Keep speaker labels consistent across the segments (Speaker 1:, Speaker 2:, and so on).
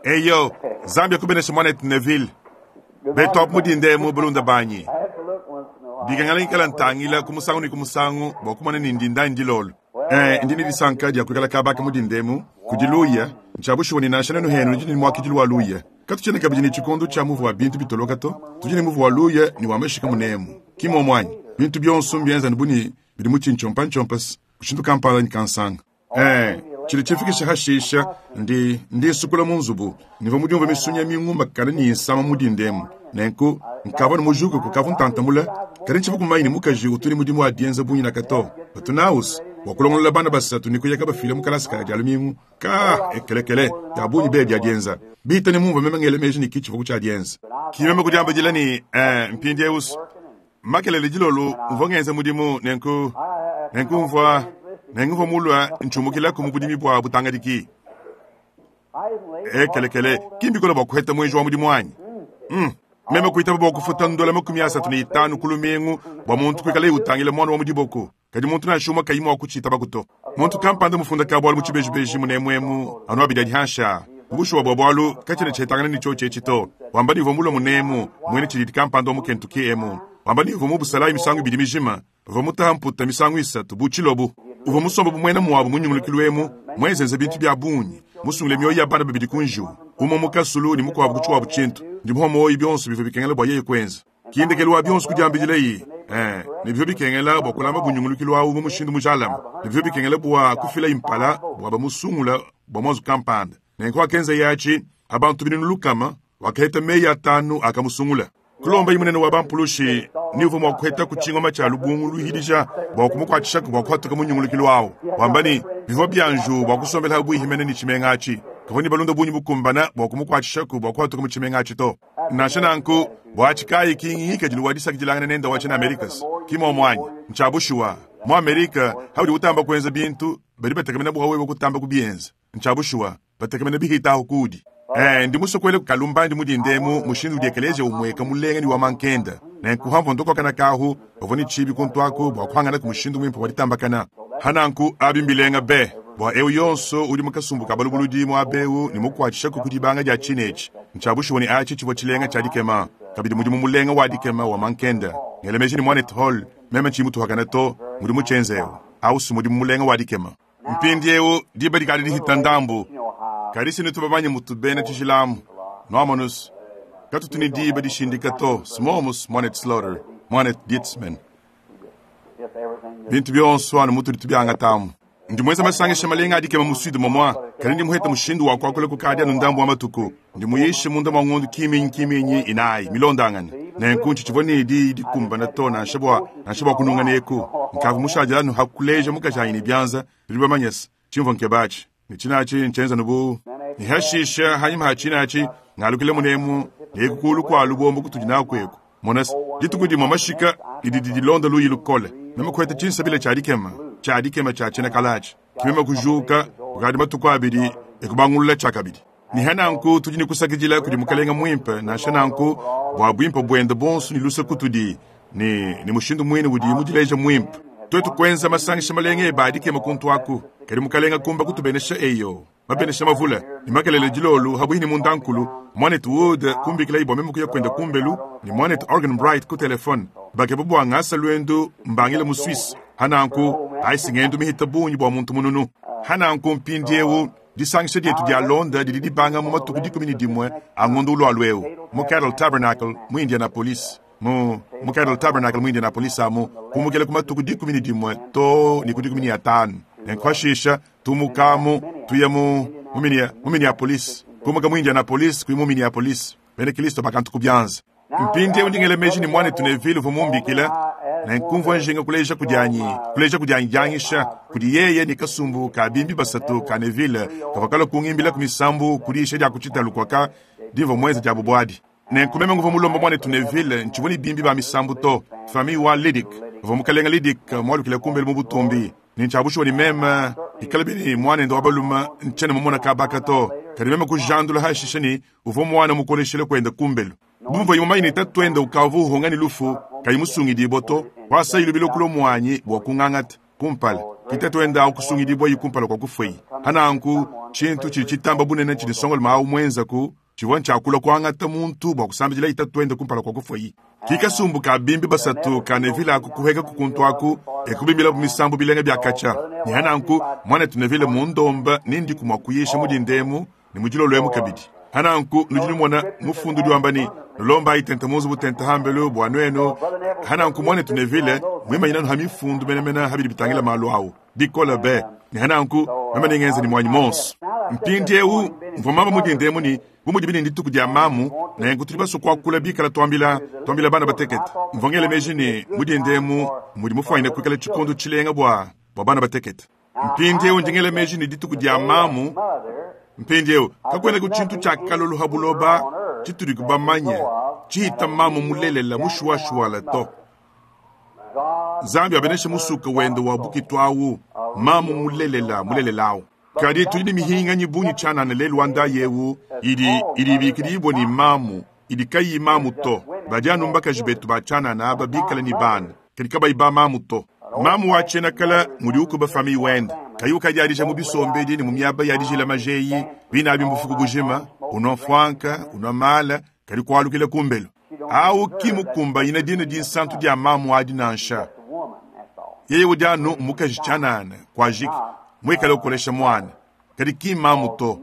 Speaker 1: Eyo, Nzambi akubeneshe mwanetu Neville. Betu apu mu dinda emu, balunda banyi. Bikengela ngikala ntangila ku musangu ne ku musangu bua kumona ni ndinda anyi ndilolo. Ee, ndi ne disanka dia kuikala kaba ka mu dinda emu kudi luya. Ntshia bushuwa ne nansha nuenu henu nudi ne muakidilu wa luya. Katutshiena kabidi ne tshikondo tshia muvu wa bintu bitoloka to. Tudi ne muvu wa luya ne wa mashika munemu. Ki muomu anyi? Bintu bionso mbienza anu bu ne bidi mu tshintshiompantshiompasa mushindu kampanda anyi kansanga. Ee, tshidi tshifikisha hashisha ndi ndi nsukula mu nzubu nivua mudiumvue misunya mingumakane ne insama mu dinda emu. Nenku nkavua ne mujuke kukavua ntanta mule, kadi ntshivua kumanya ne mukaji utu ne mudimu wa dienza bungi naka to. Batu naus bua kulongolola bana basatu ne kuya kabafila mu kalasa ka Dia lumingu. Ka ekelekele ya bungi be bia dienza bita ne mumvua meme ngela meji ne ki tshivua ku tshia dienza. Ki meme kudiambidila ne, ee, mpindieu Makelela dilolo mvua ngenza mudimu, nenku nenku mvua nenku mvua mulua ntshiumukilaku mu budimi bua butangadiki. Ekelekele, ki mbikole bua kuheta muenji wa mudimu anyi? Mm. Meme kuitaba bua kufuta ndola 35 ku lumingu bua muntu kuikalaye utangila muana wa mu diboko. Kadi muntu nansha umue kayi mua kutshiitabaku to. Muntu kampanda mufunda ka-bualu mu tshibejibeji munemu emu anu abidi adi hanshi aa, mu bushuwa bua bualu katshiena tshihetangana ne tshiotshi etshi to, wamba ne uvua mulue munemu muena tshididi kampanda wa mu Kentucky emu, wamba ne uvua mu busalayi misangu ibidi mijima, uvua mutaha mputa misangu isatu bu tshilobu, uvua musombe bu muena muabu mu nyungulukilu emu, muenzenze bintu bia bungi, musungile mioyo ya bana babidi ku njiwu, umue mu kasulu ne mukuabu ku tshikuabu tshintu, ndi muhua muoyo bionso bivua bikengela bua yeye kuenza. Ki ndekelu wa bionso kudiambidilayi, ee, ne bivua bikengela bua kulama bunyungulukilu awu mu mushindu mujalame, ne bivua bikengela bua kufilayi mpala bua bamusungula bua muanzu kampanda. Nenku wakenzaye atshi, a bantu 600, wakaheta meyi atanu akamusungula. Kulombayi munene wa bampulushi ni uvua mua kuhetaku tshingoma tshia lubungu luhidija bua kumukuatshishaku bua kuhatuka mu nyungulukilu awu, wamba ne, bivua bia njiwu bua kusombela pabuihi mene ne tshimenga atshi. Kavua ne balunda bungi bukumbana bua kumukuatshishaku bua kuhatuka mu tshimenga atshi to. Nansha nanku, buatshi kayi ki ngikadilu wa disakidilangana nende wa tshiena Amerikas? Ki muomu anyi? Ntshia bushuwa, mu Amerika, haudi utamba kuenza bintu, badi batekemena bua wewe kutamba kubienza. Ntshia bushuwa, batekemena bihitahu kuudi. Ee, ndi musue kuela kalumbandi mu dinda emu mushindu udi ekeleziya umueka mulenga ne wa mankenda. Nenku hamvua ndokokana kahu, bavua ne tshibi kuntu aku bua kuhanganaku mushindu muimpe wa ditambakana. Ha nanku, abi mbilenga be bua eu yonso udi mu kasumbu ka balubuludi muaba eu ne mukuatshishaku ku dibanga dia tshine etshi. Ntshia bushuwa ne atshi tshivua tshilenga tshia dikema, kabidi mudimu mulenga wa dikema wa mankenda. Ngela meji ne Muanetu Hall, meme tshiyi mutuhakane to, ngudi mutshienze eu. Au si mudimu mulenga wa dikema! Mpindieu diba dikadi dihita ndambu, kadi si nutu bamanye mutu bena tshijila amu. Nuamonus, katutu ne diba dishindika to, smomus, Muanetu Slaughter, Muanetu Dietzman. Bintu bionso anu mutudi tubiangata amu. Ndi muenza masangisha malenga a dikema mu Sud momua, kadi ndi muheta mushindu wa kuakula kukadi anu ndambu wa matuku. Ndi muyishe munda mua ngondu kiminyi kiminyi inayi milondangane, nenku ntshitshivua ne diyi dikumbana to nansha bua nansha bua kununga neku. Nkavua mushadile anu ha kuleja mukajanyi ne bianza, tudi bamanye se, tshimvua nkeba atshi ne tshina atshi ntshienza anu bu ne hashisha hanyima ha tshina atshi ngalukile munemu ne eku kulu kua lubombo kutudi naku eku. Mona se, dituku dimue mashika ne didi dilonda luyi lukole, meme kuheta tshinsabila tshia dikema tshia dikema tshia tshiena kala atshi. Ke meme kujuka kukadi matuku abidi e kubangulula tshiakabidi. Ne ha nanku tudi ne kusakidila kudi Mukelenge muimpe, nansha nanku, bua buimpe buende buonso ne luse kutudi, ne, ne mushindu muine udiye mudileje muimpe. Tuetu kuenza masangisha malenga ebe a dikema kuntu aku, kadi Mukelenge kumba kutubenesha, eyo, mabenesha mavule. Ne makelela dilolo, habuihi ne mundankulu, Muanetu Wood kumbikilaye bua meme kuya kuende kumbelu, ne Muanetu Arganbright ku telefone, bakeba bua ngasa luendu mbangila mu Suisse. Ha nanku, ayi si ngendu mihita bungi bua muntu mununu. Ha nanku mpindieu, Disangisha dietu dialonda didi dibanga mu matuku 11 a ngondo ulualua eu mu Cadle Tabernacle mu Indianapolis. Mu, mu Cadle Tabernacle mu Indianapolis amu, kumukila ku matuku 11 too ne ku 15. Nenku pashisha tumukamu tuya mu, mu, mu Minneapolis, kumuka mu Indianapolis kuya mu Minneapolis. Bena Kristo bakantu ku bianza. Mpindieu ndi ngela meji ne muanetu Neville uvua mumbikile, nenku mvua njinga kuleja kudianyi kuleja kudianyi dianyisha kudi yeye ne kasumbu ka bimbi basatu ka Neville kavua kalua kungimbilaku misambu ku diyisha dia ku tshitalu kuaka dimvua muenze diabu buadi. Nenku meme nguvua mulomba muanetu Neville, ntshivua ne bimbi ba misambu to, famille wa Liddick, pavua mukalenga Liddick mualukile kumbelu mu butumbi. Ne ntshia bushuwa ne meme bikalabi ne muanende wa balume ntshiena mumona kabaka to, kadi meme kujandula hashishe ne uvua muana mukoleshile kuende kumbelu. Bu muvuaye mumanye ne tatuende ukavua uhunga ne lufu kayi musungidibue to, kuasaye lubila kulua muanyi bua kungangata kumpala. Ki tatuende awu kusungidibuaye kumpala kua kufuaye. Pa nanku, tshintu tshidi tshitamba bunene tshidi nsongalume awu muenzaku tshivua ntshia kulua kuangata muntu bua kusambidilaye tatuende kumpala kua kufuaye. Ki kasumbu ka bimbi basatu ka Neville aku kuhekaku kuntu aku e kubimbilabu misambu bilenga bia katshia. Ne pa nanku, Muanetu Neville mmundomba ne ndiku mua kuyisha mu dinda emu ne mu dilolo emu kabidi. Pa nanku nudi numona Mufundu udi wamba ne, Nulombayi tente mu nzubu tente hambelu bua nuenu. Pa nanku Muanetu Neville muimanyine anu ha Mifundu menemene ha bidi bitangila malu au bikole be. Ne pa nanku meme nengenze ne muanyi monso. Mpindiewu mvua mamba mu dinda emu ne, bu mudibi ne ndituku dia mamu, nenku tudi basue kuakula bikala tuambila, tuambila bana batekete. Mvua ngela meji ne, mu dinda emu mudi mufuanyine kuikala tshikondo tshilenga bua, bua bana batekete. Mpindiewu ndi ngela meji ne dituku dia mamu. Mpindiewu kakuenaku tshintu tshia kalolu ha buloba tshitudi bamanye tshihita mamu mulelela mushuwashuwala to. Nzambi abeneshe musuka wende wa bukitu awu, mamu mulelela mulelela awu. Kadi tudi ne mihinganyi bungi tshianana lelu wa ndayi ewu idi, idi ibikidibua ne mamu, idi kayiyi mamu to. Badi anu mbakaji betu ba tshianana aba bikale ne bana, kadi kabayi ba mamu to. Mamu wa tshiena kale ngudi ukuba famiye wende, kayi ukadiadija mu bisombedi ne mu miaba ya dijila maja eyi, bine abi mbufuku bujima, unua mfuanka, unua mala, kadi kualukila kumbelu. Awu ki mukumbanyine dina dinsantu dia mamu adi nansha. Yeye udi anu mukaji tshianana, kuajiki, muikale ukolesha muana, kadi ki mmamu to,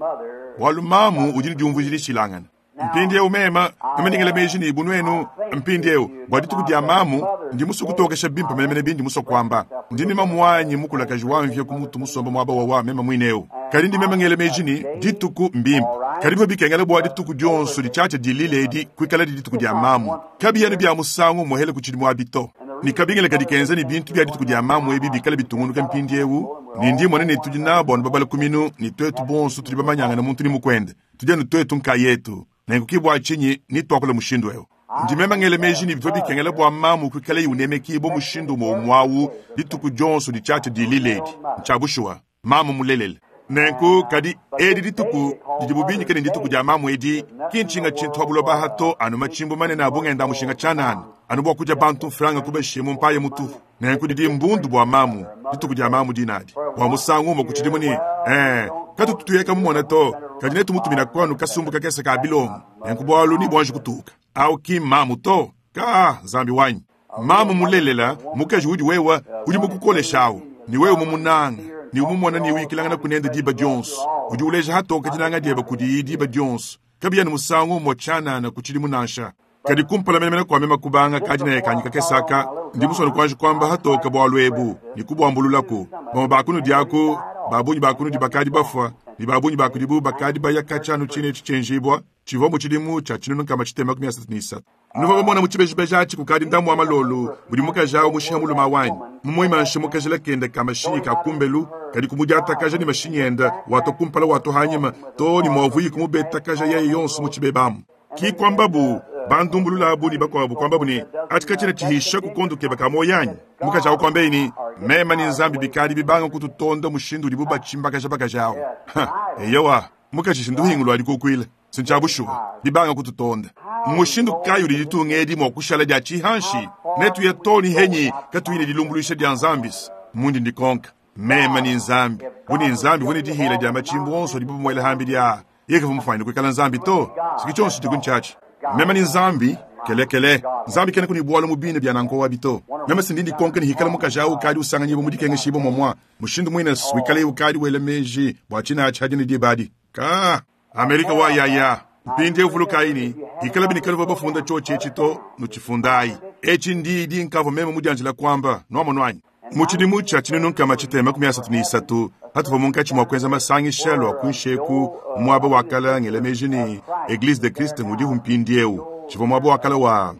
Speaker 1: bualu mamu udi ne diumvuija dishilangane. Mpindiewu meme, meme ndi ngela meji ne bu nuenu, mpindiewu, bua dituku dia mamu, ndi musue kutokesha bimpe menemene bindi musue kuamba. Ndi ne mamuanyi mukulakaji wa mvia ku mutu musombe muaba wawa meme muine eu. Kadi ndi meme ngela meji ne, dituku mbimpe. Kadi bivua bikengela bua dituku dionso ditshiatshia dilila edi kuikaladi dituku dia mamu. Kabiyi anu bia musangu umuehele ku tshidimu abi to. Ne kabingila kadi kenza ne bintu bia dituku dia mamu ebi bikale bitungunuka mpindiewu, ne ndi mmona ne tudi nabu anu babala ku minu, ne tuetu bonso tudi bamanyangane muntu ne mukuende. Tudi anu tuetu nkayetu, nenku ki bua tshinyi ne tuakula mushindu eu. Ndi meme ngela meji ne bivua bikengela bua mamu kuikalaye unemekibua mushindu umue umue au dituku dionso ditshiatshia dilila edi. Ntshia bushuwa, mamu mulelela. Nenku, kadi edi dituku didibu binyike ne ndituku dia mamu edi, ki ntshinga tshintu pa buloba aha to, anu matshimbu manene a bungenda mushinga tshianana, anu bua kudia bantu mfranga kubashiye mu mpaya mutupu. Nenku didi mbundu bua mamu, dituku dia mamu dinadi, bua musangu umue ku tshidimu ne, ee, katutu tuyeka mumona to, kadi netumutumina kuanu kasumbu kakese ka bilongo. Nenku bualu nebuanji kutuka. Au ki mmamu to. Kaa, Nzambi wanyi. Mamu mulelela, mukaji udi wewe, udi mukukolesha au, ne wewe mumunanga, ne umumona ne uyikilanganaku nende diba dionso, udi uleja hatoke dinanga diebe kudiyi diba dionso, kabiyi anu musangu umue tshianana ku tshidimu nansha. Kadi kumpala menemene kua meme kubanga kadinaya kanyi kakese aka, ndi musue anu kuanji kuamba hatoke bualu ebu ne kubuambululaku. Bamue ba kunudi aku, ba bungi ba kunudi bakadi bafua, ne ba bungi ba kudibu bakadi baya katshia anu tshine etshi tshienjibua, tshivua mu tshidimu tshia 1633. Nuvua bamona mu tshibejibeji atshi kukadi ndambu wa malolu mudi mukaji awu mushiha mulume wanyi, mumuimanshe mu kajila kende ka mashinyi ka kumbelu, kadi kumudiatakaja ne mashinyi ende watua kumpala watua anyima too ne muavuiye kumubetakaja yeye yonso mu tshibeba amu. Ki kuambabu bandumbulula abu ne bakuabu kuambabu ne, Atshi katshiena tshihisha ku kondo kebe ka muoyo anyi? Mukaji awu kuambeyi ne, Meme ne Nzambi bikadi bibanga kututonda mushindu udibu batshimbakaja bakaji awu. Eyowa, mukaji shinduhingu lua dikukuila. Si ntshia bushuwa, bibanga kututonda. Mmushindu kayi udi ditunga edi mua kushala dia tshihanshi? Netuye too ne henyi katuyi ne dilumbuluisha dia Nzambi? Mundi ndikonka meme ne Nzambi, bu ne Nzambi uvua ne dihila dia matshimbu onso adibu bamuela hambidi aa, yeye kavua mufuanyine kuikala Nzambi to. Siki tshionso tshidiku ntshiatshi. Meme ne Nzambi, kelekele, Nzambi kenaku ne bualu mu bine bia nanku abi to. Meme si ndi ndikonka ne hikala mukaji au ukadi usanganyibua mu dikengeshibua muamua, mushindu muine wikaleye ukadi wela meji bua tshine atshi hadi ne diba adi. Ka! Amerika wa yaya. Mpindieu vulukayi ne, ikalabi ne kanuvua bafunda tshiotshi etshi to, nutshifundayi. Etshi ndiyi dinkavua meme mudianjila kuamba, nuamonu anyi? Mu tshidimu tshia 1633, patuvua munkatshi mua kuenza masangisha lua kuinshi eku mu muaba wa kala ngela meji ne, Eglise de Christ ngudihu mpindieu, tshivua muaba wa kala wa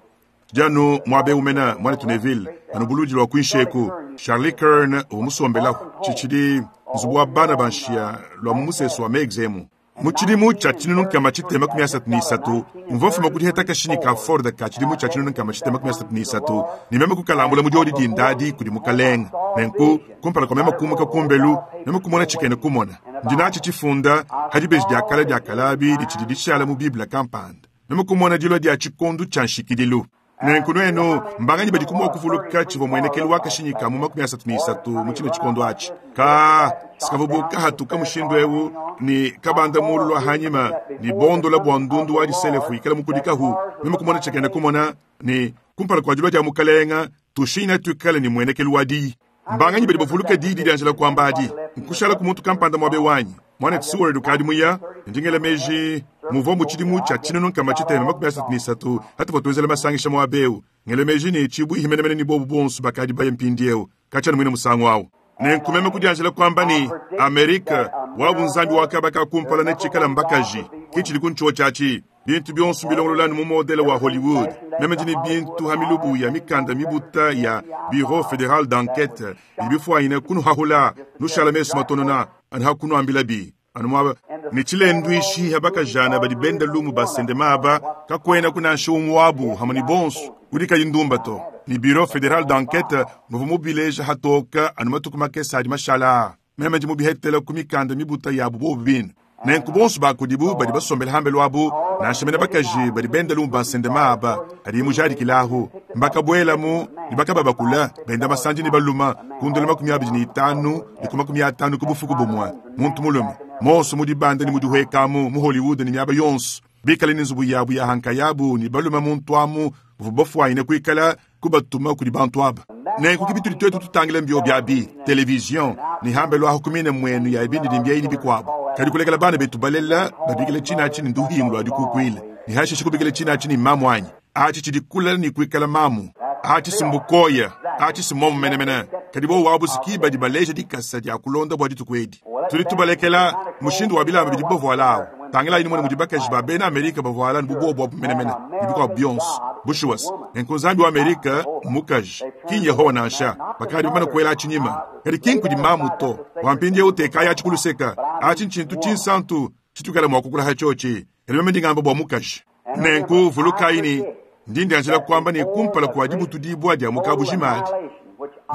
Speaker 1: Tshidi anu muaba eu mene, muanetu Neville, anu buludi lua kuinshi eku. Charlie Kern uvua musombelaku. Tshitshidi nzubu wa bana ba nshiya lua mu musesu wa Meigs emu. Mu tshidimu tshia 1633, mvua mfuma ku diheta kashinyi ka Ford ka tshidimu tshia 1633 ne meme kukalambula mu diodi dinda adi kudi Mukalenge. Nenku, kumpala kua meme kumuka kumbelu, meme kumona tshikena kumona. Ndi natshi tshifunda pa dibeji dia kale dia kalabi ditshidi dishala mu Bible kampanda. Meme kumona dilua dia tshikondo tshia nshikidilu. Nenku nwenu mbanganyi badiku mwa kuvuluka civwa mmwenekelu wa kashinyi ka mu 33 mu cine cikondo aci? Kaa, s'kavwa bu kahatuka mushindu ewu ne kabanda muulu lwa hanyima ne bondola bwa ndundu wa diselefu yikala mukudikahu. Meme kumona cikena kumona ne, kumpala kwa dilwa dya Mukalenga, tushinyina twikale ne mmwenekelu wa Diyi. Mbanganyi badi bavuluka diyi didyanjila kwamba adi? Nkushalaku muntu kampanda mwaba wanyi. Mwanetu Seward ukadi muya, ndi ngela meji, muvwa mu tshidimu tshia 1633 hatuvwa twenzela masangisha mwaba ewu. Ngela meji ne tshibwihi menemene ne bobu bonso bakadi baya mpindiewu, katshia anu mwine musangu awu. Nenku meme kudyanjila kwamba ne, Amerika, wabu nzambi wa kaba ka kumpala netshikala mbakaji. Ki tshidi ku ntshiotshi atshi. Bintu bionso mbilongolola anu mu modele wa Hollywood. Meme ndi ne bintu ha milubu ya mikanda mibuta ya Bureau Federal d'Enquete bidi bifuanyine kunuhahula, nushala mesu matonona anu ha kunuambilabi anu muaba. Ne tshilenduishi ha bakajana badi benda lumu basende maba, kakuenaku nansha umue wabu hamue ne bonso udi kayi ndumba to. Ne Bureau Federal d'Enquete muvua mubileja hatoka anu matuku makese adi mashala aa. Meme ndi mubihetela ku mikanda mibuta yabu bobu bine. Nenku bonso ba kudibu badi basombele hambelu abu, nansha mene bakaji badi benda lumu ba nsendema aba adi mujadikilahu, mbakabuelamu ne bakababakula, benda masandi ne baluma ku ndola 25 ne ku 50 ku bufuku bumue, muntu mulume, monso mu dibanda ne mu dihuekamu mu Hollywood ne miaba yonso, bikale ne nzubu yabu ya ha nkayabu ne balume muntu amu bavua bafuanyine kuikala kubatuma kudi bantu aba. Nenku ki bitudi twetu tutangila mbiobi abi, television, ne hambelu ahu ku mine mwenu ya bindidimbi eyi ne bikwabu. Kadi kulekela bana betu balela babikila cina aci ne nduhingu lwa dikukwila, ne hashishe kubikila cina aci ne mamu anyi? Aci cidi kulela ne kwikala mamu. Aci si mbukoya. Aci si momu menemene. Kadi bobu abu si ki badi baleja dikasa dya kulonda bwa dituku edi. Tudi tubalekela mushindu wa bilamba bidibu bavuala awu. Tangilayi numone mudi bakaji ba bena Amerika bavuala anu bu bobu abu menemene, ne bikuabu bionso. Bushuwa-se, nenku Nzambi wa Amerika mmukaji, ki n'Yehowa nansha. Bakadi bamane kuela atshi nyima. Kadi ki nkudi mamu to. Bua mpindieu tekayi atshi ku luseka. Atshi ntshintu tshinsantu tshituikala mua kukula ha tshiotshi. Kadi meme ndi ngamba bua mukaji. Nenku vulukayi ne, ndi ndianjila kuamba ne kumpala kua dibutudibua dia mu kabujima adi,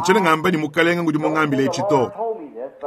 Speaker 1: ntshiena ngamba ne Mukalenga ngudi mungambile etshi to,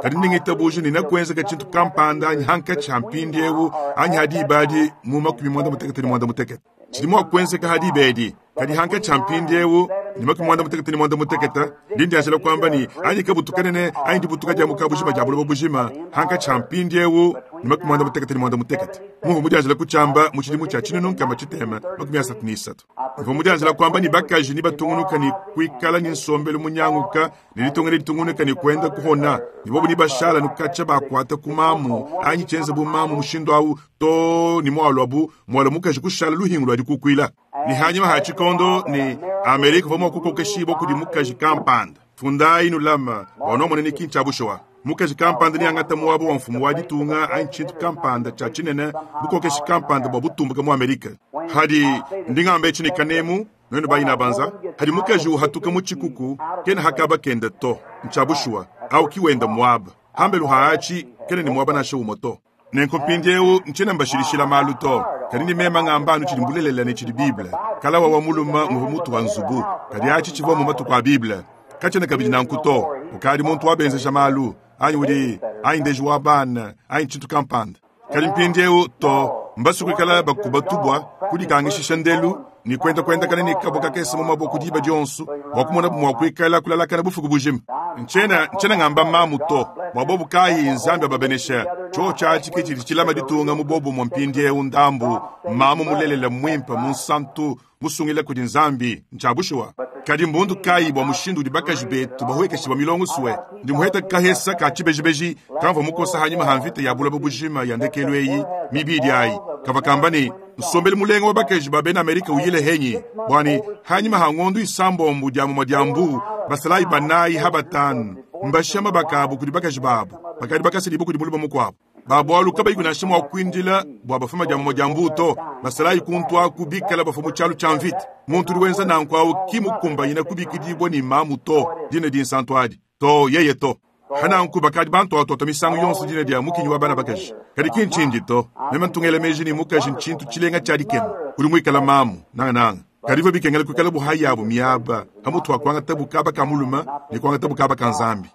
Speaker 1: kadi ndi ngitabuja ne nekuenzeka tshintu kampanda anyi hankatshi ha mpindiewu anyi ha diba adi mu 58. Tshidi mua kuenzeka ha diba edi, kadi hankatshi ha mpindiewu ne 58, ndi ndianjila kuamba ne anyi kabutu kanene anyi dibutuka dia mu kabujima dia buloba bujima hankatshi ha mpindiewu ne 58. Mumvua mudianjila kutshiamba mu tshidimu tshia 1633. Mvua mudianjila kuamba ne bakaji nebatungunuka ne kuikala ne nsombelu munyanguka ne ditunga neditungunuka ne kuenda kuhona, ne bobu nebashala nukatshia bakuata ku mamu anyi tshienza bu mamu mushindu au too ne mualuabu mualua mukaji kushala luhingu lua dikukuila. Ne hanyima ha tshikondo ne Amerika uvua mua kukokeshibua kudi mukaji kampanda. Fundayi nulama bua nuamone ne ki ntshia bushuwa. Mukaji kampanda neangate muaba wa mfumu wa ditunga anyi tshintu kampanda tshia tshinene, bukokeshi kampanda bua butumbuke mu Amerika. Hadi, ndi ngamba etshi ne kanemu, nuenu bayinabanza, hadi mukaji uhatuka mu tshikuku, kena ha kaba kende to. Ntshia bushuwa, au ki wenda muaba. Hambelu ha atshi, kena ne muaba nansha umue to. Nenku mpindiewu ntshiena mbashilishila malu to, kadi ndi mema ngamba anu tshidi mbulelela ne tshidi Bible. Kalawa wa mulume nguvua mutu wa nzubu, kadi atshi tshivua mu matuku a Bible. Katshiena kabidi nanku to. Ukadi muntu wa benzeja malu, anyi udi, anyi ndeji wa bana, anyi tshintu kampanda. Kadi mpindiewu to, mbasue kuikala bakuba tubua, kudikangishisha ndelu, ne kuenda kuendakana ne kabua kakese mu maboku diba dionso bua kumonabu mua kuikala kulalakana bufuku bujima. Ntshiena, ntshiena ngamba mamu to, bua bobu kayi Nzambi ababenesha. Tshiotshi atshi ke tshidi tshilama ditunga mu bobumue mpindieu ndambu. Mamu mulelela muimpe, munsantu, musungila kudi Nzambi, ntshia bushuwa. Kadi mbundu kayi bua mushindu udi bakaji betu bahuekeshibua milongo sue? Ndi muheta kahesa ka tshibejibeji kamvua mukosa hanyima ha mvita ya buloba bujima ya ndekelu eyi mibidi ayi, kavua kamba ne, Nsombelu mulenga wa bakaji ba bena Amerika uyile henyi? Bua ne, hanyima ha ngondu isambombo dia mumue dia mbu, basalayi banayi ha batanu mbashiya mabaka abu kudi bakaji babu bakadi bakasedibua kudi mulume mukuabu. Ba bualu kabayiku nansha mua kuindila bua bafuma dia mumue dia mbu to. Basalayi kuntu aku bikala bafua mu tshialu tshia mvita. Muntu udi wenza nanku au ki mukumbanyina kubikidibua ne mamu to, dina dinsantu adi to, yeye to. Hananku bakadi bantuatuata misangu yonso dina dia mukinyi wa bana bakaji, kadi ki ntshindi to. Meme ntu ngela meji ne mukaji ntshintu tshilenga tshia dikema, udi muikala mamu nangananga. Kadi bivua bikengela kuikala bu hayabu miaba pamutu pa kuangatabu kaba ka mulume ne kuangatabu kaba ka Nzambi.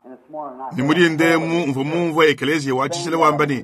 Speaker 1: Ne mu dinda emu mvua mumvue ekeleziya wa tshijila wamba ne,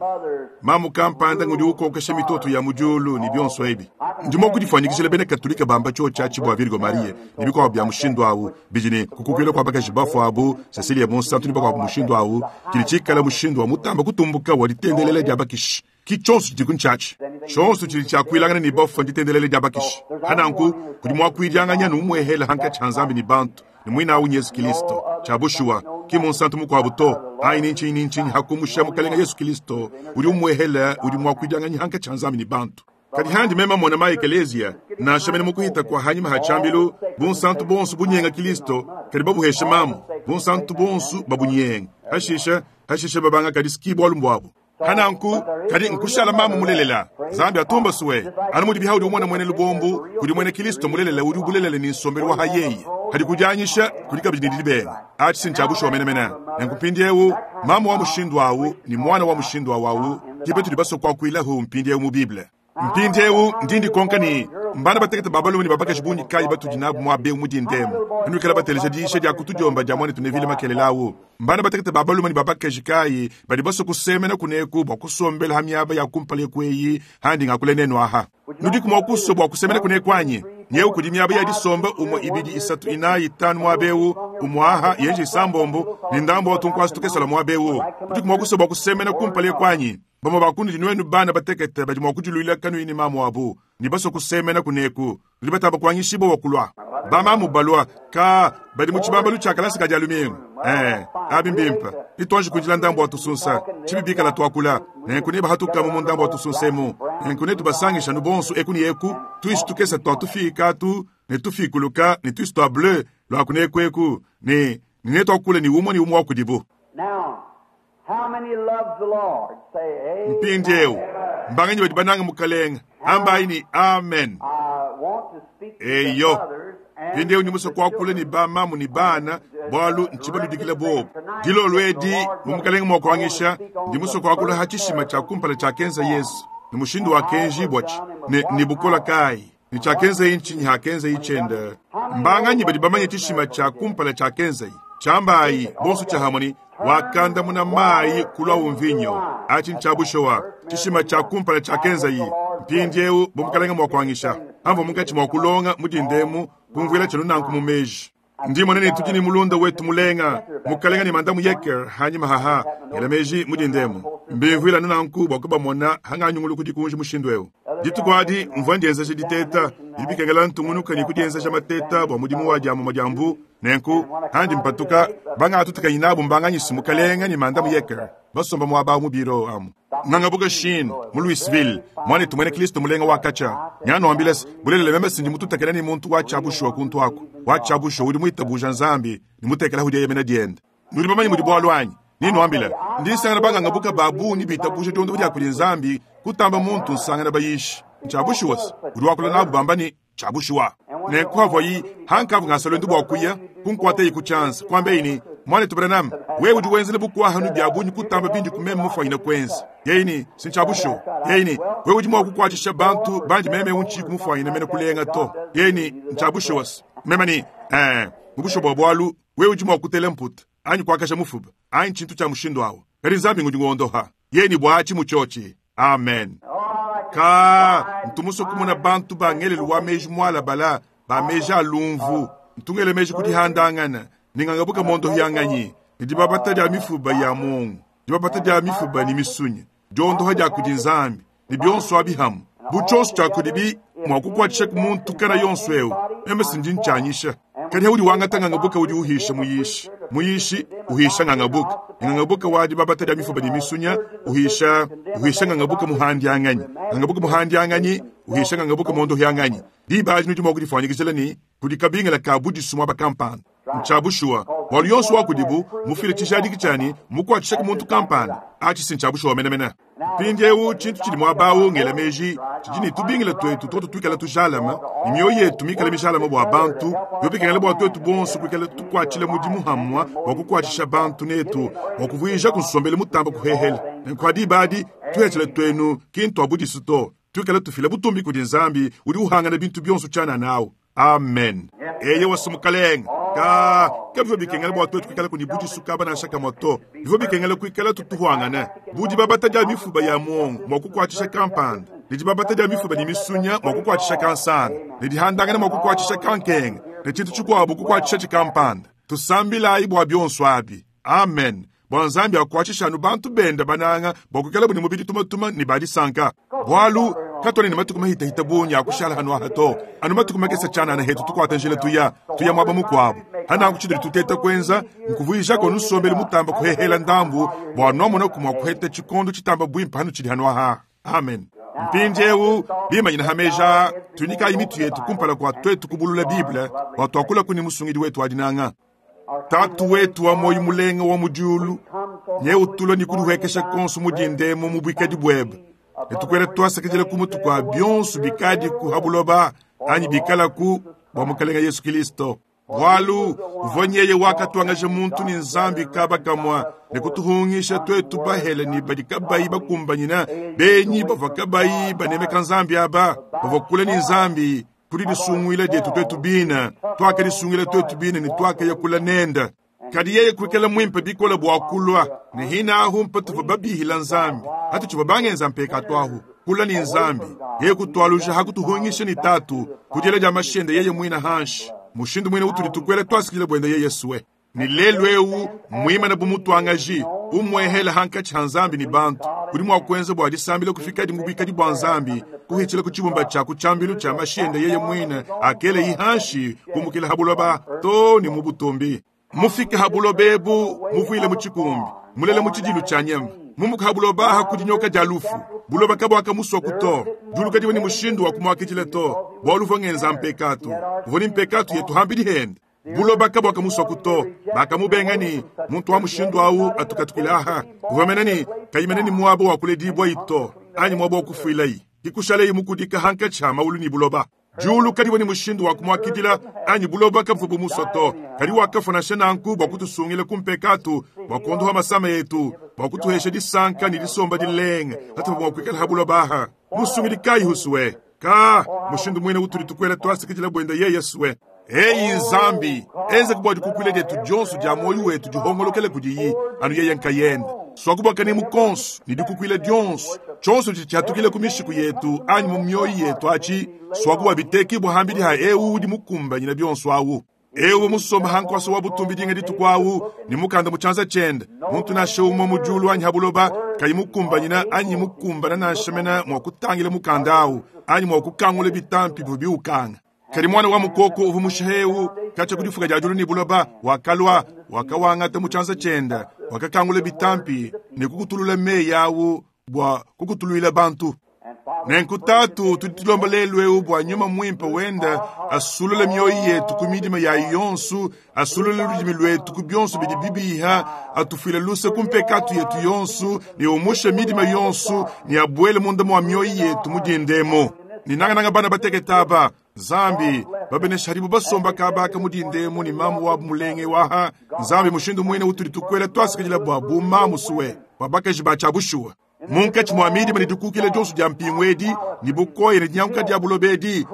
Speaker 1: Mamu kampanda ngudi ukokesha mitoto ya mu diulu ne bionso ebi. Ndi mua kudifwanyikijila bena Katolika bamba tshiotshi atshi bua Virgo Maria ne bikuabu bia mushindu au, bidi ne kukukuila kua bakaji bafue abu, Cecilia Munsantu ne bakuabu mushindu au, tshidi tshikala mushindu wa mutamba kutumbuka wa ditendelela dia bakishi. Ki tshionso tshidiku ntshiatshi. Tshionso tshidi tshiakuilangana ne bafue nditendelela dia bakishi. Pa nanku, kudi muakuidianganyi anu umuehela hankatshi ha Nzambi ne bantu, ne muine au n'Yezu Kilisto. Tshia bushuwa, ki munsantu mukuabu to, anyi ni ntshinyi ni ntshinyi hakumusha Mukalenga Yesu Kilisto udi umuehela udi muakuidianganyi hankatshi ha Nzambi ne bantu. Kadi handi meme mona ma ekeleziya, nansha mene mu kuhita kua hanyima ha tshiambilu, bunsantu bonso bunyenga Kilisto, kadi babuheshe mamu, bunsantu bonso babunyenga, hashisha, hashisha babanga kadi ski bualu mbuabu. Pananku, kadi nkushala mamu mulelela. Nzambi atumba sue. Anu mudi bihaudi umona muena lubombu, kudi muena Kilisto mulelela udi bulelela ne nsombelu wa hayeye. Kadi kudianyisha kudi kabidi ne didibenga. Atshi si ntshia bushuwa menemene. Nenku mpindieu, mamu wa mushindu au ne muana wa mushindu au au ke batudi basue kuakuilahu mpindieu mu Bible. Mpindieu ndi ndikonka ne, mbana batekete ba balume ne ba bakaji bungi kayi batudi nabu muaba eu mu dinda emu? Panuikala bateleja diyisha dia ku tudiomba dia muanetu Neville makelela au, mbana batekete ba balume ne ba bakaji kayi badi basue kusemena kuneku bua kusombela ha miaba ya kumpala eku eyi handi ngakula nenu aha? Nudiku mua kusua bua kusemena kuneku anyi? Nyewu kudi miaba ya disomba umue, ibidi, isatu, inayi, itanu muaba eu, umue aha, yenji isambombo, ne ndambu wa tunkuasu tukesala muaba eu. Nudiku mua kusua bua kusemena kumpala eku anyi? Bamue ba kunudi nuenu bana batekete badi mua kudiluila kanuyi ne mamu wabu ne basue kusemena kuneku, nudi batamba kuanyishibua bua kulua. Bamamu balua, ka badi mu tshibambalu tshia kalasa ka Dia lumingu. Ee, abi mbimpe. Nituanji kuindila ndambu wa tusunsa, tshibi bikala tuakula. Nenku nebahatukamu mu ndambu wa tusunsa emu. Nenku netubasangishe anu bonso eku ne eku, tuishi tukese tua tufiika atu ne tufiikuluka ne tuishi tua bleu lua kuneku eku, ne, ne netuakule ne umue ne umue wa kudibu. Mpindieu, mbanganyi badi banange Mukalenge? Ambayi ne, Amen. Eyo. Mpindieu ndi musue kuakula ne bamamu ne bana, bualu ntshibaludikile bobu. Dilolo edi, mu Mukalenge mua kuanyisha, ndi musue kuakula ha tshishima tshia kumpala tshiakenza Yesu, ne mushindu wakenjibuatshi, ne, ne bukola kayi, ne tshiakenzaye ntshinyi hakenzaye tshiende. Mbanganyi badi bamanye tshishima tshia kumpala tshiakenzaye? Tshiambayi bonso tshiahamue ne, Wakandamuna mayi kuluawu mvinyo. Atshi ntshia bushuwa tshishima tshia kumpala tshiakenzaye. Mpindieu bu Mukalenge mua kuanyisha, amvua munkatshi mua kulonga mu dinda emu, kumvuila tshienu nanku mu meji. Ndi mmona ne tudi ne mulunda wetu mulenga, Mukalenge ne Mandamu Yecker hanyima haha, ngela meji mu dinda emu. Mbimvuila anu nanku bua kubamona hanganyunguluku dikunji mushindu eu. Dituku adi mvua ndienzeja diteta. Bidi bikengela ntungunuka ne kudienzeja mateta bua mudimu wa diamomua dia mbu. Nenku, handi mpatuka, bangatutakanyi nabu mbanganyise Mukalenge ne Mandamu Yecker basomba muaba awu mu biro amu. Ngangabuka Sheen, mu Louisville, muanetu muena Kristo mulenga wa katshia. Nyanuambila se, bulelela meme si ndi mututakena ne muntu wa tshia bushuwa kuntu aku, wa tshia bushuwa udi muitabuja Nzambi ne mutekela dieyemena diende. Nudi bamanye mudi bualu anyi? Nenuambila, ndi nsangana bangangabuka ba bungi bitabuja diondopa dia kudi Nzambi kutamba muntu nsangana bayishi. Ntshia bushuwa se, udi wakula nabu bamba ne, Tshia bushuwa. Nenku havuayi hankavu ngasa luendu bua kuya, kunkuatayi ku tshianza, kuambeyi ne, Muanetu Branham, wewe udi wenzela bukua-hanu bia bungi kutamba bindi ku meme mufuanyine kuenza. Yeye ne, Si ntshia bushuwa. Yeye ne, Wewe udi mua kukuatshisha bantu bandi meme eu ntshiyi mufuanyine mene kulenga to. Yeye ne, Ntshia bushuwa se. Meme ne, Ee, mu bushuwa bua bualu, wewe udi mua kutela mputa, anyi kuakaja mufuba, anyi tshintu tshia mushindu au. Kadi Nzambi ngudi ngondoha. Yeye ne bua atshi mu tshiotshi. Amen. Ka ntu musue kumona bantu ba ngelelu wa meji mualabala, ba meji a lumvu. Ntu ngela meji ku dihandangana ne ngangabuka mondohianganyi, ne dibabata dia mifuba ya muongo, dibabata dia mifuba ne misunya, diondoha dia kudi Nzambi, ne bionso abi hamu. Bu tshionso tshia kudibi mua kukuatshisha ku muntu kana yonso eu, meme si ndi ntshianyisha. Kadi haudi wangata ngangabuka udi uhisha muyishi, muyishi uhisha ngangabuka, ne ngangabuka wa dibabata dia mifuba ne misunya uhisha uhisha ngangabuka muhandianganyi, ngangabuka muhandianganyi uhisha ngangabuka mondohianganyi. Diba adi nudi mua kudifuanyikijila ne kudi kabingila ka budisu muaba kampanda. Ntshia bushuwa, bualu yonso wa kudibu mufile tshijadiki tshia ne mmukuatshishe ku muntu kampanda. Atshi si ntshia bushuwa menemene. Mpindieu tshintu tshidi muaba au, ngela meji, tshidi ne tubingila tuetu tuotu tuikale tujalame ne mioyo yetu mikale mijalame bua bantu, biobi bikengela bua tuetu bonso kuikala tukuatshila mudimu hamua bua kukuatshisha bantu netu bua kuvuijaku nsombelu mutamba kuhehela. Nenku ha diba adi, tuhetshila tuenu ki ntua budisu to, tuikale tufila butumbi kudi Nzambi udi uhangana bintu bionso tshianana au. Amen. Eyowa, Mukalenge. Kaa, kabivua bikengela bua tuetu kuikalaku ne budisu kaba nansha kamue to. Bivua bikengela kuikala tutuhuangana bu dibabata dia mifuba ya muongo mua kukuatshisha kampanda, ne dibabata dia mifuba ne misunya mua kukuatshisha kansanga, ne dihandangana mua kukuatshisha kankenga, ne tshintu tshikuabu kukuatshishatshi kampanda. Tusambilayi bua bionso abi. Amen. Bua Nzambi akuatshishe anu bantu bende bananga bua kuikalabu ne mubidi tumatuma ne ba disanka. Bualu katuena ne matuku mahitahita bungi a kushala hanu aha to, anu matuku makese tshianana hetu tukuata njila tuya, tuya muaba mukuabu. Hananku tshitudi tuteta kuenza nkuvuijako nsombelu mutamba kuhehela ndambu bua nuamonaku mua kuheta tshikondo tshitamba buimpe hanutshidi hanu aha. Amen. Mpindieu bimanyina ha meji aa, tunyikayi mitu yetu kumpala kua tuetu kubulula Bible bua tuakulaku ne Musungidi wetu wa dinanga. Tatu wetu wa muoyo mulenga wa mu diulu, nye utulua ne kudihuekesha konso mu dindemo mu buikadi buebe, ne tukuela tuasakidila ku mutu kua bionso bikadiku ha buloba anyi bikalaku bua Mukelenge Yesu Kilisto. Bualu uvua nyeye wakatuangaja muntu ne Nzambi kaba kamua ne kutuhungisha tuetu bahele ne badi kabayi bakumbanyina, benyi bavua kabayi banemeka Nzambi aba bavua kule ne Nzambi. Kudi disunguila dietu tuetu bine, tuakadisunguila tuetu bine ne tuakaya kula nende. Kadi yeye kuikala muimpe bikole bua kulua ne hina ahu mpatuvua babihila Nzambi, hatutshivua bangenza mpekatu ahu kula ne Nzambi. Yeye kutualuja hakutuhungisha ne Tatu ku diela dia mashende yeye muina hanshi, mushindu muine utudi tukuela tuasikila buende yeye sue. Ne lelu eu muimane bu mutuangaji umuehela hankatshi ha Nzambi ne bantu, udi mua kuenza bua disambila kufikadi mu buikadi bua Nzambi, kuhitshila ku tshibumba tshia ku tshiambilu tshia mashi ende yeye muine akela hanshi kumukila ha buloba to ne mu butumbi. Mufike ha buloba ebu muvuile mu tshikumbi, mulele mu tshidilu tshia nyama, mumuka ha buloba aha ku dinyoka dia lufu. Buloba kabuakamusua ku to, diulu kadiwa ne mushindu wa kumuakidila to, bualu uvua ngenza mpekatu, uvua ne mpekatu yetu hambidi hende. Buloba kabuakamusua ku to, bakamubenga ne muntu wa mushindu au atukatukila aha, uvua mena ne kayimene ne muaba wa kuledibua ito anyi muaba wa kufuilayi, kikushalayi mukudika hankatshi ha maulu ne buloba. Diulu kadiwa ne mushindu wa kumuakidila anyi buloba kabuvua bumusua to, kadi wakafua nansha nanku bua kutusungila ku mpekatu, bua kuondoha masama etu, bua kutuhesha disanka ne disomba dilenge hatuvua mua kuikala ha buloba aha. Musungidi kayi husue ka mushindu muine utudi tukuela tuasikidila buende yeye sue. Eyi Nzambi, enza bua dikukuila dietu dionso dia muoyo wetu dihongolokele kudiyi anu yeye nkayende. Swakubwaka ne mukonso ne dikukuila dionso tshionso tshidi tshiatukile ku mishiku yetu anyi mu mioyo yetu atshi, swakubwa bitekibwa hambidi ha eu udi mukumbanyina bionso awu. Eu musomba hankwasa wa butumbi dinga dituku awu ne mukanda mu tshianza tshiende, muntu nansha umue mu diulu anyi ha buloba kayi mukumbanyina anyi mukumbana nansha mena mua kutangila mukanda awu anyi mua kukangula bitampi bivua biukanga. Kadi mwana wa mukoko uvua mushihewu katshia ku difuka dia diulu ne buloba wakalua, wakawangata mu tshianza tshiende, wakakangula bitampi ne kukutulula meyi awu bua kukutuluila bantu. Nenku Tatu, tudi tulomba lelu eu bua nyuma muimpe wende asulule mioyo yetu ku midima yayi yonso, asulule ludimi luetu ku bionso bidi bibiha, atufuile luse ku mpekatu yetu yonso, ne umushe midima yonso, ne abuele munda mua mioyo yetu mu dindemo. Ne nangananga bana batekete aba, Nzambi babenesha hadibu basomba kabaka mu dindemo ne mamu wabu mulenge waha. Nzambi mushindu muine utudi tukuela tuasikidila bua bu mamu suwe bua bakaji ba tshia bushuwa. Munkatshi mua midima ne dikukila dionso dia mpingu edi ne bukoya ne dinyanguka dia buloba edi,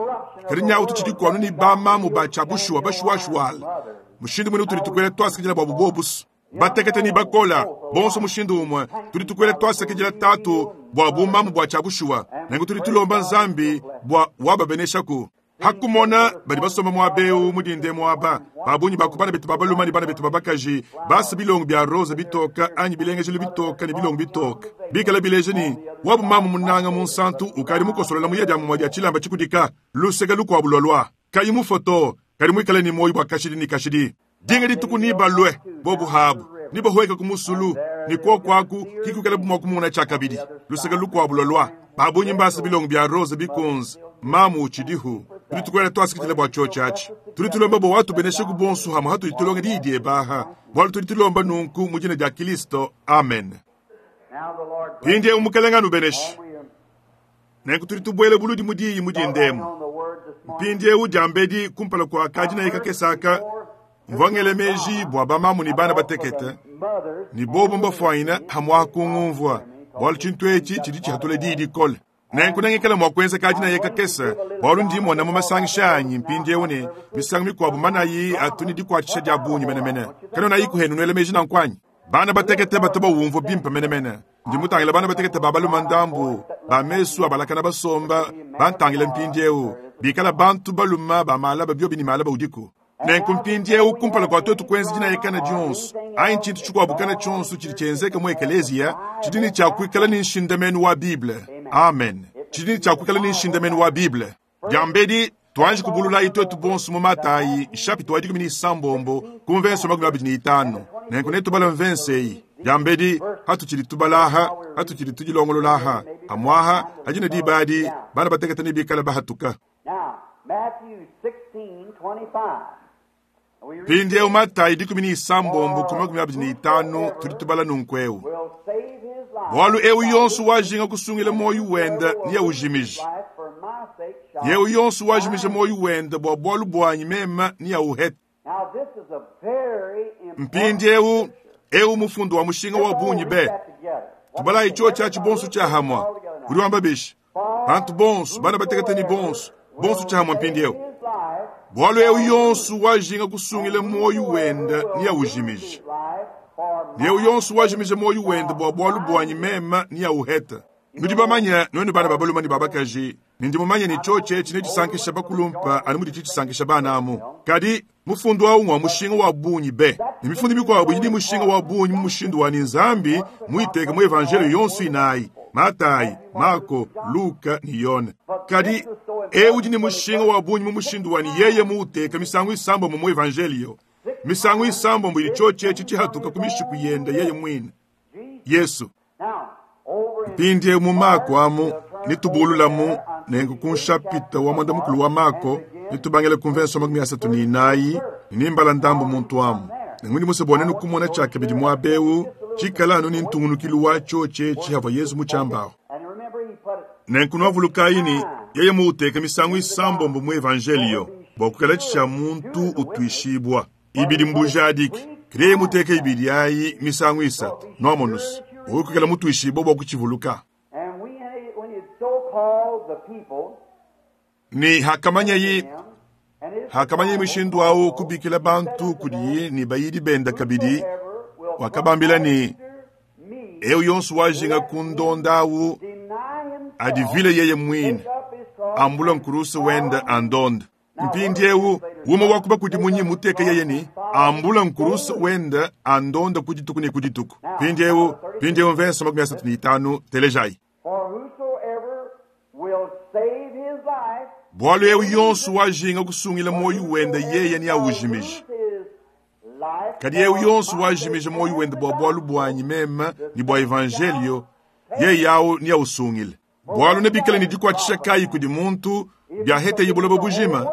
Speaker 1: kadi nyawu tutshidi kuanu ne bamamu ba tshia bushuwa bashuwashuwala. Mushindu muine utudi tukuela tuasikidila bua bubobusu batekete ne bakola bonso mushindu umue, tudi tukuela tuasakidila Tatu bua bumamu bua tshia bushuwa. Nenku tudi tulomba Nzambi bua wababeneshaku. Hakumona badi basomba muaba eu mu dinde muaba babunyi ba ku bana betu ba balume ne bana betu ba bakaji basa bilongo bia rosa bitoka anyi bilengejelu bitoka ne bilongo bitoka bikala bileja ne wabu mamu munanga munsantu ukadi mukosolola muya dia mumue dia tshilamba tshikudika luseke lukuabu lualua kayi mufoto kadi muikale ne muoyo bua kashidi ne kashidi. Dinga dituku nibalue bobu habu nibahueka ku musulu ne kuoku aku kikuikala bu mua kumona tshiakabidi luseke lukuabu lualua babunyi mbasa bilongo bia rosa bikunze mamu utshidihu. Tudi tukuela tuasikidila bua tshiotshi atshi. Tudi tulomba bua watubeneshe ku bonso hamwe hatudi tulonga diyi diebe aha, bualu tudi tulomba nunku mu dina dia Kristo. Amen. Mpindieu Mukelenge anubeneshe. Nenku tudi tubuela buludi mu diyi mu dindemo. Mpindieu diambedi kumpala kua kadinayi kakese aka, mvua ngela meji bua bamamu ne bana batekete ne bobu mbafuanyina hamua kungumvua, bualu tshintu etshi tshidi tshihatula diyi dikole. Nenku nengikale mua kuenza kadinaye kakese, bualu ndi mmona mu masangisha anyi mpindieu ne, misangu mikuabu manayi atu ne dikuatshisha dia bungi menemene. Kanuenayiku henu nuela meji nanku anyi? Bana batekete batu bawumvua bimpe menemene. Ndi mutangile bana batekete ba balume ndambu ba mesu abalakana basomba bantangila mpindieu, bikala bantu balume ba malaba biobi ne malaba udiku. Nenku mpindieu kumpala kua tuetu kuenza dinayekana dionso anyi tshintu tshikuabu kana tshionso tshidi tshienzeka mu ekeleziya, tshidi ne tshia kuikala ne nshindamenu wa Bible. Amen. Tshidi ne tshia kuikala ne nshindamenu wa Bible. Diambedi tuanji kubululayi tuetu bonso mu Matayi nshapita wa 16 ku mvense 25. Nenku netubale mvense eyi diambedi hatutshidi tubalaha, hatutshidi tudilongololaha amwaha adi ne diba adi bana batekete ne bikale bahatuka.
Speaker 2: Now, Matthew 16:25. We read,
Speaker 1: Mpindieu Matayi 16 ku 25 tudi tubala nunku eu.
Speaker 2: will save his life.
Speaker 1: Bualu eu yonso wajinga kusungila muoyo wende niyawujimije.
Speaker 2: Life for my sake shall.
Speaker 1: Yeu yonso wajimija muoyo wende bua bualu buanyi meme niyawuhete.
Speaker 2: Now this is a very important
Speaker 1: Mpindieu eu mufundu wa mushinga wa bungi be.
Speaker 2: that together.
Speaker 1: Tubalayi cho tshiatshi bonso tshiahamwa. Udi wamba bishi? Bantu bonso, bana batekete ni bonso, bonso tshiahamwa mpindieu.
Speaker 2: His life,
Speaker 1: Bualu eu yonso wajinga kusungila muoyo wende niyawujimije.
Speaker 2: life for my
Speaker 1: Yeu yonso wajimija muoyo wende bua bualu buanyi meme niyawuhete. Nudi bamanye nuenu bana ba balume ne ba bakaji, ne ndi mumanye ne tshiotshi etshi netshisankisha bakulumpa anu mudi tshisankisha bana amu. Kadi mufundu awu ngwa mushinga wa bungi be, ne mifundu mikuabu idi mushinga wa bungi mu mushindu wa ni Nzambi muiteke mu evangelio yonso inayi, Matayi, Marko, Luka ne Yone. Kadi eu udi ne mushinga wa bungi mu mushindu wa ni yeye muuteka misangu isambombo mu evangelio. Misangu isambombo idi tshiotshi etshi tshihatuka ku mishiku yende yeye mwine. Yesu.
Speaker 2: Now, over in
Speaker 1: Mpindieu mu Mako amu nitubululamu nenku ku nshapita wa mwanda mukulu wa Mako nitubangile ku mvenso 34 nimbala ndambu muntu amu. Nengu ndi musue nenu kumona tshiakabidi muaba eu tshikala anu ni ntungunukilu watsho tshietshi havua Yesu mutshiambaho.
Speaker 2: and remember he put it
Speaker 1: Nenku nuavulukayi ni yeye muuteka misangu isambombo mu evangelio bua kukala tshia muntu utuishibwa. Ibidi mbujadiki kadi yeye muteka ibidi ayi misangu isatu nuamonusa ukukala mutuishibwa bua kutshivuluka.
Speaker 2: and we when he so called the people
Speaker 1: Ni hakamanyayi
Speaker 2: him and his
Speaker 1: hakamanyayi mushindu awu kubikila bantu kudiyi ni bayidi benda kabidi
Speaker 2: ever will
Speaker 1: wakabambila ni
Speaker 2: me
Speaker 1: eu yonso wajinga kundonda awu
Speaker 2: deny himself,
Speaker 1: adivile yeye mwine
Speaker 2: take up his cross
Speaker 1: ambula nkurusu wenda andonda. Mpindieu umwe wakuba kudi munyi muteke yeye ni ambula nkurusu wenda andonda kudituku ne kudituku. Mpindieu mpindieu mvenso 35 telejayi.
Speaker 2: For whosoever will save his life
Speaker 1: Bualu eu yonso wajinga kusungila muoyo wenda yeye ni awujimije.
Speaker 2: lose his life
Speaker 1: Kadi eu yonso wajimija muoyo wende bua bualu buanyi meme ni bua evangelio yeye awu ni awusungile. Bualu nebikale ne dikuatshisha kayi kudi muntu biaheteye buloba bujima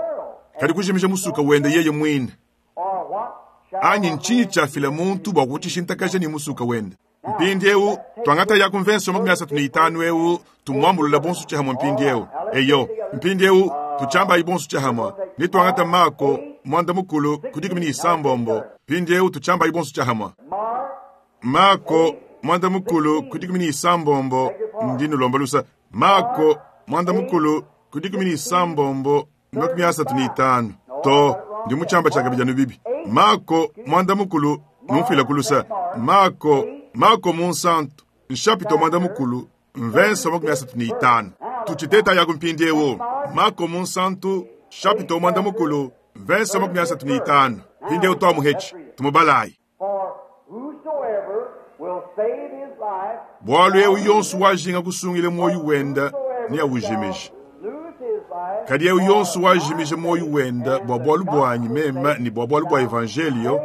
Speaker 1: kadi kujimija musuka wende yeye mwine.
Speaker 2: or what shall
Speaker 1: Anyi ntshinyi tshiafila muntu bua kutshishintakaja ni musuka wende. Mpindieu tuangata ya kumvenso 35 eu tumuambulula bonso tshihamwa mpindieu. Eyo mpindieu tutshambayi bonso tshihamwa ni tuangata Mako mwanda mukulu ku 16 mpindieu tutshambayi bonso tshihamwa.
Speaker 2: Mark
Speaker 1: Mako mwanda mukulu ku 16 ndi nulomba lusa. Mako mwanda mukulu ku 16 35 to ndi muchamba tshia kabidi anu bibi. Mako mwanda mukulu numfila kulusa. Mako Mako munsantu nshapito mwanda mukulu mvenso 35 tuchiteta ya kumpindiewo. Mako munsantu shapito mwanda mukulu mvenso 35 mpindieu twamuhechi tumubalayi.
Speaker 2: for whosoever will save his life
Speaker 1: Bualu eu yonso wajinga kusungila muoyo wenda niyawujimije.
Speaker 2: lose his life
Speaker 1: Kadi eu yonso wajimija muoyo wenda bua bualu buanyi meme ni bua bualu bua evangelio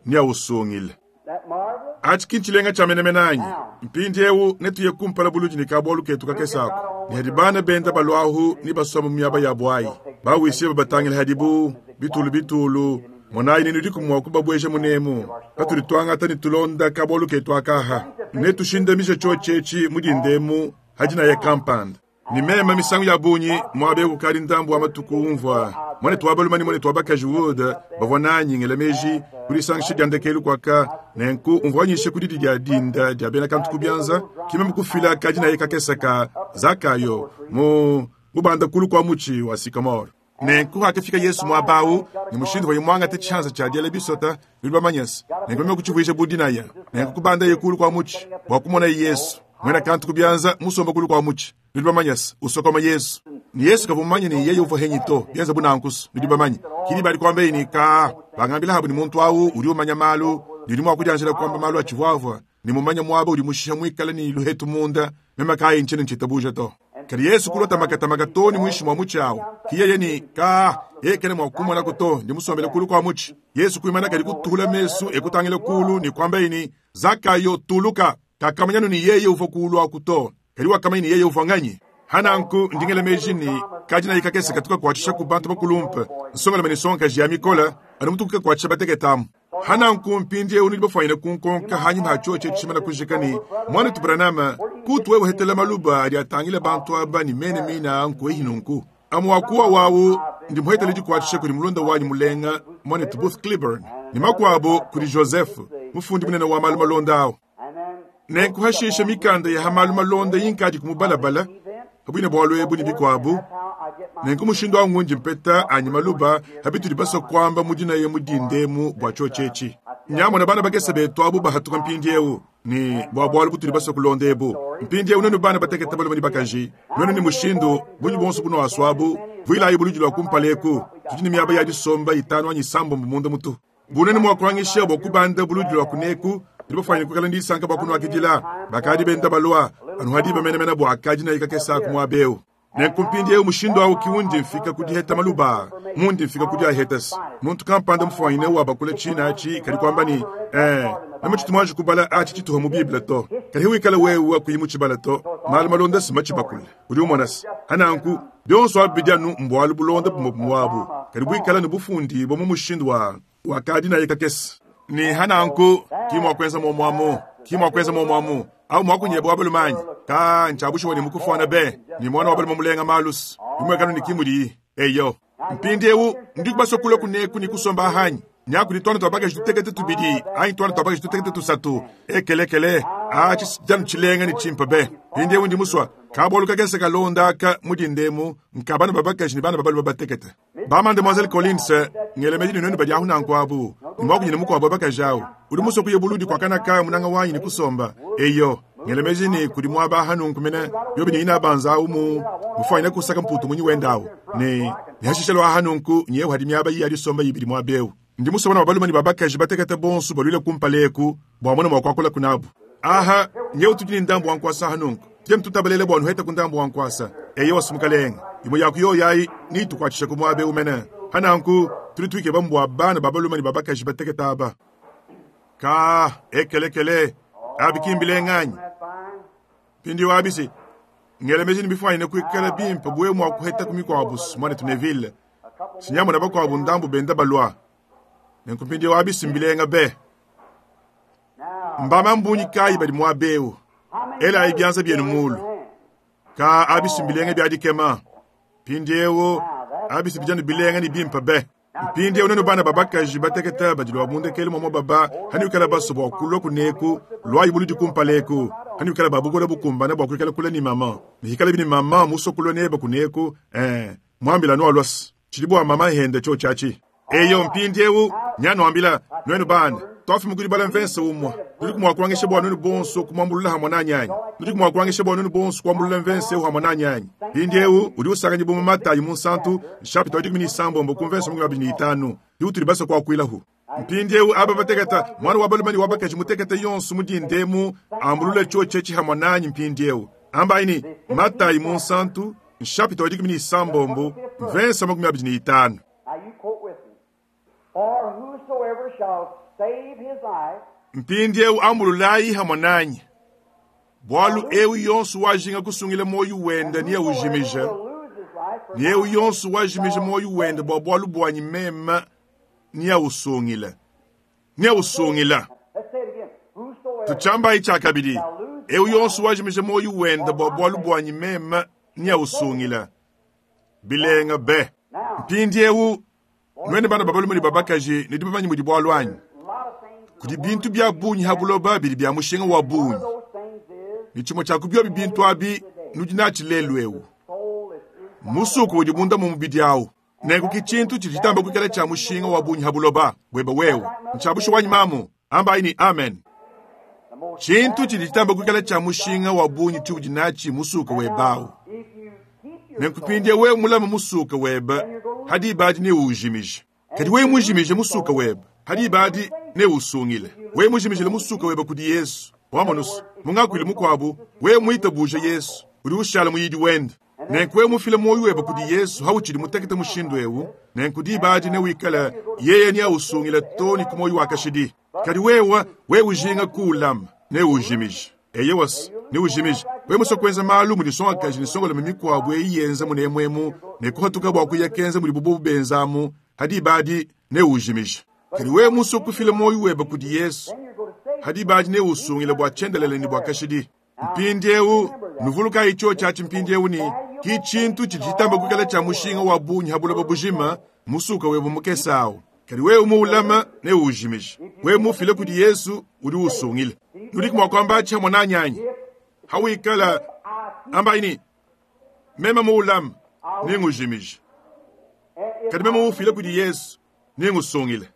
Speaker 1: niyawusungile.
Speaker 2: that marvelous
Speaker 1: Atshi kintshilenga tshia menemene anyi mpindieu netuye kumpala buludi ne kabualu ketu kakesako ni hadi bana benda balwahu ni basoma mu miaba yabu ayi bawisiye babatangila hadibu bitulu bitulu monayi nenu diku mua kubabweja munemu patudi tuangata ne tulonda kabualu ketu akaha netushindamisha tshiotshi etshi mu dindemu hadi naye kampanda. Ne meme misangu ya bungi muaba eu kukadi ndambu wa matuku umvua muanetu wa balume ne muanetu wa bakaji Wood bavua nanyi ngela meji ku disangisha dia ndekelu kuaka, nenku umvua nyisha ku didi dia dinda dia bena kantu ku bianza, ki meme kufila kadinaye kakese ka Zakayo mu mubanda kulu kua mutshi wa sycamore. Nenku hakafika Yesu muaba au, ne mushindu uvuaye muangate tshianza tshia diela bisota, nudi bamanyese, nenku meme kutshivuija bu dinaya, nenku kubandaye kulu kua mutshi bua kumonaye Yesu, muena kantu ku bianza musomba kulu kua mutshi, nudi bamanyese, usokoma Yesu. Ne Yesu kavua mumanye ne yeye uvua henyi to, bienza bu nankusu, nudi bamanye. Kidi badi kuambaye ne, Kaa, bangambila habu ne muntu au udi umanya malu, ne udi mua kudianjila kuamba malu atshivuavua, ne mumanye muaba udi mushiha muikale ne luhetu munda, meme kayi ntshiena ntshitabuja to. Kadi Yesu kulua makatamaka too ne muinshi mua mutshi awu. Ki yeye ne, Kaa, yeye kena mua kumonako to, ndi musombele kulu kua mutshi. Yesu kuimana kadi kutuhula mesu e kutangila kulu ne kuambaye ne, Zakayo, tuluka. Kakamanya nu ne yeye uvua kulu aku to, kadi wakamanya ne yeye uvua nganyi. Hananku ndi ngela meji ne kadinayi kakese katu kakuatshisha ku bantu bakulumpe, nsongalume ne nsongakaji ya mikola, anu mutuku kakuatshisha batekete amu. Hananku mpindieu nudi bafuanyine kunkonka hanyima ha tshiotshi etshi tshimana kujika ne, Muanetu Branham, kutu wewe uhetela maluba adi atangila bantu aba ne mene mine aa nkuehi nunku? Amu wa kuwa wawu ndi muhetele dikuatshisha kudi mulunda wanyi mulenga muanetu Booth Clibborn, ne makuabu kudi Joseph, mufundi munene wa malu malonda awu. Nenku hashisha mikanda ya ha malu malonda inkadi kumubalabala pabuine bualu ebu ne bikuabu. Nenku mushindu awu ngundi mpeta anyi maluba ha bitudi basua kuamba mu dinaya mu dinda emu bua tshiotshi etshi. Nyamona bana bakese betu abu bahatuka mpindieu ne bua bualu butudi basua kulonda ebu. Mpindieu nuenu bana batekete balume ne bakaji, nuenu ne mushindu bungi buonso bunuasuabu, vuilayi buludi lua kumpala eku. Tudi ne miaba ya disomba itanu anyi isambombo munda mutu. Bunene mua kuangisha bua kubanda buludi lua kuneku, tudi bafuanyine kuikala ne disanka bua kunuakidila. Bakadi benda balua anu ha diba menemene bua akadi kakese aku muaba eu. Nenku mpindieu mushindu awu ki undi mfika ku diheta maluba, mundi mfika ku diahetasi. Muntu kampanda mufuanyine wabakula tshina atshi kadi kuamba ne, Eh, meme tshitu muanji kubala atshi tshituha mu Bible to. Kadi wikala wewe kuyi mutshibala to, malu malonda si matshibakule. Udi umona se, hananku bionso abi bidi anu mbualu bulonda bumue bumue abu, kadi buikala ne bufundibua mu mushindu wa wakadi naye kakese. Ne hananku ki mua kuenza muomu amu, ki mua kuenza muomu amu. Au muakunyebe wa balume anyi? Ka ntshiabushuwa ne mukufuana be, ne muana wa balume mulenga malus. Bimuekanu ne ki mudiyi. Eyo. Mpindieu ndi basue kulua kuneku ne kusomba ahanyi. Nyaku ne tuana tua bakaji tutekete tubidi anyi tuana tua bakaji tutekete tusatu. Ekelekele, atshi janu tshilenga ne tshimpe be. Mpindieu ndi musua kabualu kakese kalonda aka mu dindemu nka bana ba bakaji ne bana ba balume batekete. Ba Mademoiselle Collins, ngela meji ne nuenu badi ahu nanku abu, ne muakunyine mukuabu wa bakaji awu. Udi musue kuya buludi kua kana ka munanga wanyi ne kusomba. Eyo, ngela meji ne kudi muaba aha nunku mene, biobi ne ina banza awu mu mufuanyine kusaka mputu munyi wenda awu. Ne ne hashisha lua aha nunku nyewu hadi miaba iyi ya disomba ibidi muaba eu. Ndi musue bana ba balume ne ba bakaji batekete bonso baluile kumpala eku bua mona mua kuakula kunabu. Aha, nyewu tudi ne ndambu wa nkuasa aha nunku. Tudi tutabalela bua nuhete ku ndambu wa nkuasa. Eyo wasu mukalenge. Imue ya ku yoyi ayi nitukuatshisha ku muaba eu mene. Hananku tudi tuikeba mbua bana ba balume ne ba bakaji batekete aba. Ka ekelekele abi ki mbilenga anyi? Mpindieu abi si ngela meji ne bifuanyine kuikala bimpe buwe mua kuheta ku mikuabu muanetu Neville. Sinyamona bakuabu ndambu benda balua. Nenku mpindieu abi si mbilenga be. Mbama mbunyi kayi badi muaba eu? Elayi bianza bienu mulu. Ka abi si mbilenga bia dikema. Mpindieu abi si bijanu bilenga ne bimpe be. Mpindieu nuenu bana ba bakaji batekete badi lua mundekelu mua baba hanuikala basue bua kulua kuneku luayi buludi kumpala eku hanuikala ba bukole bukumbana bua kuikala kula ne mama ne hikala bini mama musue kulua neba kuneku muambila nualuas tshidi bua mama hende tshiotshi atshi. Eyo mpindieu nyanuambila nuenu bana tuafuma kudi bala mvense umue nudi mua kuangisha bua nuenu bonso kumuambulula hamue nanyi anyi? Nudi mua kuangisha bua nuenu bonso kuambulula mvense eu hamue nanyi anyi? Mpindieu udi usanganyibua mu Matayi munsantu nshapita wa 16 ku mvense 25 diutudi basue kuakuilahu. Mpindieu aba batekete mwana wa balume ne wa bakaji mutekete yonso mu dindemu ambulula tshiotshi etshi hamue nanyi mpindieu. Ambayi ne Matayi munsantu nshapita wa 16 mvense 25.
Speaker 2: Now you quote with me. For whosoever shall save his life
Speaker 1: Mpindieu ambululayi hamue nanyi. Bualu eu yonso wajinga kusungila moyo wenda niye ujimija.
Speaker 2: will lose his life for
Speaker 1: Niye yonso wajimija moyo wenda bua bualu buanyi meme niye usungila. Niye usungila.
Speaker 2: Let's say it again. Whosoever
Speaker 1: Tutshambayi tshia kabidi. Eu yonso wajimija moyo wenda bua bualu buanyi meme neausungila. Bilenga be! Mpindiewu, nuenu bana ba balume ne ba bakaji, nudi bamanye mudi bualu anyi? Kudi bintu bia bungi ha buloba bidi bia mushinga wa bungi, ne tshimue tshia ku biobi bintu abi nudi natshi lelu eu, musuku udi munda mua mubidi au. Nenku ki tshintu tshidi tshitamba kuikala tshia mushinga wa bungi ha buloba buebe wewe. Ntshia bushuwa anyi mamu? Ambayi ne amen. Tshintu tshidi tshitamba kuikala tshia mushinga wa bungi tshiudi natshi musuka webe au. Nenku mpindieu wewe mulame musuka webe, ha diba adi neuwujimije. Kadi wewe mujimije musuka webe, ha diba adi neuwusungile. Wewe mujimijile musuka webe kudi Yesu, wamonusu, mu ngakuilu mukuabu, wewe muitabuje Yesu, udi ushala muyidi wende. Nenku wewe mufile muoyo webe kudi Yesu hautshidi mutekete mushindu eu, nenku diba adi newikale yeye neausungile too ne ku muoyo wa kashidi. Kadi wewe, wewe ujinga kuulama, neuujimije. Eyowa, neuujimije. Wewe musue kuenza malu mudi nsongakaji ne nsongalume mikuabu eyi yenza munemu emu ne kuhatuka bua kuya kenza mudibu bobu benzamu, ha diba adi neuujimije. Kadi wewe musue kufila muoyo webe kudi Yesu, ha diba adi neuusungile bua tshiendelele ne bua kashidi. Mpindiewu, nuvulukayi tshiotshi atshi mpindiewu ne, ki tshintu tshidi tshitamba kuikala tshia mushinga wa bungi ha buloba bujima, musuka webe mukese awu. Kadi wewe muulama, neuwujimije. Wewe muufile kudi Yesu, udi uwusungila. Nudiku mua kuamba atshi hamue nanyi anyi? Hawikala ambayi ne, Meme muulama, nengujimije. Kadi meme muufile kudi Yesu, nengusungile.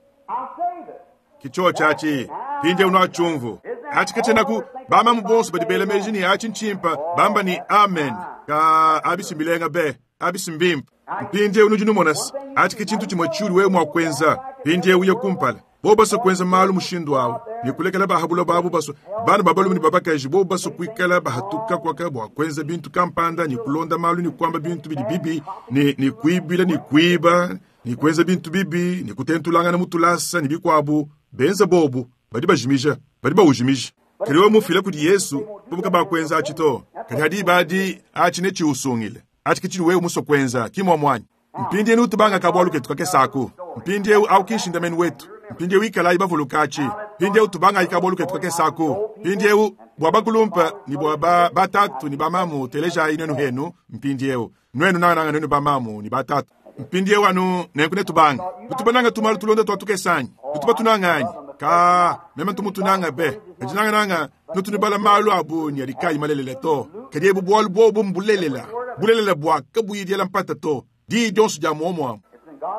Speaker 1: Ki tshiotshi atshi. Mpindieu nuatshiumvu. Atshi katshienaku bamamu bonso badi bela meji ne atshi ntshimpa bamba ne amen. Ka abi si mbilenga be, abi si mbimpe. Mpindieu nudi numona se, atshi ke tshintu tshimue tshiudi wewe mua kuenza. Mpindieu uye kumpala. Bobu basue kuenza malu mushindu au ne kulekela ba ha buloba abu basue bana ba balume ne ba bakaji bobu basue kuikala bahatuka kuaka bua kuenza bintu kampanda ne kulonda malu ne kuamba bintu bidi bibi ne, ne kuibila ne kuiba ne kuenza bintu bibi ne kutentulangana mu tulasa ne bikuabu, benza bobu, badi bajimija, badi bawujimija. Kadi wewe mufila kudi Yesu, bobu kabakuenza atshi to. Kadi ha diba adi, atshi netshiusungile. Atshi ke tshidi wewe musue kuenza, ki muomu anyi? Mpindieu tubanga kabualu ketu kakese aku. Mpindieu au ki nshindamenu wetu. Mpindieu ikalayi bavuluka atshi. Mpindieu tubangayi kabualu ketu kakese aku. Mpindieu bua bakulumpe ne bua ba batatu ne bamamu, telejayi nuenu henu mpindieu. Nuenu nangananga nuenu bamamu ne batatu. Mpindieu anu nenku netubange. Nutu bananga tumalu tulonda tua tukese anyi? Nutu batunanga anyi? Kaa, meme ntu mutunanga be. Kadi nangananga nutu nubala malu a bungi adi kaayi malelela to. Kadi ebu bualu buobu mbulelela, bulelela bua kabuyi diela mpata to. Diyi dionso dia muomuamue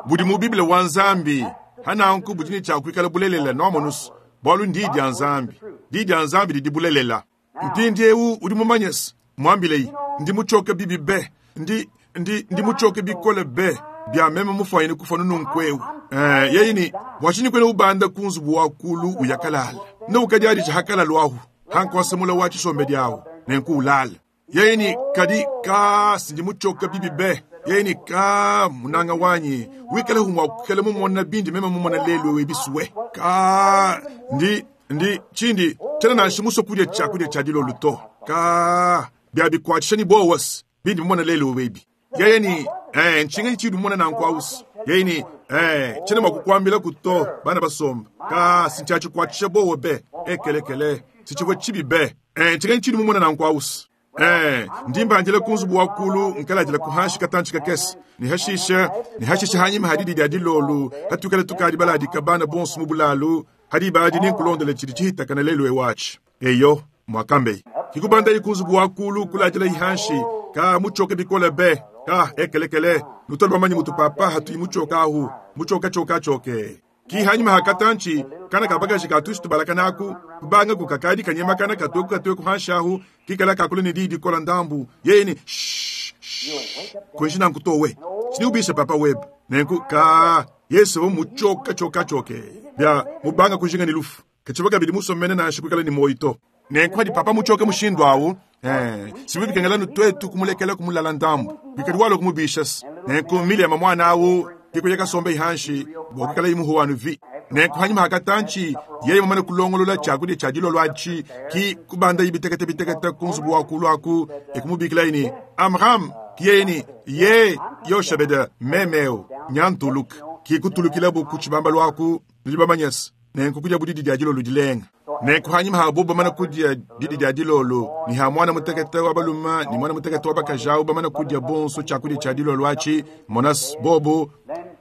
Speaker 1: budi mu Bible wa Nzambi, ha nanku budi ne tshia kuikala bulelela, nuamonus, bualu n'Diyi dia Nzambi. Diyi dia Nzambi didi bulelela. Mpindiewu udi mumanye se, muambileyi, ndi mutshioke bibi be. Ndi, ndi, ndi mutshioke bikole be, bia meme mufuanyine kufua nunkuewu. Eh, yeye ne, bua tshinyi kuena ubanda ku nzubu wa kulu uya kalala? Ne ukadiadija ha kalalu ahu, ha nkuasa mula wa tshisombedi ahu, nenku ulala. Yeye ne, kadi ka, sindi mutshioke bibi be. Yeye ne, ka, munanga wanyi, wikale hu mua kuikala mumona bindi meme mumona lelu ewu ebisue. Ka, ndi, ndi, tshindi, tshiena nansha musue kudia tshiakudia tshia dilolu to. Ka, bia bikuatshisha ne buowa se, bindi mumona lelu ewu ebi. Yeye ne, eh, ntshinganyi tshiudi mumona nanku awusi? Yeye ne, eh, tshiena mua kukuambilaku to, bana basomba. Ka, si ntshiatshikuatshisha buowa be. Ekelekele, si tshivua tshibi be. Eh, ntshinganyi tshiudi mumona nanku awusi? Eh, ndi mbandila ku nzubu wa kulu nkaladila ku hanshi katantshi kakese, ne hashisha, ne hashisha hanyima ha didi dia dilolu, hatuikala tukadi baladika bana bonso mu bulalu, ha diba adi nenkulondele tshidi tshihitakana lelu ewu atshi. Eyo, muakambeyi. Kikubandayi ku nzubu wa kulu kuladilayi hanshi, ka mutshioke bikole be, ka ekelekele, nutole bamanye mutu papa hatuyi mutshioka ahu, mutshioka tshioka tshioke. Ki hanyima ha katantshi, kana ka bakaji ka tushi tubalakana aku, kubangaku kakadi kanyemakana katueku katueku hanshi ahu, kikala kakula ne diyi dikola ndambu, yeye ne, Shh, shh, kuenji nanku to we. Tshidi ubisha papa webe. Nenku, ka, Yesu uvua mutshioka tshioka tshioke, bia mubanga kujinga ne lufu. Katshivua kabidi musue mene nansha kuikala ne muoyo to. Nenku padi papa mutshioke mushindu awu, eh, si bivua bikengela anu tuetu kumulekela kumulala ndambu, kuikadi walua kumubisha se. Nenku Miliama muana awu kikuya kasombe hanshi bua kuikalaye muhuwa anu vi. Nenku hanyima ha katantshi, yeye mumane kulongolola tshiakudia tshia dilolo atshi, ki kubandaye bitekete bitekete ku nzubu wa kulu aku, e kumubikilaye ne, Amram! Ki yeye ne, Ye, Yoshebede, meme eu, nya ntuluka. Ki kutulukilabu ku tshibambalu aku, nudi bamanye se, nenku kudia budidi dia dilolo dilenga. Nenku hanyima ha bobo bamana kudia didi dia dilolo, ne ha muana mutekete wa balume ne muana mutekete wa bakaji awu bamana kudia bonso tshiakudia tshia dilolo atshi, monas bobo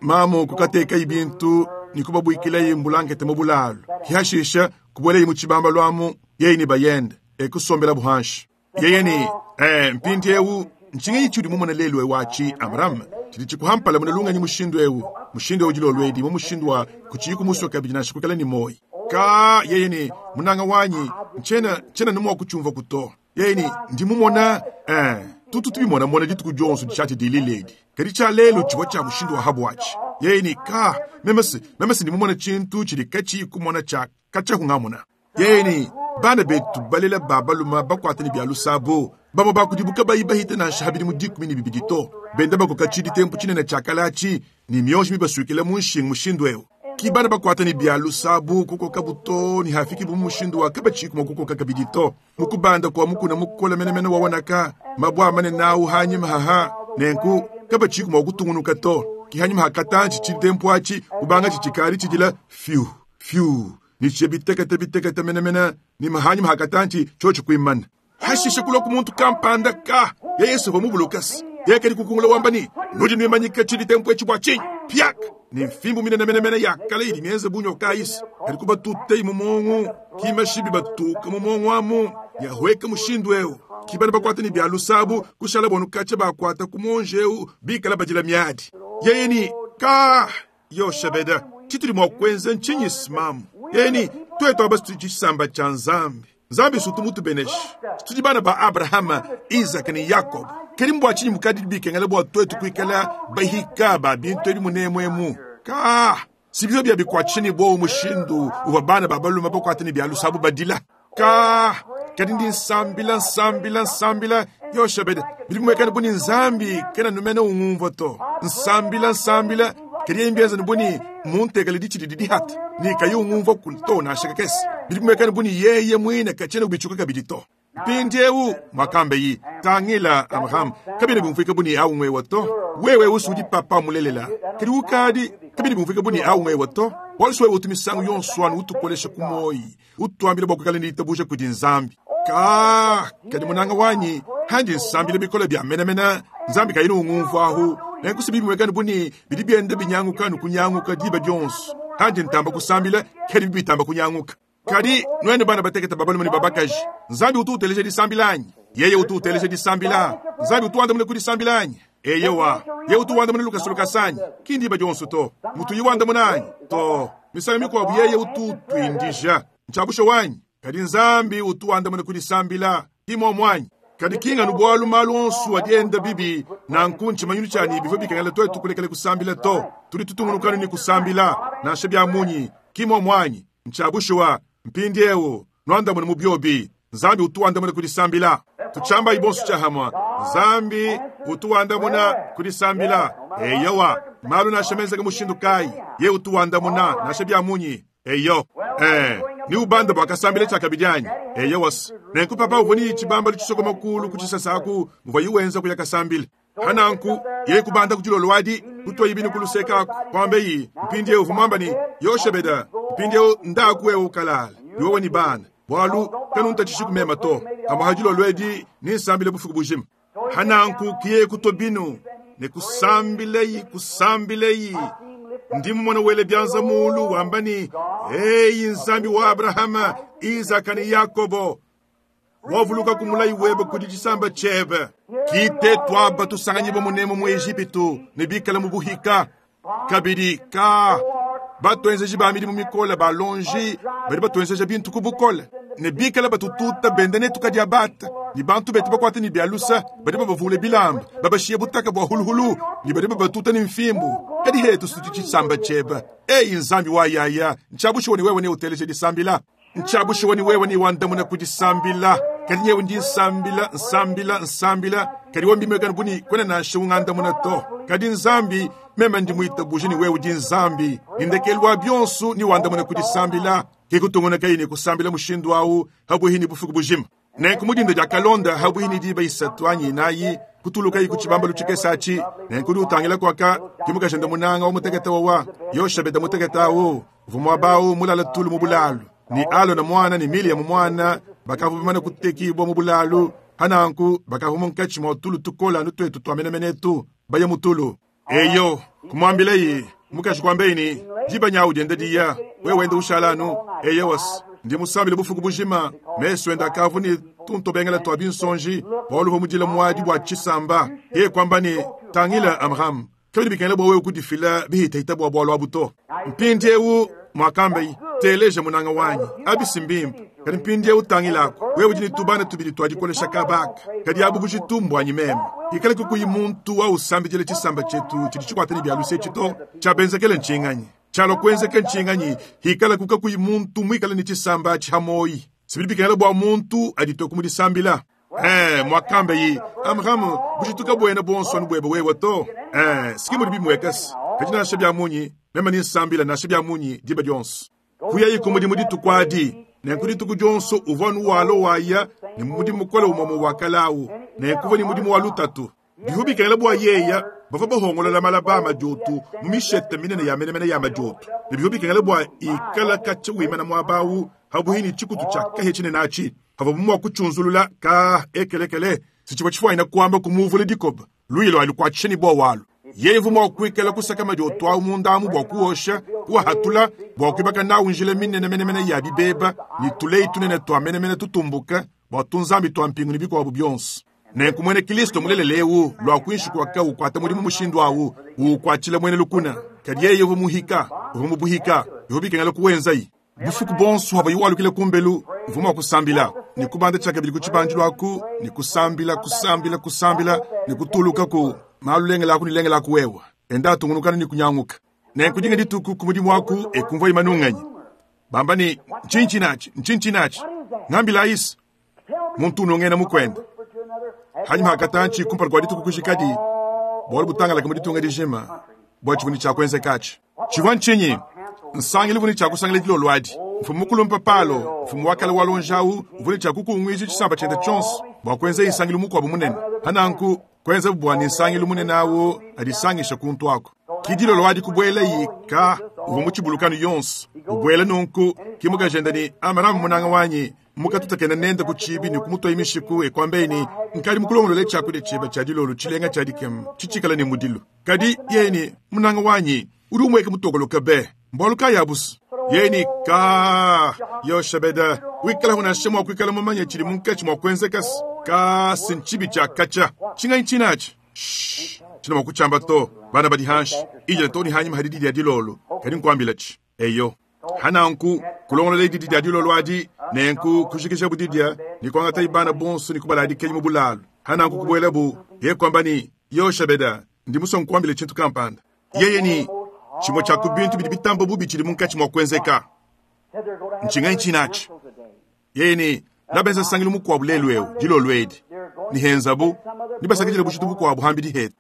Speaker 1: mamu kukatekayi bintu ne kubabuikilayi mbulankete mu bulalu. Hashisha kubuelayi mu tshibambalu amu, yeye ne bayende, e kusombelabu hanshi. Yeye ne, Eh, mpindieu ntshinganyi tshiudi mumone lelu eu atshi, Abraham, tshidi tshikuhampala muna lungenyi mushindu eu, mushindu eu dilolo edi, mu mushindu wa kutshiyi kumusua kabidi nansha kuikala ne muoyi. Ka, yeye ne, munanga wanyi, ntshiena, ntshiena ne mua kutshiumvua ku to. Yeye ne, ndi mumona, eh, tutu tubimonamona dituku dionso dishati dilile edi, kadi tshia lelu tshivua tshia mushindu wa habuatshi. Yeye ne, ka, meme se, meme se ndi mumona tshintu tshidi katshiyi kumona tshia katshia kungamona. Yeye ne, Bana betu balela ba balume bakuate ne bia lusabo, bamue ba kudibu kabayi bahite nansha ha bidimu 12 to, benda bakoka tshiditempu tshinene tshia kale atshi ne mionji mibasuikila mu nshingu mushindu eu. Ki bana bakuate ne bia lusabo kukokabu too ne hafikibu mu mushindu wa kabatshiyiku mua kukoka kabidi to. Mu kubanda kua mukuna mukole menemene wa Wanaka, mabue a manene au hanyima haha, nenku kabatshiyiku mua kutungunuka to. Ki hanyima ha katantshi tshiditempu atshi kubangatshi tshikadi tshidila fiu fiu ne tshiye bitekete bitekete menemene ne mahanyima hakatantshi tshiotshi kuimana. Hashishe kulua ku muntu kampanda ka ya Yesu uvua mubulukase yeye kadi kukungula wamba ne, nudi nuimanyika tshiditempu etshi bua tshinyi? Piak! Ne mfimbu minene menemene ya kale idi mienze bu nyoka ayisi kadi kubatutei mu muongo, kimashibi batuka mu muongo amu yahueka mushindu eu. Ki bana bakuata ne bia lusabu kushala bonu katshia bakuata ku muonji eu bikala badila miadi. Yeye ni ka Yoshebeda, tshitudi mua kuenza ntshinyi smamu? Eni, tuetu aba tudi tshisamba tshia Nzambi. Nzambi sutu mutubeneshe. Tudi bana ba Abrahama, Isaka ne Yakobo. Kadi mbua tshinyi mukadi bikengela bua tuetu kuikala bahika ba bintu ebi munemu emu? Ka, si bivua bia bikuatshisha ne buowa mushindu uvua bana ba balume bakuate ne bia lusabu badila. Ka, kadi ndi nsambila, nsambila, nsambila, Yoshebede, bidi bimuekana bu ne Nzambi kena numene ungumvua to. Nsambila, nsambila, kadi yeye mbienza bu ne muntekele ditshi didi dihata ne kayi ungumvua ku to nansha kakese. Bidi bimuekana bu ne yeye muine katshiena ubitshuka kabidi to. Mpindieu muakambeyi, tangila Abraham, kabiena biumvuika bu ne au ngwewa to. Wewe usu udi papa mulelela, kadi ukadi kabiena biumvuika bu ne au ngwewa to. Bualu wewe utu misangu yonso anu utukolesha ku muoyi, utuambila bua kuikala ne ditabuja kudi Nzambi. Ka, kadi munanga wanyi, handi nsambila bikole bia menemene, Nzambi kayina ungumvuahu. Nenku si bimuekane bu ne bidi bienda binyanguka nukunyanguka diba dionso. Handi ntamba kusambila, kadi bitamba kunyanguka. Kadi nuenu bana batekete ba balume ne ba bakaji, Nzambi utu uteleja disambila anyi? Yeye utu uteleja disambila. Nzambi utu wandamuna ku disambila anyi? Eyowa. Yeye utu wandamuna lukasa lukasa anyi? Ki ndiba dionso to. Mutu yi wandamuna anyi? To. Misangu mikuabu yeye utu utuindija. Ntshiabusha wanyi. Kadi Nzambi utu wandamuna ku disambila. Ki muomu anyi? Kadi ki nganu bualu malu onso adi enda bibi nanku ntshimanyinu tshia ne bivua bikengela tuetu kulekela kusambila to. Tudi tutungunuka ne kusambila nansha bia munyi. Ki muomu anyi? Ntshia bushuwa. Mpindieu nuandamune mu biobi. Nzambi utu wandamuna ku disambila. Tutshiambayi bonso tshiahamua. Nzambi utu wandamuna ku disambila. Eyowa, malu nansha menzeke mushindu kayi, ye utu wandamuna nansha bia munyi. Eyo, eh, ni ubanda bua kasambila tshiakabidi anyi? Eyowa. Nenku papa uvua ne tshibambalu tshisokoma kulu ku tshisasa aku muvua wenza kuya kasambila. Pananku yeye kubanda ku dilolo adi, kutuaye binu ku luseke aku, kuambeyi, mpindieu uvua muamba ne, Yoshebeda, mpindieu ndaku wewe ukalala, ne wewe ne bana, bualu kanuntatshishi ku mema to. Pamuapa dilolo edi nensambile bufuku bujima. Hananku kiye kutua binu ne kusambileyi, kusambileyi. Ndi mumona wele bianza mulu wamba ne, Eyi Nzambi wa Abrahama, Isaka ne Yakobo, wavuluka ku mulayi webe kudi tshisamba tshiebe. Kite tuaba tusanganyibua munemu mu Ejipitu ne bikale mu buhika. Kabidi ka batuenzeji ba midimu mikole ba lonji badi batuenzeja bintu ku bukole ne bikale batututa benda netu kadiabata ne bantu betu bakuate ne bia lusa badi babavule bilamba babashiye butaka bua huluhulu ne badi babatuta ne mfimbu. Kadi hetu tudi tshisamba tshiebe. Eyi Nzambi wa yaya, ntshiabushuwa ne wewe neuteleje disambila. Ntshiabushuwa ne wewe newandamuna ku disambila. Kadi nyewe ndi nsambila, nsambila, nsambila, kadi wewe mbimwekane bu ne kuena nansha ungandamuna to. Kadi Nzambi, meme ndi muitabuje ne wewe udi Nzambi, ne ndekelu wa bionso newandamune ku disambila. Ke kutungunukaye ne kusambila mushindu au pabuihi ne bufuku bujima. Nenku mu dinda dia kalonda pabuihi ne diba 3 anyi 4, kutulukaye ku tshibambalu tshikese atshi. Nenku udi utangila kuaka, ke mukajende munanga wa mutekete wawa, Yoshebede mutekete au, uvua muaba au mulale tulu mu bulalu. Ne Alona muana ne Miliyamu muana bakavua bamane kutekibua mu bulalu, pa nanku bakavua munkatshi mua tulu tukole anu tuetu tua menemene etu, baya mu tulu. Eyo, kumuambilaye, mukaji kuambaye ne, Diba nyawu dienda diya, wewe wenda ushala anu. Eyowas, ndi musambile bufuku bujima, mesu ende akavua ne tuntobengela tua binsonji, bualu uvua mudile muadi bua tshisamba. Yeye kuamba ne, Tangila, Amram, kabidi bikengela bua wewe kudifila bihitahita bua bualu abu to. Mpindiewu, muakambaye, teleja munanga wanyi, abi si mbimpe. Kadi mpindiewu tangilaku, wewe udi ne tubana tubidi tua dikolesha kaba aka, kadi abu bujitu mbuanyi meme. Ikale kukuyi muntu wa usambidila tshisamba tshietu tshidi tshikuate ne bia luse etshi to. Tshiabenzekele ntshinganyi? Tshialua kuenzeka ntshinganyi hikalaku kakuyi muntu muikale ne tshisamba atshi ha muoyi? Sibidi bikengela bua muntu aditue ku mu disambila. Ee, muakambaye, Amram, bujitu kabuena buonso anu buebe wewe to. Ee, siki mudi bimuekase. Kadi nansha bia munyi, meme ne nsambila nansha bia munyi diba dionso. Kuyayi ku mudimu dituku adi. Nenku dituku dionso uvua anu walua waya ne mudimu mukole umue umue wa kale au. Nenku uvua ne mudimu wa lutatu. Bivua bikengela bua yeya bavua bahongolola malaba a madiotu mu mishete minene ya menemene ya madiotu, ne bivua bikengela bua ikala katshia wimana muaba au pabuipi ne tshikutu tshia kahia tshinene atshi pavuabu mua kutshiunzulula ka ekelekele. Si tshivua tshifuanyina kuamba kumuvula dikoba luya lua lukuatshisha ne buowa alu. Yeye uvua mua kuikala kusaka madiotu au munda amu bua kuosha, kuahatula, bua kuibaka nawu njila minene menemene ya bibeba ne tuleyi tunene tua menemene tutumbuka bua tunzambi tua mpingu ne bikuabu bionso. Nenku muena Kilisto mulelela eu lua kuinshi kua ukuata mudimu mushindu au, uukuatshila muena lukuna. Kadi yeye uvua muhika, uvua mubuhika, bivua bikengela kuwenzayi. Bufuku buonso abu walukila kumbelu, uvua mua kusambila ne kubanda tshiakabidi ku tshibandilu aku ne kusambila, kusambila, kusambila ne kutuluka ku malu lengela aku ne lengela aku wewa enda atungunukana ne kunyanguka. Nenku dinga dituku ku mudimu aku e kumvua imanunganyi bamba ne, Ntshinyi tshinatshi? Ntshinyi tshinatshi? Ngambilayisi. Muntu unungena mukuende hanyima hakatantshi kumpala kua dituku kujikadi, bualu butangalaka mu ditunga dijima bua tshivua ne tshia kuenzekatshi. Tshivua ntshinyi? Nsangilu uvua ne tshia kusangila dilolo adi. Mfumu mukulumpe Palo, mfumu wa kale wa luonji au, uvua ne tshia kukunguija tshisamba tshiende tshionso bua kuenza nsangilu mukuabu munene. Pa nanku kuenzabu bua ne nsangilu munene au adisangishe kuntu aku. Ki dilolo adi kubuelayi ka uvua mu tshibulukanu yonso ubuela nunku, ki mukajende ne, Amram munanga wanyi, mukatutakena nende ku tshibi ne kumutuaye mishiku e kuambaye ne, Nkadi mukulongolole tshiakudia tshiebe tshia dilolo tshilenga tshia dikema tshitshikale ne mudilu. Kadi yeye ne, Munanga wanyi, udi umueka mutokoloke be, mbualu kayi abusu? Yeye ne, Ka, Yoshebeda, wikalaku nansha mua kuikala mumanye tshidi munkatshi mua kuenzeka se, ka si ntshibi tshia katshia. Tshinganyi tshinatshi? Shh, tshina mua kutshiamba to, bana badi hanshi, idila too ne hanyima ha didi dia dilolo, kadi nkuambilatshi. Eyo. Ha nanku, kulongolola didi dia dilolo adi, nenku kujikijabu didia ne kuangatayi bana bonso ne kubaladikenyi mu bulalu. Ha nanku kubuelabu, yeye kuamba ne, Yoshebeda, ndi musue nkuambile tshintu kampanda. Yeye ne, Tshimue tshia ku bintu bidi bitamba bubi tshidi munkatshi mua kuenzeka. Ntshinganyi tshinatshi? Yeye ne, Nabenza nsangilu mukuabu lelu eu, dilolo edi, ne henzabu, nebasakidile bujitu bukuabu hambidi hetu.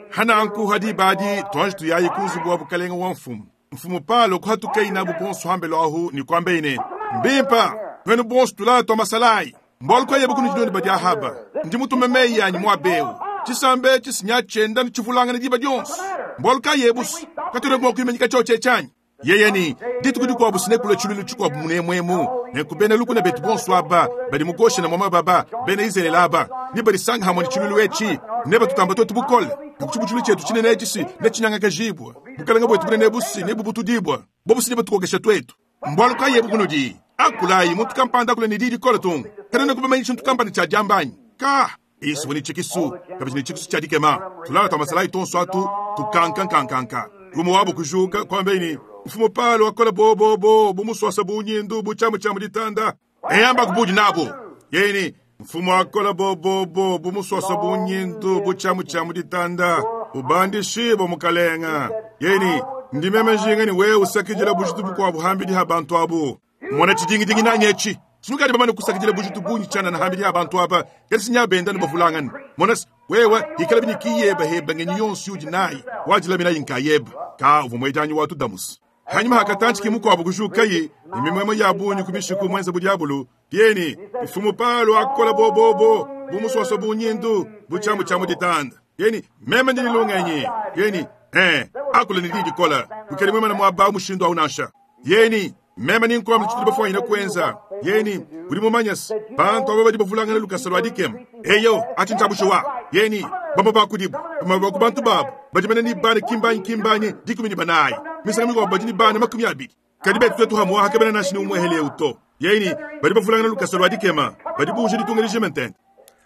Speaker 1: Hananku ha diba adi tuanji tuyayi ku nzubu wa bukalenga wa mfumu. Mfumu Palo kuhatukayi nabu bonso hambelu ahu ne kuambaye ne, Mbimpa, nuenu bonso tulala tua masalayi, mbualu kayi ebu kunudi nuenu badi ahaba? Ndi mutume meyi anyi muaba eu, tshisamba etshi sinya tshienda ne tshivulangana diba dionso. Mbualu kayi ebusu? Katuena mua kuimanyika tshiotshi etshi anyi? Yeye ne, Dituku dikuabu sinekula tshiluilu tshikuabu munemuemu, nenku bena lukuna betu bonso aba badi mu Goshena mua mababa, bena Izalele aba, nebadisanga hamue ne tshiluilu etshi, nebatutamba tuetu bukole, nenku tshibutshilu tshietu tshinene etshi si netshinyangakajibua, bukalenge buetu bunene ebu si nebubutudibua, bobu si nebatukokesha tuetu. Mbualu kayi ebu bunudi? Akulayi, muntu kampanda akule ne diyi dikole tung. Kanuena kubamanya tshintu kampanda tshia diamba anyi? Ka! Yesu ne tshikisu, kabidi ne tshikisu tshia dikema. Tulala tua masalayi tuonso atu tukankankankanka. Umue wabo kujuka, kuambaye ne, Mfumu Palo wakola bobobo bu musuasa bu nyindu bu tshiamu tshia mu ditanda. Eyamba kubudi nabo. Yeye ne, Mfumu akola bobobo bu musuasa bu nyindu bu tshiamu tshia mu ditanda. Ubandishibue mukalenga. Yeye ne, Ndi meme njinga ne wewe usakidila bujitu bukuabu hambidi ha bantu abu. Mona tshidingidingi nanyi etshi. Sinukadi bamane kusakidila bujitu bungi tshianana hambidi ha bantu aba, kadi sinya benda ne bavulangane. Mona se, wewe ikala biniki yebe heba ngenyi yonso yudi nayi, wadilaminayi nkayebe. Ka uvua muedianyi wa tudamusa. Hanyima hakatantshi ki mukuabu kujukaye ne mimuemue ya bungi ku mishiku muenze bu diabulu. Yeye ne, Mfumu Palo akola bobobo bu musuasua bu nyindu bu tshiamu tshia mu ditanda. Yeye ne, Meme ndi ne lungenyi. Yeye ne, Ee, akula ne diyi dikole, kuikadi muimane muaba awu mushindu awu nansha. Yeye ne, Meme nenkuambile tshitudi bafuanyine kuenza. Yeye ne, Udi mumanye's, bantu aba badi bavulangana lukasa lua dikema. Eyo, atshi ntshia bushuwa. Yeye ne, Bamue ba kudibu, bamue ba ku bantu babu, badi mene ne bana ki mbanyi ki mbanyi 14, misangu mikuabu badi ne bana 20. Kadi betu tuetu hamuaha kabena nansha ne umuehele eu to. Yeye ne, Badi bavulangana lukasa lua dikema, badi buuja ditunga dijima ntente.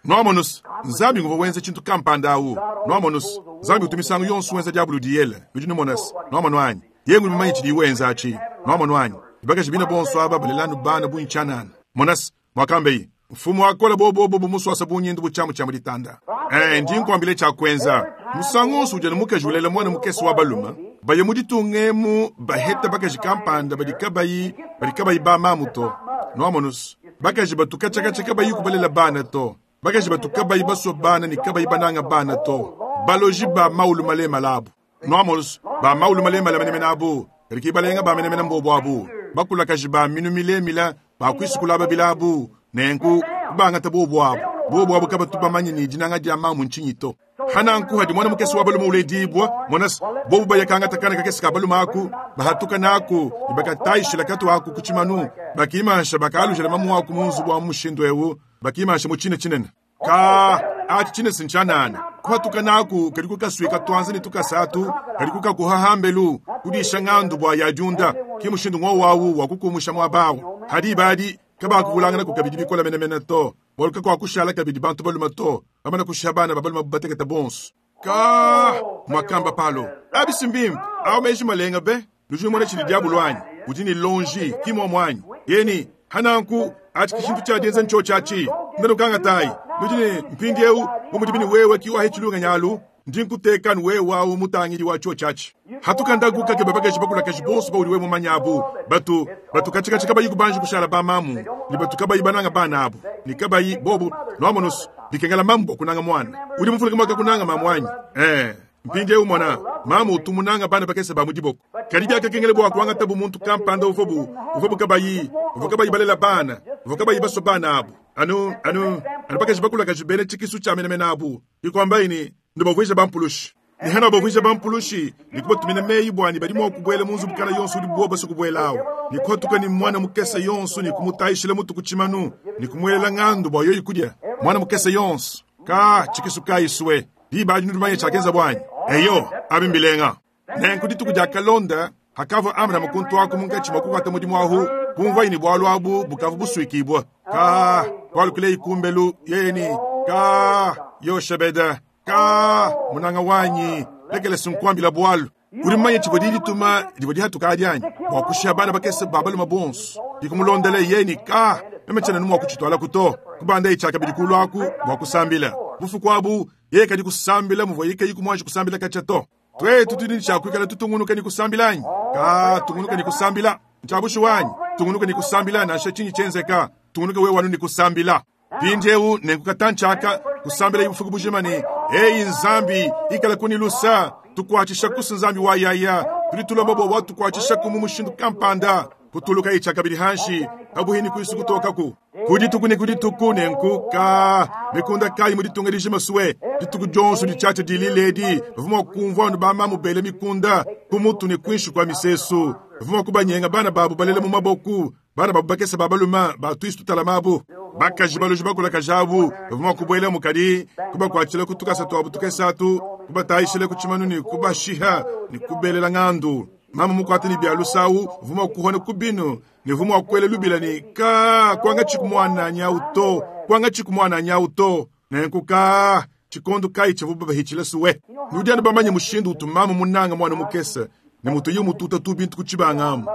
Speaker 1: Nwamonu's, Nzambi nguvwa wenza cintu kampanda awu. Nwamonu's, Nzambi utu misangu yonso wenza dyabulu diyele, nudi numona's. Nwamonu anyi? Yeye ngudi mumanye cidiye wenza aci. Nwamonu anyi? Ne bakaji biine bonso aba balela anu bana bungi cyanaana. Mona's, mwakambaye, Mfumu akola bobobo bu muswasa bu nyindu bu cyamu cya mu ditanda. Ee, ndi nkwambile cya kwenza. Musangu wonso udi anu mukaji ulela mwana mukese wa balume, baye mu ditunga emu baheta bakaji kampanda badi kabayi, badi kabayi bamamu to. Nwamonu's, bakaji batu kacyakacya kabayiku balela bana to, bakaji batu kabayi baswa bana ne kabayi bananga bana to, baloji ba mawulu malemale abu. Nwamonu's, ba mawulu malemale menemene abu, kadi ki balenga ba menemene mbobu abu, bakulakaji ba minu milemile ba kwisukula babila abu, nenku kubangata bobu abu. Bobu abu kabatu bamanye ne dinanga dya mamu ncinyi to. Hananku hadi mwana mukese wa balume uledibua, mona's, bobu baya kangata kana kakese ka balume aku, bahatuka naku, ne bakatayishila katu aku ku tshimanu, bakimansha bakalujila mamu aku mu nzubu wa mushindu eu, bakimansha mu tshina tshinene. Ka, atshi tshina si ntshianana. Kuhatuka naku kadi kukasuika tuanza ne tukasa atu, kadi kukakuha hambelu, kudisha ngandu bua yadiunda. Ki mushindu ngowu au wa kukumusha muaba au. Hadi ibadi, kabakuvulanganaku kabidi bikole menemene to, bualu kakuakushala kabidi bantu balume to, bamana kushiha bana ba balume batekete bonso. Ka, muakamba Palo, abi si mbimpe, au meji malenga be! Nudi numona tshidi diabolo anyi? Udi ne lonji, ki muomu anyi? Yeye ne, Hananku, atshi ki tshintu tshia dienza ntshiotshi atshi. Ndanukangatayi. Nudi ne, Mpindiewu, bu mudibi ne wewe ki wahetshi lungenyi alu, ndi nkuteka anu wewe awu mutangidi wa tshiotshi atshi. Hatuka ndaku kakeba bakaji bakulakaji bonso baudi wewe mumanye abu, batu, batu katshikatshi kabayi kubanji kushala bamamu, ne batu kabayi bananga bana abu, ne kabayi, bobu, nuamonu's, bikengela mamu bua kunanga muana. Udi muvuluke muakakunanga mamu anyi? Ee. Mpindieu mona, mamu utu munanga bana bakese ba mu diboko. Kadi biakakengela bua kuangatabu muntu kampanda uvuabu, uvuabu kabayi, bavua kabayi balela bana, bavua kabayi basua bana abu, anu, anu, anu bakaji bakulakaje bena tshikisu tshia menemene abu. Ke kuambaye ne, Nubavuije bampulushi. Ne hanuabavuija bampulushi, ne kubatumina meyi bua ne badi mua kubuela mu nzubu kana yonso udibu bobu basue kubuela awu, ne kuhatuka ne muana mukese yonso ne kumutayishila mutu ku tshimanu, ne kumuelela ngandu bua yoyi kudia, muana mukese yonso. Ka, tshikisu kayi sue! Diba adi nudi bamanye tshiakenzabu anyi? Eyo, abi mbilenga. Nenku dituku diakalonda, hakavua Abrahama kuntu aku munkatshi mua kukuata mudimu ahu, kumvuaye ne bualu abu bukavua busuikibua. Ka, kualukileyi kumbelu, yeye ne, Ka, Yoshebeda, ka, munanga wanyi, lekela sinkuambila bualu. Udi mumanye tshivua diyi dituma divua dihatuka adi anyi? Bua kushiha bana bakese ba balume bonso. Dikumulondela yeye ne, Ka, meme tshiena mua kutshitualaku to. Kubandaye tshiakabidi kulu aku bua kusambila. Bufuku abu, yeye kadi kusambila muvuaye kayi kumuanji kusambila katshia to. Tuetu tudi ne tshia kuikala tutungunuka ne kusambila anyi? Ka, tungunuka ne kusambila. Ntshia bushuwa anyi? Tungunuka ne kusambila nansha tshinyi tshienzeka. Tungunuka wewe anu ne kusambila. Mpindiewu nenku katantshi aka kusambila bufuku bujima ne, Eyi Nzambi, ikalaku ne lusa, tukuatshishaku Nzambi wa yaya, tudi tulomba bua watukuatshishaku mu mushindu kampanda. Kutulukayi tshiakabidi hanshi pabuhi ne kuisu kutokaku ku dituku ne ku dituku. Nenku ka mikunda kayi mu ditunga dijima sue dituku dionso ditshiatshia dilila edi, bavua mua kumvua anu bamamu bela mikunda ku mutu ne kuinshi kua misesu. Bavua mua kubanyenga bana babu balela mu maboku, bana babu bakese ba balume ba tuisu tutalama abu, bakaji baloji bakulakaja abu, bavua mua kubuelamu kadi kubakuatshila ku tukasa tuabu tukese atu, kubatayishila ku tshimanu ne kubashiha ne kubelela ngandu. Mamu mukuate ne bia lusawu uvua mua kuhona ku binu ne uvua mua kuela lubila ne, Ka, kuangatshiku muananyi au to, kuangatshiku muananyi au to. Nenku ka, tshikondo kayi tshivua babahitshila suwe? Nudi anu bamanye mushindu utu mamu munanga muana mukese ne mutuye umututa tu bintu ku tshibanga amu.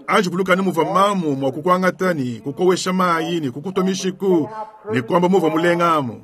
Speaker 1: Anji vuluka anu muvua mamu mua kukuangata ne kukowesha mayi ne kukutua mishiku ne kuamba muvua mulenga amu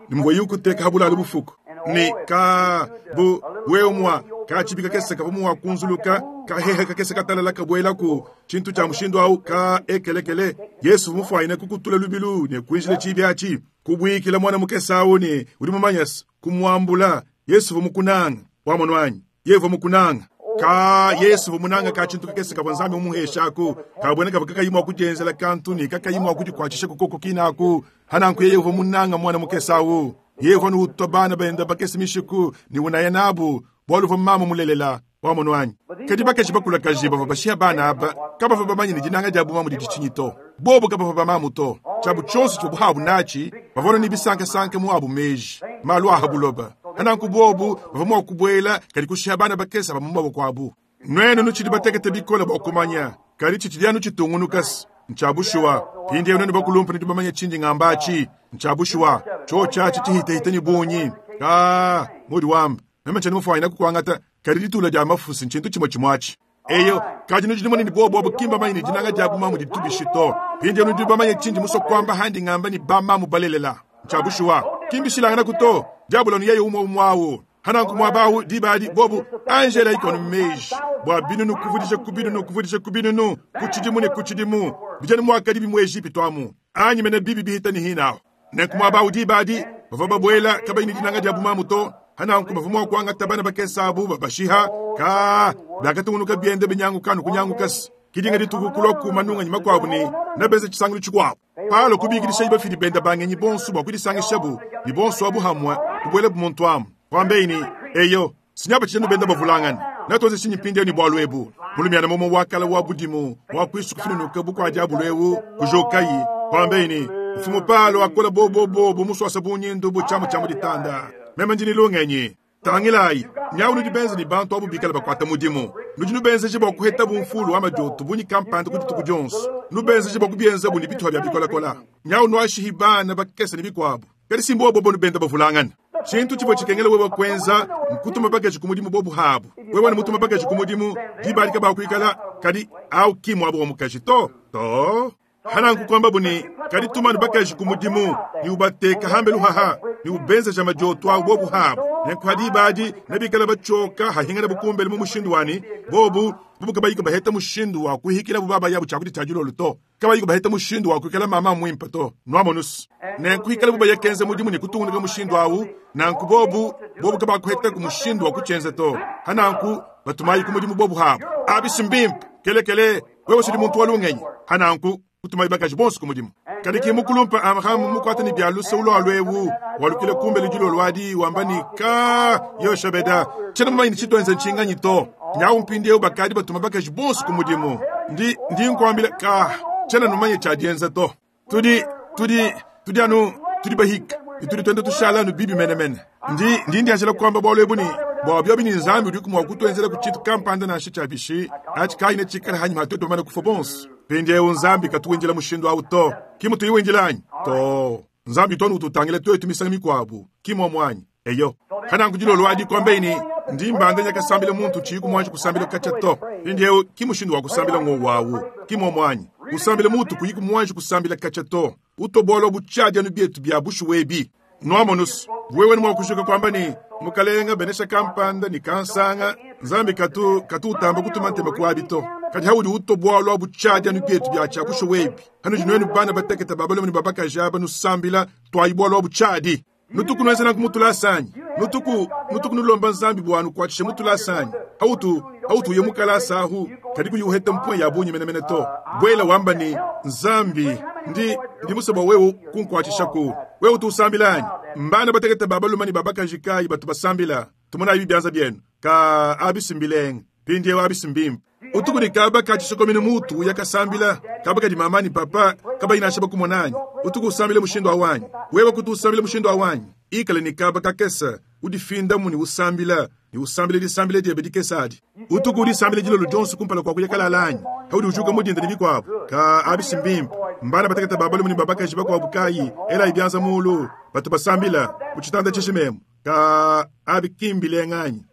Speaker 1: ne muvua ukuteka ha bulalu bufuku ne ka bu wewe mua katshibi kakese kavua mua kunzuluka kahehe kakese katalala kabuelaku tshintu tshia mushindu au ka ekelekele. Yesu mufuanyine kukutula lubilu ne kuinjila tshibi atshi kubuikila muana mukese au ne udi mumanye kumuambula. Yesu uvua mukunanga wamonu anyi? Yeye uvua mukunanga. Ka Yesu uvua munanga ka tshintu kakese kavua Nzambi mumuheshaku kabuena kavua kakayi mua kudienzela kantu ne kakayi mua kudikuatshisha kukoko kinaku. Hananku yeye uvua munanga muana mukese au. Yeye uvua utua bana bende bakese mishiku ne unaya nabu, bualu uvua mamu mulelela. Wamonu anyi? Kadi bakaji bakulakaje bavua bashiya bana aba kabavua bamanye ne dinanga dia bumamu didi tshinyi to. Bobu kabavua bamamu to. Tshiabu tshionso tshivuabu habu natshi, bavua ne bisankasanka mu abu meji, malu a ha buloba. Nanku bobu bavua mua kubuela kadi kushiya bana bakese aba mu maboko abu. Nuenu nutshidi batekete bikole bua kumanya, kadi tshitshidi anu tshitungunuka ntshia bushuwa. Mpindieu nuenu bakulumpe nudi bamanye tshindi ngamba atshi, ntshia bushuwa. Tshiotshi atshi tshihitahita ne bungi. Kaa, mudi wamba, meme tshiena mufuanyine kukuangata, kadi ditula dia mafusi ntshintu tshimue tshimue atshi. Eyo, kadi nudi numona ne bobu abu ki mbamanye ne dinanga dia bumamu ditu bishi to. Mpindieu nudi bamanye tshindi musue kuamba handi ngamba ne bamamu balelela. Ntshia bushuwa. Ki mbishilanganaku to. Diabolo anu yeye umue umue awu. Hananku muaba awu diba adi bobu Angela ikonu meji bua binunu kuvudija ku binunu kuvudija ku binunu ku tshidimu ne ku tshidimu bijana muakadi bi mu Ejipitu amu anyi mene bibi bihita ne hinaho. Nenku muaba awu diba adi bavua babuela kabayi ne dinanga dia bumamu to. Hananku bavua mua kuangata bana bakese abu babashiha ka biakatungunuka biende binyanguka anu kunyangukasi. Kidinga dituku kulua ku manunganyi makuabu ne nabenza tshisangilu tshikuabu. Paulo kubikidisha bafidi bende ba ngenyi bonso bua kudisangishabu ne bonso abu hamue kubuelabu muntu amu. Kwambeyi ne, eyo, sinyaba tshijanu benda bavulangana. Natuenze tshinyi mpindieu ne bualu ebu? Mulumiana mumue wa kala wa budimu wa kuisu kufinunuka bu kua diabulu eu kujukayi. Kwambeyi ne, Mfumu Paulo akola bobobobo musuasa bunyindu bu tshiamu tshia mu ditanda. Meme ndi ne lungenyi. Tangilayi, nyawu nudi benze ne bantu abu bikale bakuata mudimu. Nudi nubenzeje bua kuhetabu mfulu wa madioto bungi kampanda ku dituku dionso. Nubenzeje bua kubienzabu ne bituha bia bikolakola. Nyawu nuashihi bana bakese ne bikuabu. Kadi si mbobo bonu benda bavulangana. Tshintu tshivua tshikengela wewe kuenza nkutuma bakaji ku mudimu bobu habu. Wewe ne mutuma bakaji ku mudimu, diba adi kabakuikala, kadi au ki muaba wa mukaji to. To. Hananku kuambabu ne, kadi tumanu bakaji ku mudimu, ne ubateka hambelu haha, ne ubenzeja madioto awu bobu habu. Nenku ha diba adi nebikale batshioka hahingana bukumbele mu mushindu wani, bobu bobu kabayi baheta mushindu wa kuhikilabu baba yabu tshiakudia tshia dilolo to. Kabayi baheta mushindu wa kuikala mama muimpe to. Nuamonusu. Nenku ikala bu bayakenza mudimu ne kutungunuka mushindu awu, nanku bobu bobu kabakuheta ku mushindu wa kutshienza to. Hananku batumayi ku mudimu bobu habu. Abisi mbimpe, kelekele, wewe sudi muntu wa lungenyi. Hananku kutumayi bakaji bonso ku mudimu. Kadi ki mukulumpe Amram mukuate ne bia luse ulua ewu, walukile kumbelu dilolo adi wamba ne ka Yoshebeda, tshiena mumanye ne tshituenze ntshinganyi to. Nyawu mpindieu bakadi batuma bakaji bonso ku mudimu. Ndi ndi nkuambila ka tshiena numanye tshia dienza to. Tudi tudi tudi anu tudi bahika ne tudi tuenda tushala anu bibi menemene. Ndi ndi ndianjila kuamba bualu ebu ne bua biobi ne Nzambi udiku mua kutuenzela ku tshintu kampanda nansha tshia bishi atshi kayi ne tshikale hanyima ha tuetu bamane kufua bonso. Mpindieu Nzambi katuwindila mushindu awu to. Ki mutuyiwindila anyi? To. Nzambi utu anu ututangila tuetu misangu mikuabu, ki muomu anyi? Eyo. Hananku dilolo adi kuambeyi ne, ndi mbanda nyakasambila muntu tshiyi kumuanji kusambila katshia to. Mpindieu ki mushindu wa kusambila ngowu awu, ki muomu anyi? Kusambila mutu kuyi kumuanji kusambila katshia to. Utobola butshiadi anu bietu bia bushuwa ebi. Nuamonusu, wewe ne mua kujuka kuamba ne, Mukalenga benesha kampanda ne kansanga, Nzambi katu katu utamba kutuma ntema kuabi to. Kadi haudi utobola butshiadi anu bietu bia tshia bushuwa ebi. Hanudi nuenu bana batekete ba balume ne ba bakaji aba nusambila, tuayi bualu butshiadi. Nutuku nuenza nanku mutulasa anyi? Nutuku nutuku nulomba Nzambi bua nukuatshishe mutulasa anyi? Hautu hautu uye mukalasa ahu, kadi kuyi uheta mpuya ya bungi menemene to. Buela wamba ne, Nzambi, ndi ndi musue bua wewe kunkuatshishaku. Wewe utu usambila anyi? Mbana batekete ba balume ne ba bakaji kayi batu basambila? Tumonayi bianza bienu. Ka abisi mbilenga. Mpindieu abisi mbimpe. Utuku ne kaba ka tshisokomenu mutu uya kasambila, kaba kadi mama ne papa kabayi nansha bakumona anyi? Utuku usambila mushindu awu anyi? Wewe kutu usambila mushindu awu anyi? Ikale ne kaba kakese, udifindamu ne usambila, ne usambila disambila diebe dikese adi. Utuku udisambila dilolo dionso kumpala kua kuya kalala anyi? Haudi ujuka mu dinda ne bikuabu. Ka abisi mbimpe. Mbana batekete ba balume ne ba bakaji bakuabu kayi, elayi bianza mulu, batu basambila mu tshitanda tshishimemu. Ka abi ki mbilenga anyi?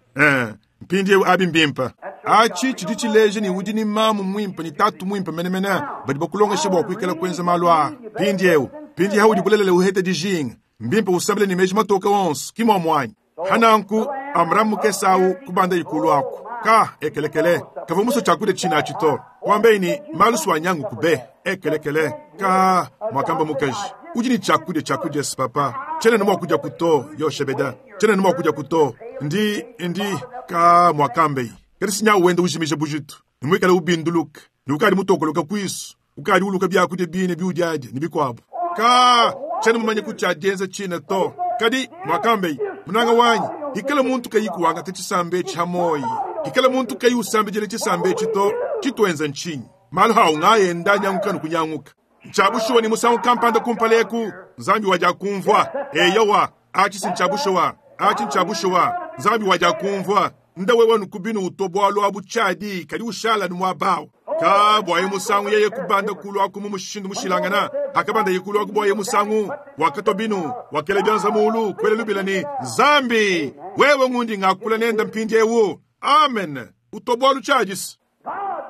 Speaker 1: Mpindieu abi mbimpe. Atshi tshidi tshileja ne udi ne mamu muimpe ne tatu muimpe menemene badi bakulongesha bua kuikala kuenza malu aa. Mpindieu, mpindieu haudi bulelela uheta dijinga, mbimpe usambile ne meji matoke onso, ki muomu anyi? Hananku Amram mukese awu kubanda ikulu aku. Ka ekelekele, kavua musue tshiakudia tshina atshi to. Kuambeyi ne malu suanyangu kube ekelekele. Ka muakamba mukaji, udi ne tshiakudia tshiakudia papa. Tshiena ne mua kudia kuto, Yoshebeda. Tshiena ne mua kudia kuto. Ndi ndi ka muakambeyi. Kadi sinyawu wenda ujimija bujitu, ne muikale ubinduluka, ne ukadi mutokoloka kuisu, ukadi uluka biakudia bine biudiadia ne bikuabu. Ka tshiena mumanye ku tshia dienza tshina to. Kadi, mwakambeye, munanga wanyi, hikala muntu kayi kuwangata tshisamba etshi ha moyi, hikala muntu kayi usambidila tshisamba etshi to, tshituenza ntshinyi? Malu hawu ngaenda anyanguka ne kunyanguka. Ntshia bushuwa ne musangu kampanda kumpala eku, Nzambi wadiakumvua. Eyowa, atshi si ntshia bushuwa. Atshi ntshia bushuwa. Nzambi wadiakumvua. Nda wewe nukubinu uto bualu abu tshiadi, kadi ushala anu muaba awu. Ka buaye musangu yeye kubanda kulu aku mu mushindu mushilangana. Hakabandaye kulu aku buaye musangu, wakatua binu, wakela bianza mulu, kuela lubila ne, Nzambi, wewe ngundi ngakula nenda mpindiewu. Amen. Uto bualu tshiadi.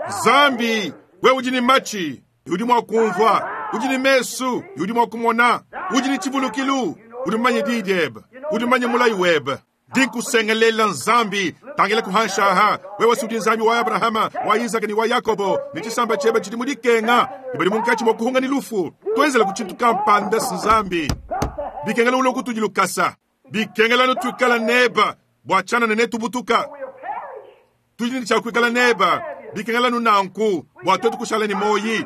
Speaker 1: Nzambi, wewe udi ne matshi, udi mua kumvua, udi ne mesu, udi mua kumona, udi ne tshivulukilu, udi mumanye diyi diebe, udi mumanye mulayi webe. Ndikusengelela Nzambi, tangila kuhanshaha, wewe si udi Nzambi wa Abrahama, wa Isaka ne wa Yakobo, ne tshisamba tshiebe tshidi mu dikenga, ne badi munkatshi mua kuhunga ne lufu. Tuenzela ku tshintu kampanda si Nzambi. Bikengela ulo kutudi lukasa. Bikengela nutuikala neba, bua tshianana netubutuka. Tudi ne tshia kuikala neba, bikengela nunanku, bua tuetu kushala ne moyi.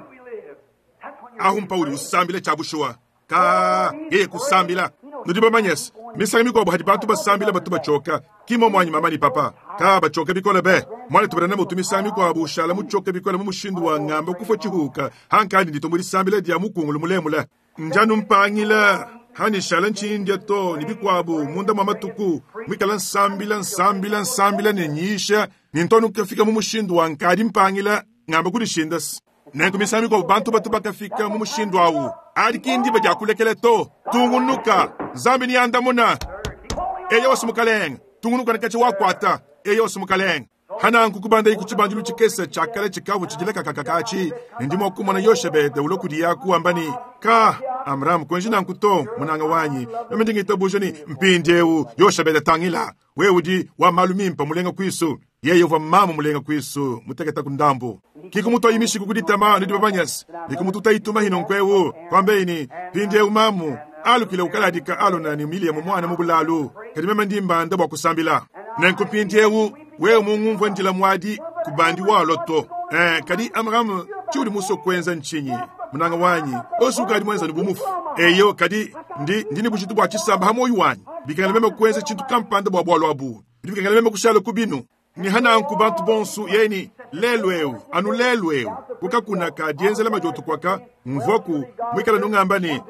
Speaker 1: Ahu mpaudi usambila tshia bushuwa. Ka yeye kusambila. Nudi bamanye se, misangu mikuabu hadi bantu basambila batu batshioka. Ki momu anyi mama ne papa. Ka batshioka bikole be. Muanetu Branham utu misangu mikuabu ushala mutshioke bikole mu mushindu wa ngamba kufua tshihuka. Hankandi nditu mu disambila dia mukungulu mulemule. Njanu mpangila. Hani nshala ntshindya to ne bikuabu munda mua matuku muikala nsambila nsambila nsambila ne nyisha ne ntonu kafika mu mushindu wa nkadi mpangila ngamba kudishinda se. Nenku misangu mikuabu bantu batu bakafika mu mushindu awu. Adi ki ndiba dia kulekela to. Tungunuka. Nzambi ni andamuna. Eyo wasi mukalenge. Tungunuka ne katshi wakwata. Eyo wasi mukalenge. Hananku kubanda iku tshibandilu tshikese tshiakale tshikavu tshidila kakakakatshi. Ne ndi mua kumona Yoshebede ulo kudi yaku wamba ni, Ka, Amram, kuenji nanku to, munanga wanyi. Meme ndi ngitabuja ni mpindiewu Yoshebede tangila. Wewe udi wa malu mimpa mulenga kuisu. Yeye uvua mamu mulenga kuisu, muteketa ku ndambu. Kikumutoyi mishiku kuditama nudi babanyasi. Nikumututa ituma hino nkwewu. Kwambeyi ni, mpindiewu mamu, alukile ukaladika alona ni Miliamu mwana mu bulalu. Kadi meme ndi mbanda bua kusambila. Nenku mpindiewu, wewe mungumvue ndila muadi kubandi walo to. Kadi Amram, tshiudi musue kuenza ntshinyi? Munanga wanyi, osu ukadi muenza ne bumufu. Eyo, kadi ndi ne bujitu bua tshisamba ha moyo wanyi. Bikengela meme kuenza tshintu kampanda bua bualu abu. Bidi bikengela meme kushala ku binu. Ni hananku bantu bonsu yeni lelu eu, anu lelu eu. Kukakuna ka dienzela madiotu kwaka, mvuaku mwikala nungamba ni,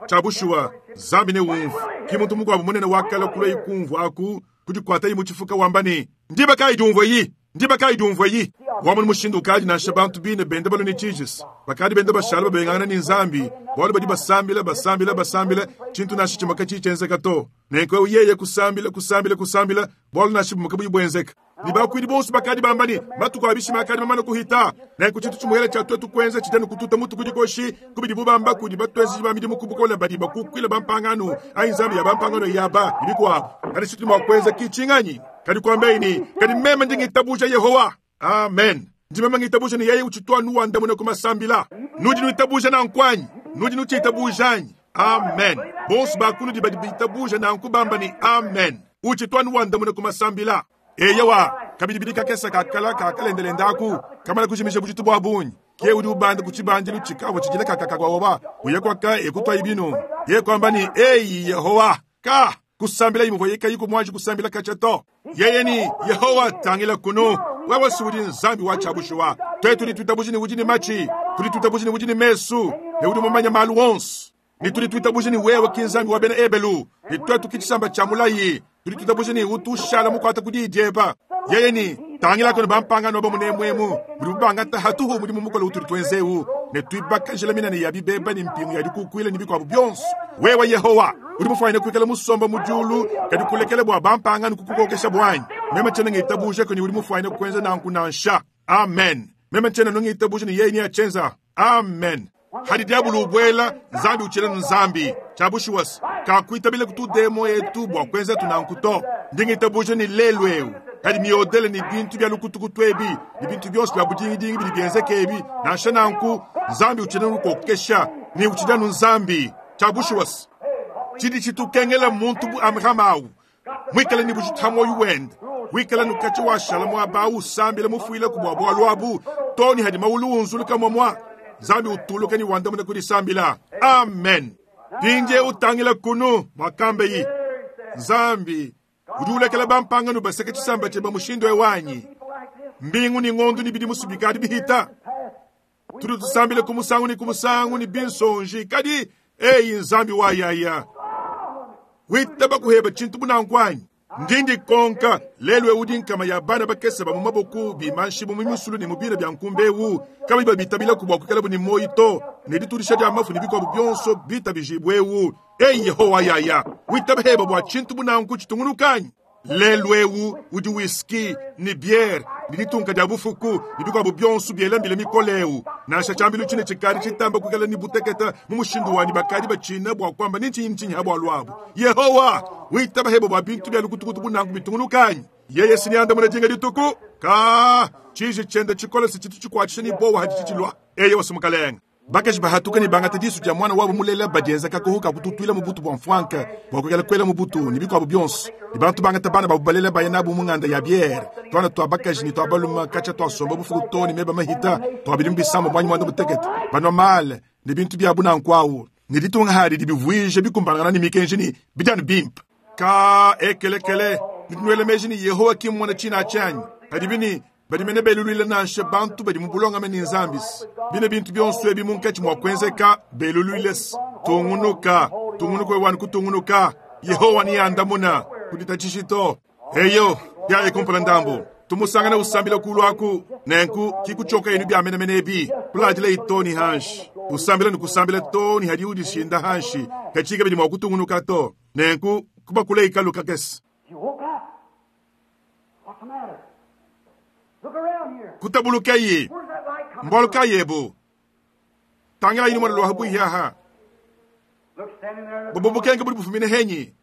Speaker 1: tshia bushuwa, Nzambi ne umvu. Ki muntu mukuabu munene wakala kula ikumvu aku, kudikwata yi mutshifuka wamba ni, ndiba kayi diumvua yi? Ndiba kayi diumvua yi? Wamona mushindu ukadi nansha bantu bine bende balue ne tshijisi. Bakadi bende bashala babengangana ne Nzambi, bualu badi basambila, basambila, basambila, tshintu nansha tshimue katshiyi tshienzeka to. Nenku eu yeye kusambila, kusambila, kusambila, bualu nansha bumue kabuyi buenzeka. Ne bakuidi bonso bakadi bamba ne, matuku a bishima akadi mamane kuhita. Nenku tshintu tshimuele tshia tuetu kuenza tshidi anu kututa mutu kudi koshi, kubidi bubamba kudi batuenzeji ba midimu ku bukole badi bakukuila bampangano, anyi Nzambi ya bampangano yaba, ne bikuabu. Kadi tshitudi mua kuenza ki tshinganyi? Kadi kuambeyi ne, kadi meme ndi ngitabuja Yehowa. Amen. Ndi meme ngitabuja ne yeye utshitu anu wandamuna ku masambila. Nudi nuitabuja nanku anyi? Nudi nutshiitabuja anyi? Amen. Bonso bakunudi badi bitabuja nanku bamba ne amen. Utshitu anu wandamuna ku masambila. Eyowa, kabidi bidi kakesa kakala kakalendelenda aku, kamala kujimisha bujitu bua bungi. Ke udi ubanda ku tshibandilu tshikavua tshidila kakakakwawa, uye kwaka ekutwa ibinu. Ye kwamba ni, eyi Yehowa, ka kusambila imuvua yekayi kumwanji kusambila katshia to. Yeye ni Yehowa tangila kunu. Wewe si udi Nzambi wa tshia bushuwa. Twetu tudi tuitabuja ne udi ne matshi, tudi tuitabuja ne udi ne mesu, ne udi mumanye malu onso. Ne tudi tuitabuja ne wewe ki Nzambi wa bena Ebelu, ne twetu ki tshisamba tshia mulayi. Tudi tuitabuja ne utu ushala mukuata ku diyi dieba. Yeye ni tangila kono bampangano ba munemwemu, budi bubangata hatuhu mudimu mukole utudi tuenzewu, ne tuibakajila minene ya bibeba ne mpingu ya dikukuila ne bikuabu bionso. Wewe Yehowa, udi mufuanyine kuikala musomba mu diulu, kadi kulekela bua bampangano kukukokesha buanyi. Meme tshiena ngitabuja kuni udi mufuanyine kuenza nanku nansha. Amen. Meme tshiena ngitabuja ne yeye ni achenza. Amen. Hadi diabulu ubwela, Nzambi utshiena Nzambi. Tshia bushuwa, kakuitabile kutudemo etu bua kuenza tunanku to. Ndi ngitabuja ni lelu eu. Kadi miodele ni bintu bya lukutukutu ebi, ni bintu byonso bya budingidingi bidi bienzeka ebi. Nansha nanku, Nzambi utshiena nukokesha, ni utshiena Nzambi. Tshia bushuwa, tshidi tshitukengela muntu bu Amram awu. Mwikala ni bujitu moyo wende. Wikala nukachi washala mwaba usambila mufuile ku bua bualu abu. Toni hadi maulu unzuluka mwamwa. Nzambi utuluka ni wandamuna kudisambila. Amen. Mpindiewu tangila kunu mwakambeyi Nzambi udi ulekela bampangano baseke tshisamba tshiebe mushindu ewu anyi? Mbingu ne ngondu ne bidimu bikadi bihita. Tudi tusambila ku musangu ne ku musangu ne binsonji, kadi eyi Nzambi wa yaya. Witaba kuheba tshintu bunanku anyi? Ndi ndikonka lelu ewu udi nkama ya bana bakese ba mu maboku bimanshibu mu misulu ne mu bina bia nkumba ewu, kabayi babitabilaku bua kuikalabu ne muoyo to, ne ditudisha dia mafu ne bikuabu bionso bitabijibue ewu. Eyi Yehowa yaya, witaba heba bua tshintu bunanku tshitungunuka anyi? Lelu ewu udi whisky ne biere ne ditunka dia bufuku ne bikuabu bionso biela mbila mikole ewu. Nansha tshiambilu tshine tshikadi tshitamba kuikala ne butekete mu mushindu wa ne bakadi batshina bua kuamba ne ntshinyi ntshinyi ha bualu abu. Yehowa, witaba heba bua bintu bia lukutukutu bunanku bitungunuka anyi? Yeye si neandamune dinga dituku? Ka, tshiji tshiende tshikole si tshitu tshikuatshisha ne buowa haditshi tshilua. Eyowa, si Mukalenge. Bakaji bahatuka ne bangata disu dia muana wabu mulela badienza kakoho ka kututuila mu butu bua mfuanka bua kuikala kuela mu butu ne bikuabu bionso. Ne bantu bangata bana babu balela baya nabu mu nganda ya biere, tuana tua bakaji ne tua balume katshia tuasomba bufuku too ne meba mahita tua bidimu bisamba muanyi muanda mutekete, banua male ne bintu biabu nanku au. Ne ditunga hadi dibivuija bikumbanangana ne mikenji ne bidi anu bimpe. Ka ekelekele, nudi nuela meji ne Yehowa ki mmona tshina atshi anyi? Padibi ne badi mene beluluila nansha bantu badi mu bulongame ne Nzambi se bine bintu bionso ebi munkatshi mua kuenzeka beluluile se tungunuka, tungunuka wewe wanu kutungunuka. Yehowa neandamuna kuditatshishi to. Eyo, yaye kumpala ndambu tumusangana usambila kulu aku, nenku kikutshioka yenu bia menemene ebi kuladila ito ni hanshi usambila ne kusambila to ni hadi udishinda hanshi kachika bidi mua kutungunuka to, nenku kubakula ikalu kakese.
Speaker 2: She woke up. What's the matter? Look around here.
Speaker 1: Kutabulukayi.
Speaker 2: Where's that light coming
Speaker 1: Mbualu
Speaker 2: from?
Speaker 1: kayi ebu? Tangilayi numona lua habuihi aha.
Speaker 2: Look, standing there in the
Speaker 1: Bobo bukenke budi bufumine henyi.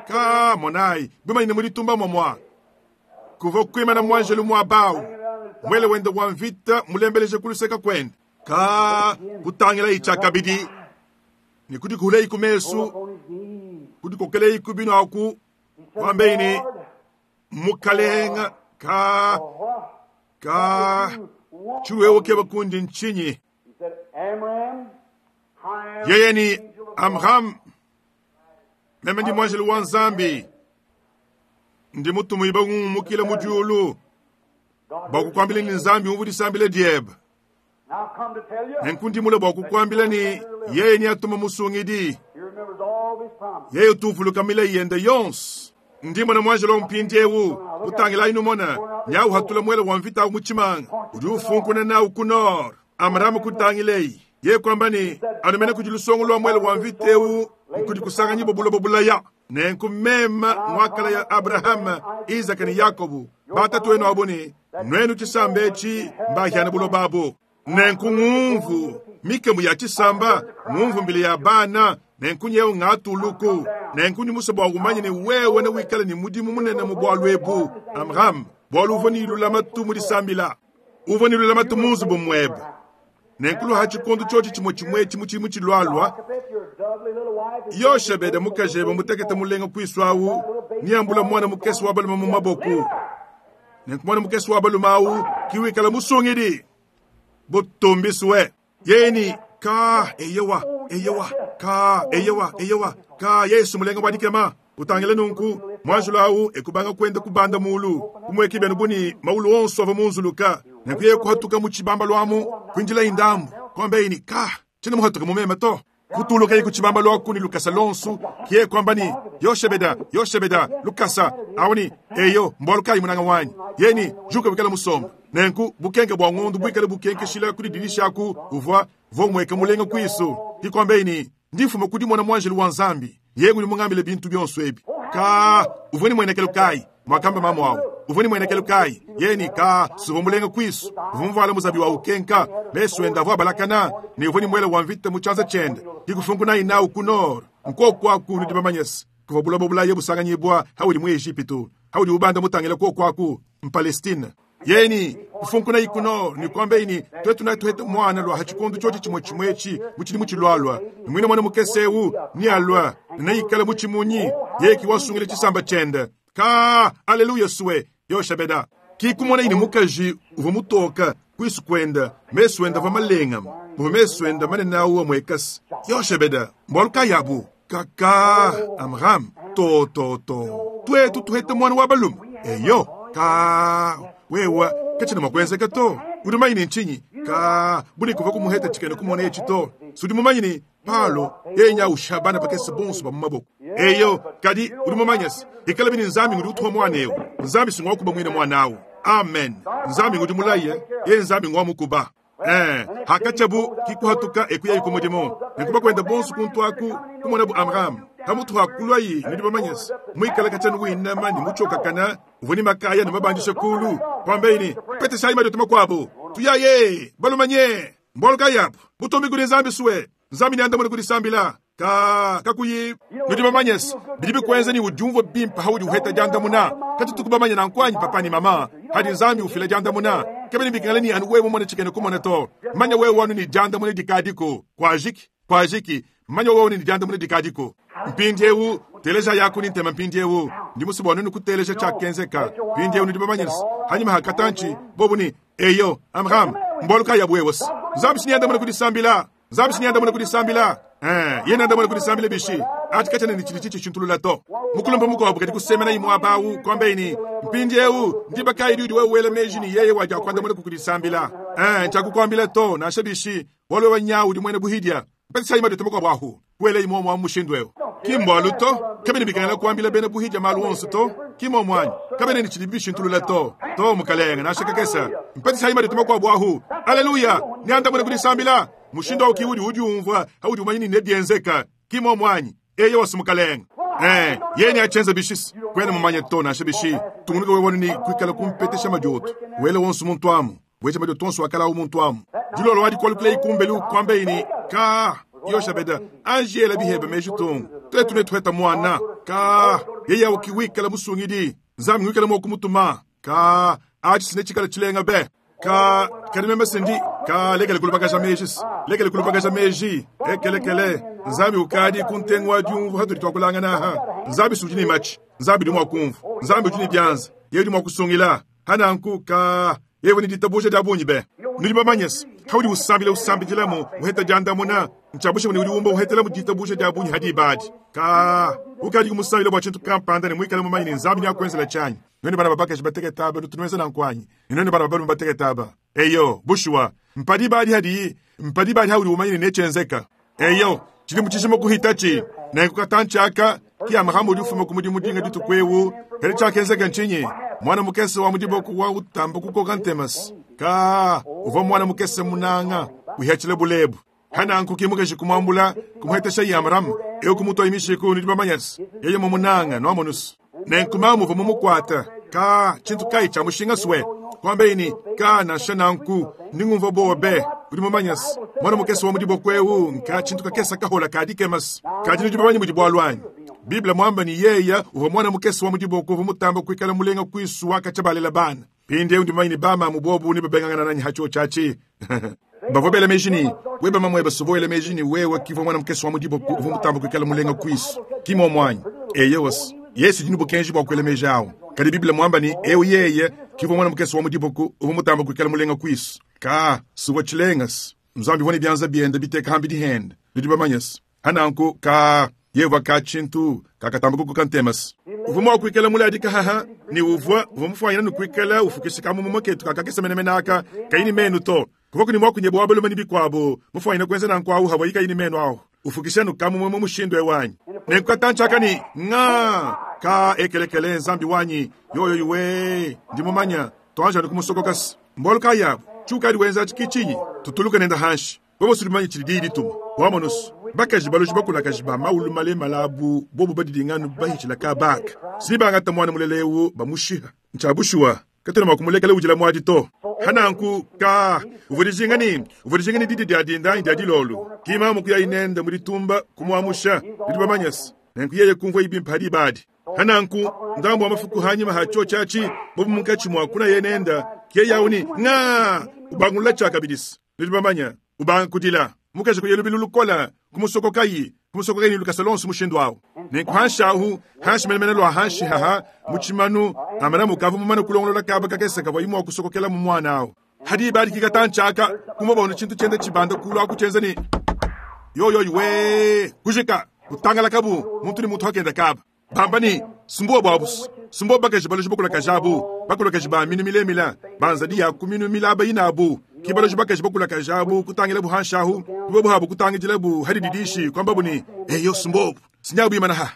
Speaker 1: Ka monayi, bimanyine mu ditumba mwamwa. Kuva kuimana muanjelu muabawu. Mwele wende wa mvita mulembeleje kuluseka kwende. Ka kutangilayi tshiakabidi. Ne kudikuleyi ku mesu,
Speaker 2: up on his knees.
Speaker 1: kudikokeleyi ku binu aku, wambeyi ne mukalenga ka
Speaker 2: What?
Speaker 1: ka tshiwewe keba kundi ntshinyi.
Speaker 2: He said, Amram, I am
Speaker 1: Yeye ni
Speaker 2: the angel of the Lord.
Speaker 1: Amram, meme ndi muanjelu wa Nzambi, ndi mutumu iba ngumukile mu diulu
Speaker 2: God
Speaker 1: bua kukuambila ni Nzambi umvu disambila diebe.
Speaker 2: Now I've come to tell you.
Speaker 1: Nenku ndi mule bua kukuambila ni yeye ni atuma musungidi,
Speaker 2: He remembers all of his promises.
Speaker 1: yeye utuvuluka milayi yende yonso. Ndi mona muanjelu wa mpindiewu kutangilayi numona nyawu hatula mwele wa mvita mu tshimanga udi ufunkuna nawu ku nord. Amramu kutangileyi ye kwamba ni anumene kudi lusongo lwa mwele wa mvita ewu nkudi kusanganyibwa buloba bulaya. Nenku mema mwakala ya Abrahama, Isaka ne Yakobo batatu wenu abo ni nwenu tshisamba etshi mbahiana buloba abo. Nenku ngumvu mikemu ya tshisamba, ngumvu mbili ya bana, nenku nyewu ngatuluku. Nenku ndi musue bua umanye ne wewe ne wikale ne mudimu munene mu bualu ebu. Amram, bualu uvua ne lulamatu mu disambila. Uvua ne lulamatu mu nzubu muebe. Nenku luha tshikondo tshiotshi tshimue tshimue etshi mu tshimu tshilualua,
Speaker 2: Jochebed, your lovely little wife, is
Speaker 1: Yoshebede mukajebe mutekete mulenga kuisu awu, niambula mwana mukese wa balume mu maboku. Nenku mwana mukese wa balume awu kiwikala musungidi. Butumbiswe. Yeni ka eyewa eyewa ka eyewa eyewa ka Yesu mulenga wa dikema. Utangile nunku mwanjulu awu ekubanga kwenda kubanda mulu kumweki benu buni maulu onso ava munzuluka. Nenku yeye kuhatuka mu tshibamba lwamu kwinjila indambu kwambe ka tshina muhatuka mumema to. Kutuluka iku tshibamba lwaku ni lukasa lonsu kiye kwamba ni Yoshebeda Yoshebeda lukasa awoni eyo mbwalu kayi munanga wanyi yeni juka bikala musomba. Nenku bukenke bua ngondu buikale bukenkeshila kudi dirisha aku uvua vomweka mulenga kwisu kikwambe ni ndifuma kudi mwana mwanjelu wa Nzambi yeye nguli mungambile bintu bionso ebi. Ka uvua ni mwenekelo kayi mwakamba mamu awu uvua ni mwenekelo kayi yeni ka suva mulenga kwisu uvua muvala muzabi wa ukenka mesu enda avua balakana ne uvua ni mwele wa mvita mu tshianza tshiende kikufunkuna inawu ku nord nkoku aku nudi bamanyese kuva buloba bulaye busanganyibwa haudi mu Ejipitu haudi ubanda mutangila koku aku mpalestine. Yeni kufunkuna ikuno ni kwambe ini twetu na tuhete mwana lwa hachikondo chochi chimwe chimwechi muchili muchilwalwa ni mwina mwana mukesewu ni alwa na ikala muchimunyi yeki wasungile chisamba chende ka aleluya suwe Yoshebeda. Ki kumonaye ne mukaji uvua mutoka kuisu kuenda, mesu enda avua malengama, muvua mesu enda manene awu amuekasa. Yoshebeda, mbualu kayi abu? Kaka, Amram, to, to, to. Tuetu tuheta muana wa balume. Eyo, ka, wewa, katshiena mua kuenzeka to. Udi mumanye ne ntshinyi? Ka, buni kuvua kumuheta tshikena kumona etshi to. Sudi mumanye ne, Palo, yeye nya usha bana bakese bonso ba mu maboko. Eyo, kadi udi mumanye se, ikalabi ne Nzambi ngudi utuha muana eu. Nzambi si ngua kuba muine muana au. Amen. Nzambi ngudi mulaye, yeye Nzambi ngua mukuba. Eh, hakatshiabu kikuhatuka ekuyayi ku mudimu. Nenku bakuenda bonso kuntu aku kumonabu Amram. Pamutu ha kuluayi nudi bamanye se, muikala katshianu winama ne mutshiokakana, uvua ne makaya ne mabandisha kulu. Kuambaye ne, Peteshayi madioto makuabu. Tuyaye, balumanye. Mbualu kayi abu? Butumbi kudi Nzambi sue. Nzambi neandamune ku disambila. Ka, kakuyi. Nudi bamanye se, bidi bikuenza ne udiumvua bimpe haudi uheta diandamuna. Katutuku bamanye nanku anyi, papa ne mama? Hadi Nzambi ufila diandamuna, kabena bikengela ne anu wewe mumone tshikena kumona to. Manya wewe anu ne diandamuna dikadiku. Kuajiki, kuajiki. Manya wewe anu ne diandamuna dikadiku. Mpindiewu, telejayaku ne ntema mpindiewu. Ndi musue bua nuenu kuteleja tshiakenzeka. Mpindiewu nudi bamanye se, hanyima ha katantshi, bobu ne, Eyo, Amram, mbualu kayi abu wewe se? Nzambi si neandamune ku disambila. Nzambi si neandamune ku disambila. Eh, yeye neandamune ku disambila bishi? Atshi katshiena ne tshidi tshitshishintulula to. Mukulumpe mukuabu kadi kusemena muaba awu, kuambaye ne, Mpindiewu, ndiba kayi diudi wewe wela meji ne yeye wadi akuandamuna ku kudisambila? Eh, ntshiakukuambila to, nansha bishi, bualu wewe nyawu udi muena buhidia. Mpeteshayi madioto makuabu ahu, kuelayi muomu amu mushindu eu. Ki mbualu to, kabiena bikengela kuambila bena buhidia malu onso to, ki muomu anyi? Kabiena ne tshidibi bishintulula to. To, mukalenge, nansha kakese. Mpeteshayi madioto makuabu ahu. Aleluya! Neandamune ku disambila. Mushindu au ki udi udiumvua haudi umanya ne nebienzeka, ki muomu anyi? Eyowa, si mukalenge. Eh, yeye neatshienza bishi? Kuena mumanye to, nansha bishi. Tungunuka wewe anu ne kuikala kumpetesha madioto. Wele wonso muntu amu. Weja madioto onso akala awu muntu amu. Dilolo wadi kualukila kumbelu kuambaye ne, Ka, Yoshabeda, anji ela bihebe meji tungu. Tuetu netuheta muana. Ka, yeye awu ki wikala musungidi. Nzambi ngwikala mua kumutuma. Ka, atshi si netshikala tshilenga be. Ka, kadi meme se ndi, ka, lekele kulubakaja meji se. Lekele kulubakaja meji. Ekelekele, Nzambi ukadi ku ntengu wa diumvua hatudi tuakulangana aha. Nzambi si udi ne matshi. Nzambi udi mua kumvua. Nzambi udi ne bianza. Yeye udi mua kusungila. Hananku, ka, yeye ne ditabuja dia bungi be. Nudi bamanye se, haudi usambila usambidilamu, uheta diandamuna, ntshiabusha ne udi umba uhetelamu ditabuja dia bungi hadi ibadi. Ka, ukadi kumusambila bua tshintu kampanda ne muikale mumanye ne Nzambi neakuenzela tshianyi. Nuenu bana ba bakaji batekete aba, nutu nuenza nanku anyi? Ne nuenu bana ba balume batekete aba? Eyo, bushuwa, mpa diba adi hadiyi, mpa diba adi haudi umanye ne netshienzeka. Eyo, tshidi mu tshijima kuhitatshi. Nenku katantshi aka, ki Amrama udi ufuma ku mudimu dinga dituku ewu. Kadi tshiakenzeka ntshinyi? Muana mukese wa mu diboko wa utamba kukoka ntemasi. Ka, uvua muana mukese munanga, uhiatshila bulebu. Hananku ki mukaji kumuambula, kumuhetesha Amrama, eu kumutua mishiku, nudi bamanye se, yeye mumunanga, nuamonusu. Nenku mamu uvua mumukuata. Ka, tshintu kayi tshia mushinga sue? Kuambaye ne, Ka, nansha nanku, ndi ngumvua buowa be. Udi mumanye se, muana mukese wa mu diboko eu nka tshintu kakese kahola ka dikema se. Kadi nudi bamanye mudi bualu anyi? Bible muamba ne yeya uvua muana mukese wa mu diboko uvua mutamba kuikala mulenga kuisu wa katshia balela bana. Mpindieu ndi mumanye ne bamamu bobu nebabengangana nanyi ha tshiotshi atshi. Bavua bela meji ne, weba mamuebe suvua wela meji ne wewe kivua muana mukese wa mu diboko uvua mutamba kuikala mulenga kuisu. Ki muomu anyi? Eyowa se, Yesu udi ne bukenji bua kuela meji awu. Kadi Bible muamba ne, eu yeye kivua muana mukese wa mu diboko uvua mutamba kuikala mulenga kuisu. Ka, suvua tshilenga se, Nzambi uvua ne bianza biende biteka hambidi hende. Nudi bamanye se, hananku, ka, yeye ka tshintu kakatamba kukoka ntema se. Uvua mua kuikala muladika haha ne uvua, uvua mufuanyina ne kuikala ufukisha kamumuma ketu kakakese menemene aka, kayi ne menu to. Kuvua kuni mua kunyebua wa balume ne bikuabu, mufuanyina kuenza nanku awu havua kayi ne menu awu, ufukisha nu kamumuma mushindu ewu anyi? Nenku katantshi aka ne, nga, ka, ekelekele, Nzambi wanyi, yoyoyi we, ndi mumanya, tuanji anu kumusokoka se. Mbualu kayi abu? Tshiukadi wenza atshi ki tshinyi? Tutuluka nenda hanshi. Wewe sudi mumanye tshidi diyi dituma. Wamonusu, bakaji baloji bakulakaji ba maulu malemala abu bobu badidinganu bahitshila kabaka. Si bangata muana mulela eu bamushiha. Ntshia bushuwa, katuena mua kumulekela udila muadi to. Hananku, ka, uvua dijinga ne, uvua dijinga ne didi dia dinda anyi dia dilolo. Ki mamu kuyayi nende mu ditumba kumuamusha. Nudi bamanye se, nenku yeye kumvua ibimpe hadi ibadi. Hananku, ndambu wa mafuku hanyima ha tshiotshi atshi, bobu munkatshi mua kunaye nenda, ke yawu ne, nga, ubangulula tshiakabidisi. Nudi bamanya, ubanga kudila. Mukaji kuya lubilu lukola, kumusokokayi, kumusokokayi ne lukasa lonso mushindu awu. Nenku hanshi ahu, hanshi menemene lua hanshi haha, mu tshimanu, Amalama ukavua mumane kulongolola kaba kakese kavuaye mua kusokokelamu muana au. Ha diba adi kikatantshi aka, kumvua bona tshintu tshienda tshibanda kulu aku tshienza ne, Yoyoyi wee! Kujika! Kutangalakabu, muntu ne muntu akenda kaba. Bamba ne, Sumbuobu abu, sumbuobu bakaji baloji bakulakaji abu, bakulakaji ba minu milemile, ba nzadi ya ku minu milaba inabu. Ki baloji bakaji bakulakaji abu kutangilabu hanshi ahu, ki bobu habu kutangidilabu ha dididishi, kuambabu ne, Eyo, sumbuobu, sinyabu imana ha.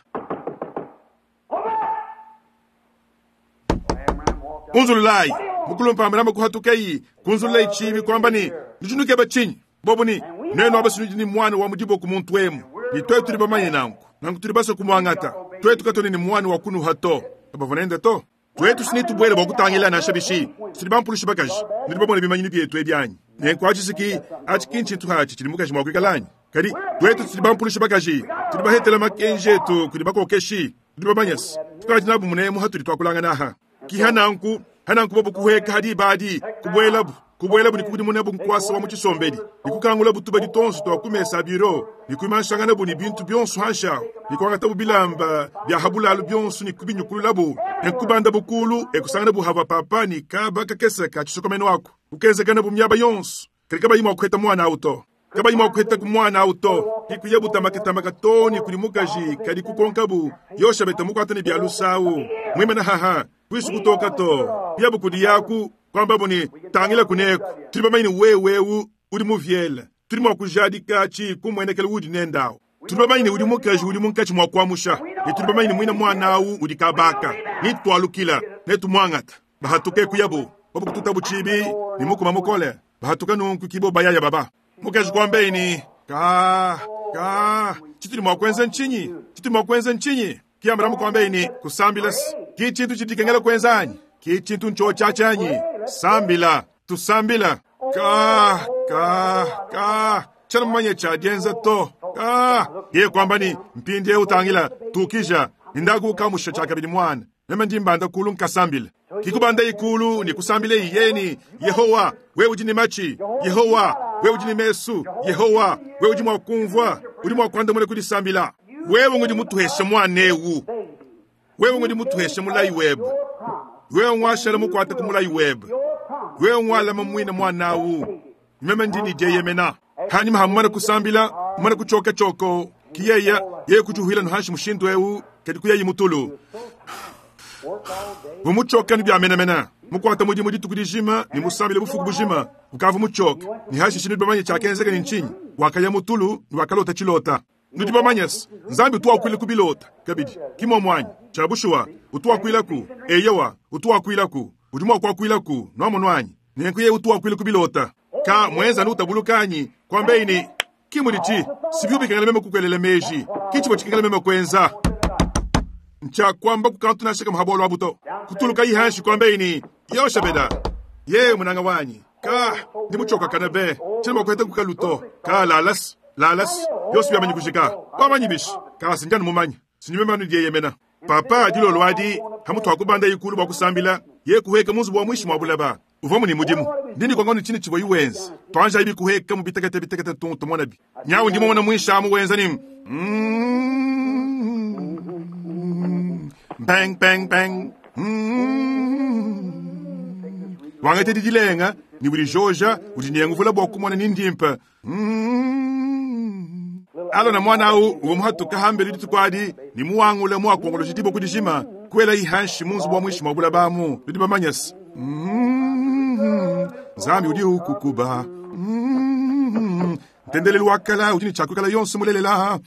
Speaker 1: Unzululayi! Mukulumpe Amalama kuhatukayi, kunzululayi tshiibi, kuamba ne, Nudi nukeba tshinyi? Bobu ne, Nuenu aba sinudi ne muana wa mu diboko muntu emu, ne tuetu tudi bamanye nanku. Nanku tudi basue kumuangata. Tuetu katuena ne muana wa kunuha to. Kabavua nende to. Tuetu si netubuele bua kutangila nansha bishi. Tudi bampulushi bakaji. Nudi bamone bimanyinu bietu ebi anyi? Nenku atshi si ki, atshi ki ntshintu atshi tshidi mukaji mua kuikala anyi? Kadi tuetu tudi bampulushi bakaji. Tudi bahetela makenji etu kudi bakokeshi. Tudi bamanye se, tukadi nabu munemu hatudi tuakulangana aha. Ki hananku, hananku bobu kuhueka ha diba adi, kubuelabu, kubuelabu ne kukudimunabu nkuasa wa mu tshisombedi, ne kukangulabu tubadi tuonso tua ku mesa a biro, ne kuimanshanganabu ne bintu bionso hanshi ahu, ne kuangatabu bilamba bia ha bulalu bionso ne kubinyukululabu, ne kubandabu kulu e kusanganabu havua papa ne kaba kakese ka tshisokomenu aku, kukenzekanabu miaba yonso, kadi kabayi mua kuheta muana au to. Kabayi mua kuhetaku muana au to. Ki kuyabu tamakatamaka to ne kudi mukaji, kadi kukonkabu Yoshabeta mukuata ne bia lusa au, muimana haha, kuisu kutoka to. Kuyabu kudi yaku, kuambabu ne, Tangila kuneku, tudi bamanye ne wewe eu udi muviele, tudi mua kujadika atshi kumuenekela udi nende au. Tudi bamanye ne udi mukaji udi munkatshi mua kuamusha, ne tudi bamanye ne muina muana au udi kabaka, ne tualukila, ne tumuangata. Bahatuke kuyabu, bobu kututabu tshibi ne mukuma mukole, bahatuka nunku kibo bayaya baba. Mukaji kuambaye ne, Ka, ka, tshitudi mua kuenza ntshinyi? Tshitudi mua kuenza ntshinyi? Ki Abraham kuambaye ne, Kusambila ki tshintu tshidi dikengela kuenza anyi? Ki tshintu ntshiotshi anyi? Sambila, tusambila. Ka, ka, ka, tshiena mumanye tshia dienza to. Ka, yeye kuamba ne, Mpindieu tangila, tukija, ndaku ukamusha tshiakabidi muana. Meme ndi mbanda kulu nkasambila. Ki kubandayi kulu ne kusambileyi yeye ne, Yehowa, wewe udi ne matshi. Yehowa, wewe udi ne mesu. Yehowa, wewe udi mua kumvua. Udi mua kuandamuna ku disambila. Wewe ngudi mutuheshe muana eu. Wewe ngudi mutuheshe mulayi webe. Wewe nguashala mukuate ku mulayi webe. Wewe ngualama muine muana au. Meme ndi ne dieyemena. Hanyima ha mumane kusambila, mumane kutshoka tshioko, ki yeye, yeye kutshiuhila nuhanshi mushindu eu, kadi kuyayi mutulu. Vumutshoka ni bia menamena. Mukuata mudimu dituku dijima ne musambile bufuku bujima, ukavua mutshoka. Ne hashishe nudi bamanye tshiakenzeka ne ntshinyi? Wakaya mutulu ne wakalota tshilota. Nudi bamanye se, Nzambi utu wakuila ku bilota kabidi, ki muomu anyi? Tshia bushuwa, utu wakuilaku. Eyowa, utu wakuilaku. Udi mua kuakuilaku, nuamonu anyi? Nenku yeye utu wakuila ku bilota. Ka muenza anu utabuluka anyi, kuambeyi ne, Ki mudi tshi, sibi bikengela meme kukuelela meji, ki tshivua tshikengela meme kuenza. Ntshia kuamba ku kantu nansha kamue ha bualu abu to. Kutulukayi hanshi kuambeyi ne, Yoshabeda, yewe munanga wanyi, ka ndi mutshiokakane be, tshiena mua kuheta ku kalu to. Ka lalas, lalas, bionso biamanyi kujika. Wamanyi bishi? Ka si ndi anu mumanye, si ndi meme anu dieyemena. Papa dilolo adi, hamutu ha kubanda ikulu bua kusambila, ye kuheka mu nzubu wa muinshi mua bulaba. Uvua mu ne mudimu. Ndi ne kuangano tshinyi tshivua iwenza. Tuanjayi bikuheka mu bitekete bitekete tuntu tumona bi. Nyawu ndi mumona muinshi amu wenza ne bang bang bang. Wangate didilenga ne udi joja udi nenguvula bua kumona ni ndimpe. Alona muana au uvua muhatuka hambelu dituku adi ne muwangule muakongoloji diboko dijima kuela ihanshi mu nzubu wa muinshi mua bulaba amu. Nudi bamanye se Nzambi udi ukukuba. Ntendelelu wa kala udi ne tshiakuikala yonso mulelela.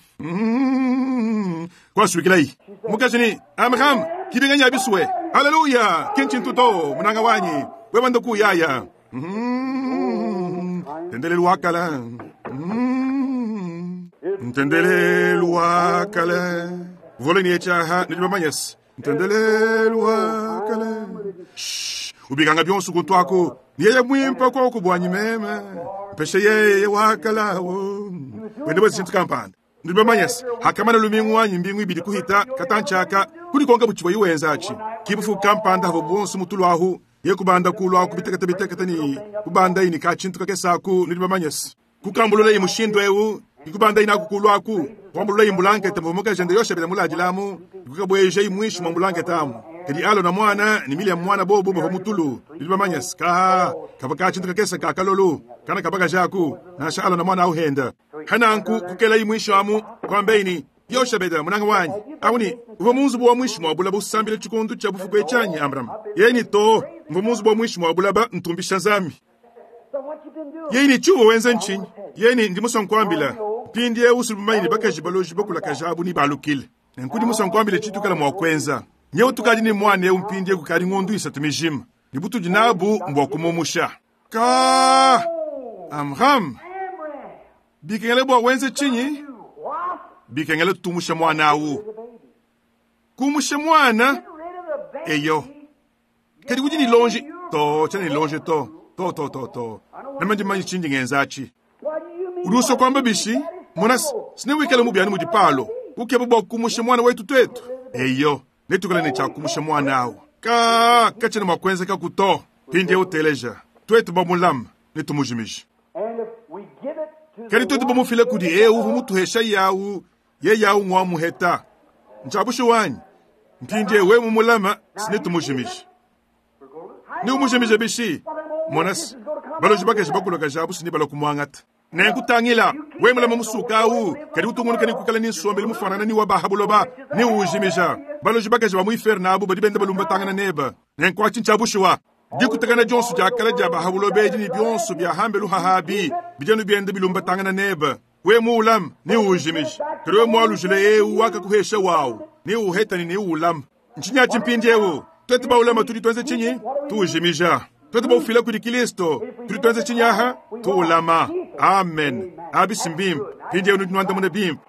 Speaker 1: Kuasuikilayi mukaji ne Amram kibinganya bisue. Haleluya! Ki ntshintu to munanga wanyi wewe ndokuyaya. Ntendelelu wa kala. Ntendelelu wa kala. Voleni echaha nudi bamanye se ntendelelu wa kala. Shh, ubikanga bionso kuntu aku. Yeye mwimpe koko bwanyi meme. Mpeshe yeye wa kala wo. Wende bwe kampanda. Nudi bamanye se hakamana lumingu wanyi mbingu ibidi kuhita katanchaka kudikonka buchibwa iwenza achi. Kibufu kampanda havo bonso mutulu ahu. Ye kubanda kulu aku bitekete bitekete ni kubanda ini ka tshintu kakese aku nudi bamanye se. Kukambulula imushindu eu ikubanda ina kukulu aku. Kuambulula imbulankete mvumo kajende yoshabela muladilamu. Ikukabweje imwishi mwa mbulankete amu. Kadi Alona mwana ne Miliam mwana bobu bavua mu tulu. Nudi bamanye se, kaa, kavua ka tshintu kakese ka kalolu, kana ka bakaji aku, nansha Alona mwana au henda. Hananku kukelayi muinshi amu, kuambayi ne, Yoshebeda, munanga wanyi, awu ne, uvua mu nzubu wa muinshi mua bulaba usambila tshikondu tshia bufuku etshi anyi, Amram? Yeye ne, Too, mvua mu nzubu wa muinshi mua bulaba ntumbisha Nzambi.
Speaker 2: So what you been doing?
Speaker 1: Yeye ne, Tshiuvua wenza ntshinyi? Yeye ne, Ndi musue nkuambila. Mpindieu sudi mumanye ne bakaji baloji bakulakaja abu nebalukile. Nenku ndi musue nkuambile tshitukala mua kuenza. Nyewu tukadi ne muana eu mpindieu kukadi ngondu isatu mijima, ne butudi nabu mbua kumumusha. Ka! Amram, bikengele bua wenze tshinyi? Bikengele tumushe muana awu. Kumusha muana? Eyo. Kadi udi ne lonji? To, tshiena ne lonji to. To, to, to, to. Meme ndi mumanye tshindi ngenza atshi. Udi usua kuamba bishi? Mona, sinewikale mubi anu mudi Paulo ukeba bua kumusha muana wetu tuetu. Eyo, netuikale ne tshia kumusha muana awu. Ka, katshiena mua kuenzekaku to. Mpindieu teleja, tuetu bamulame, netumujimije. Kadi tuetu bamufile kudi eu uvua mutuhesha yawu, yeye awu ngua muheta. Ntshia bushuwa anyi? Mpindieu wewe mumulame, sinetumujimije. Neumujimije bishi? Mona se, baloji bakaji bakulakaja abu sini balua kumuangata. Nenku tangila, wewe mulame musuka awu, kadi utungunuka ne kuikala ne nsombelu mufuanangane ne wa ba ha buloba, neujimija. Baloji bakaji ba mu inferno abu badi benda balumbatangana nebe. Nenku atshi ntshia bushuwa. Dikutakana dionso dia kale dia ba ha buloba edi ne bionso bia hambelu hahabi bidi anu bienda bilumbatangana nebe. Wewe muulame, neujimije. Kadi wewe mualujile eu wakakuhesha wawu, neuheta ne neuulame. Ntshinyi atshi mpindieu? Tuetu baulama tudi tuenza tshinyi? Tuujimija. Tuetu baufila kudi Kilisto, tudi tuenza tshinyi aha? Tuulama. Amen. Abi si mbimpe. Mpindieu nudi nuandamuna bimpe.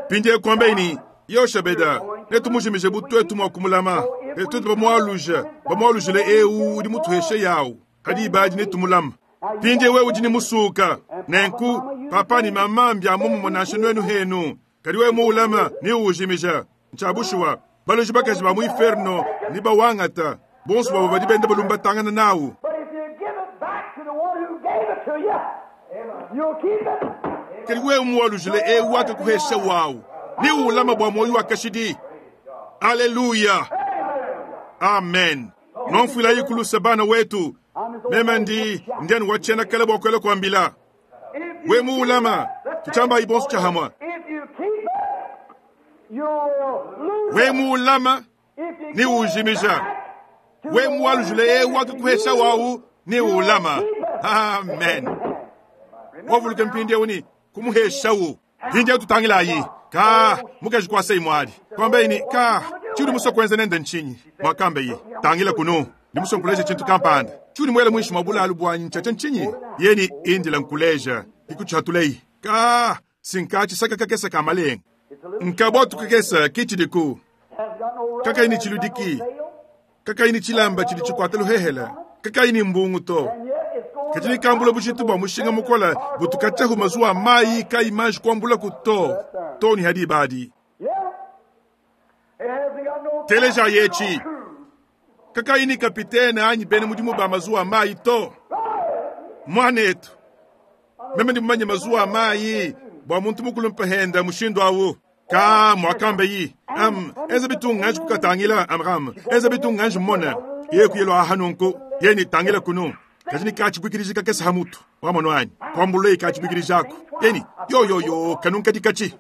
Speaker 1: Mpindieu kuambayi ne, Yoshabeda, netumujimije bu tuetu mua kumulama. Ne tuetu bamualuja, bamualujile eu udi mutuheshe yawu. Kadi ibadi netumulama. Mpindieu wewe udi ne musuka. Nenku, papa ne mama mbia muomumue nansha nuenu henu. Kadi wewe muulama, neuujimija. Ntshia bushuwa, baloji bakaji ba mu inferno ne bawangata, bonso babo badi benda balumbatangana nawu.
Speaker 2: But if you give it back to the one who gave it to you, you'll keep it.
Speaker 1: Kadi wewe muwalujile eu wakakuhesha wawu, neuulama bua muoyo wa kashidi. Aleluya, amen. Nomfuilayi kulusa bana wetu, meme ndi ndianu wa tshiena kale bua kuela kuambila.
Speaker 2: If you
Speaker 1: We muulama, tutshambayi bonso tshiahamwa.
Speaker 2: If you keep it, you'll lose
Speaker 1: We
Speaker 2: it.
Speaker 1: muulama,
Speaker 2: If you
Speaker 1: ni
Speaker 2: give it
Speaker 1: ujimija.
Speaker 2: back to
Speaker 1: We
Speaker 2: the one
Speaker 1: muwalujile
Speaker 2: who
Speaker 1: eu
Speaker 2: gave it to
Speaker 1: wakakuhesha
Speaker 2: you,
Speaker 1: wawu, neuulama. Amen. Wavuluke mpindieu ni kumuheshawu. Mpindieu tutangilayi. Ka, mukaji kuasei mwali. Kuambayi ni, ka, tshiudi musue kuenza nende ntshinyi? Muakambayi, tangila kunu. Ndi musue nkuleja tshintu kampanda. Tshiudi muele muinshi mua bulalu buanyi ntshiatshia ntshinyi? Yeni indila nkuleja. Ikutshiatuleyi. Ka, sinka tshisaka kakese ka malenga. Nkabwatu kakese kitshidiku.
Speaker 2: Has got no rudder,
Speaker 1: Kakayi ni
Speaker 2: has got no
Speaker 1: tshiludiki.
Speaker 2: sail,
Speaker 1: Kakayi ni tshilamba tshidi tshikuata luhehela. Kakayi ni mbungu to.
Speaker 2: and yet it's going
Speaker 1: Kadi nikambula bujitu bua mushinga mukola butukatyahu mazuwa mayi kayi manji kuambulaku to to ni hadi ibadi.
Speaker 2: Yeah. It hasn't got no
Speaker 1: Teleja yetshi.
Speaker 2: no crew.
Speaker 1: Kakayi ni kapitene anyi bene mudimu ba mazuwa mayi to. Mwanetu, meme ndi mumanye mazuwa mayi bua muntu mukulu mpahenda mushindu awu. Ka muakambe yi. Am, enza bitunga anji kukatangila Amram. Enza bitunga anji mmona. Ye kuyelo aha nunku. Ye ni tangila kunu. Kaji ni kachibwikiriji kakese hamutu. Wamono anyi. Kwambule ikachibwikiriji ako. Yeni, yo yo yo, kanunka dikachi.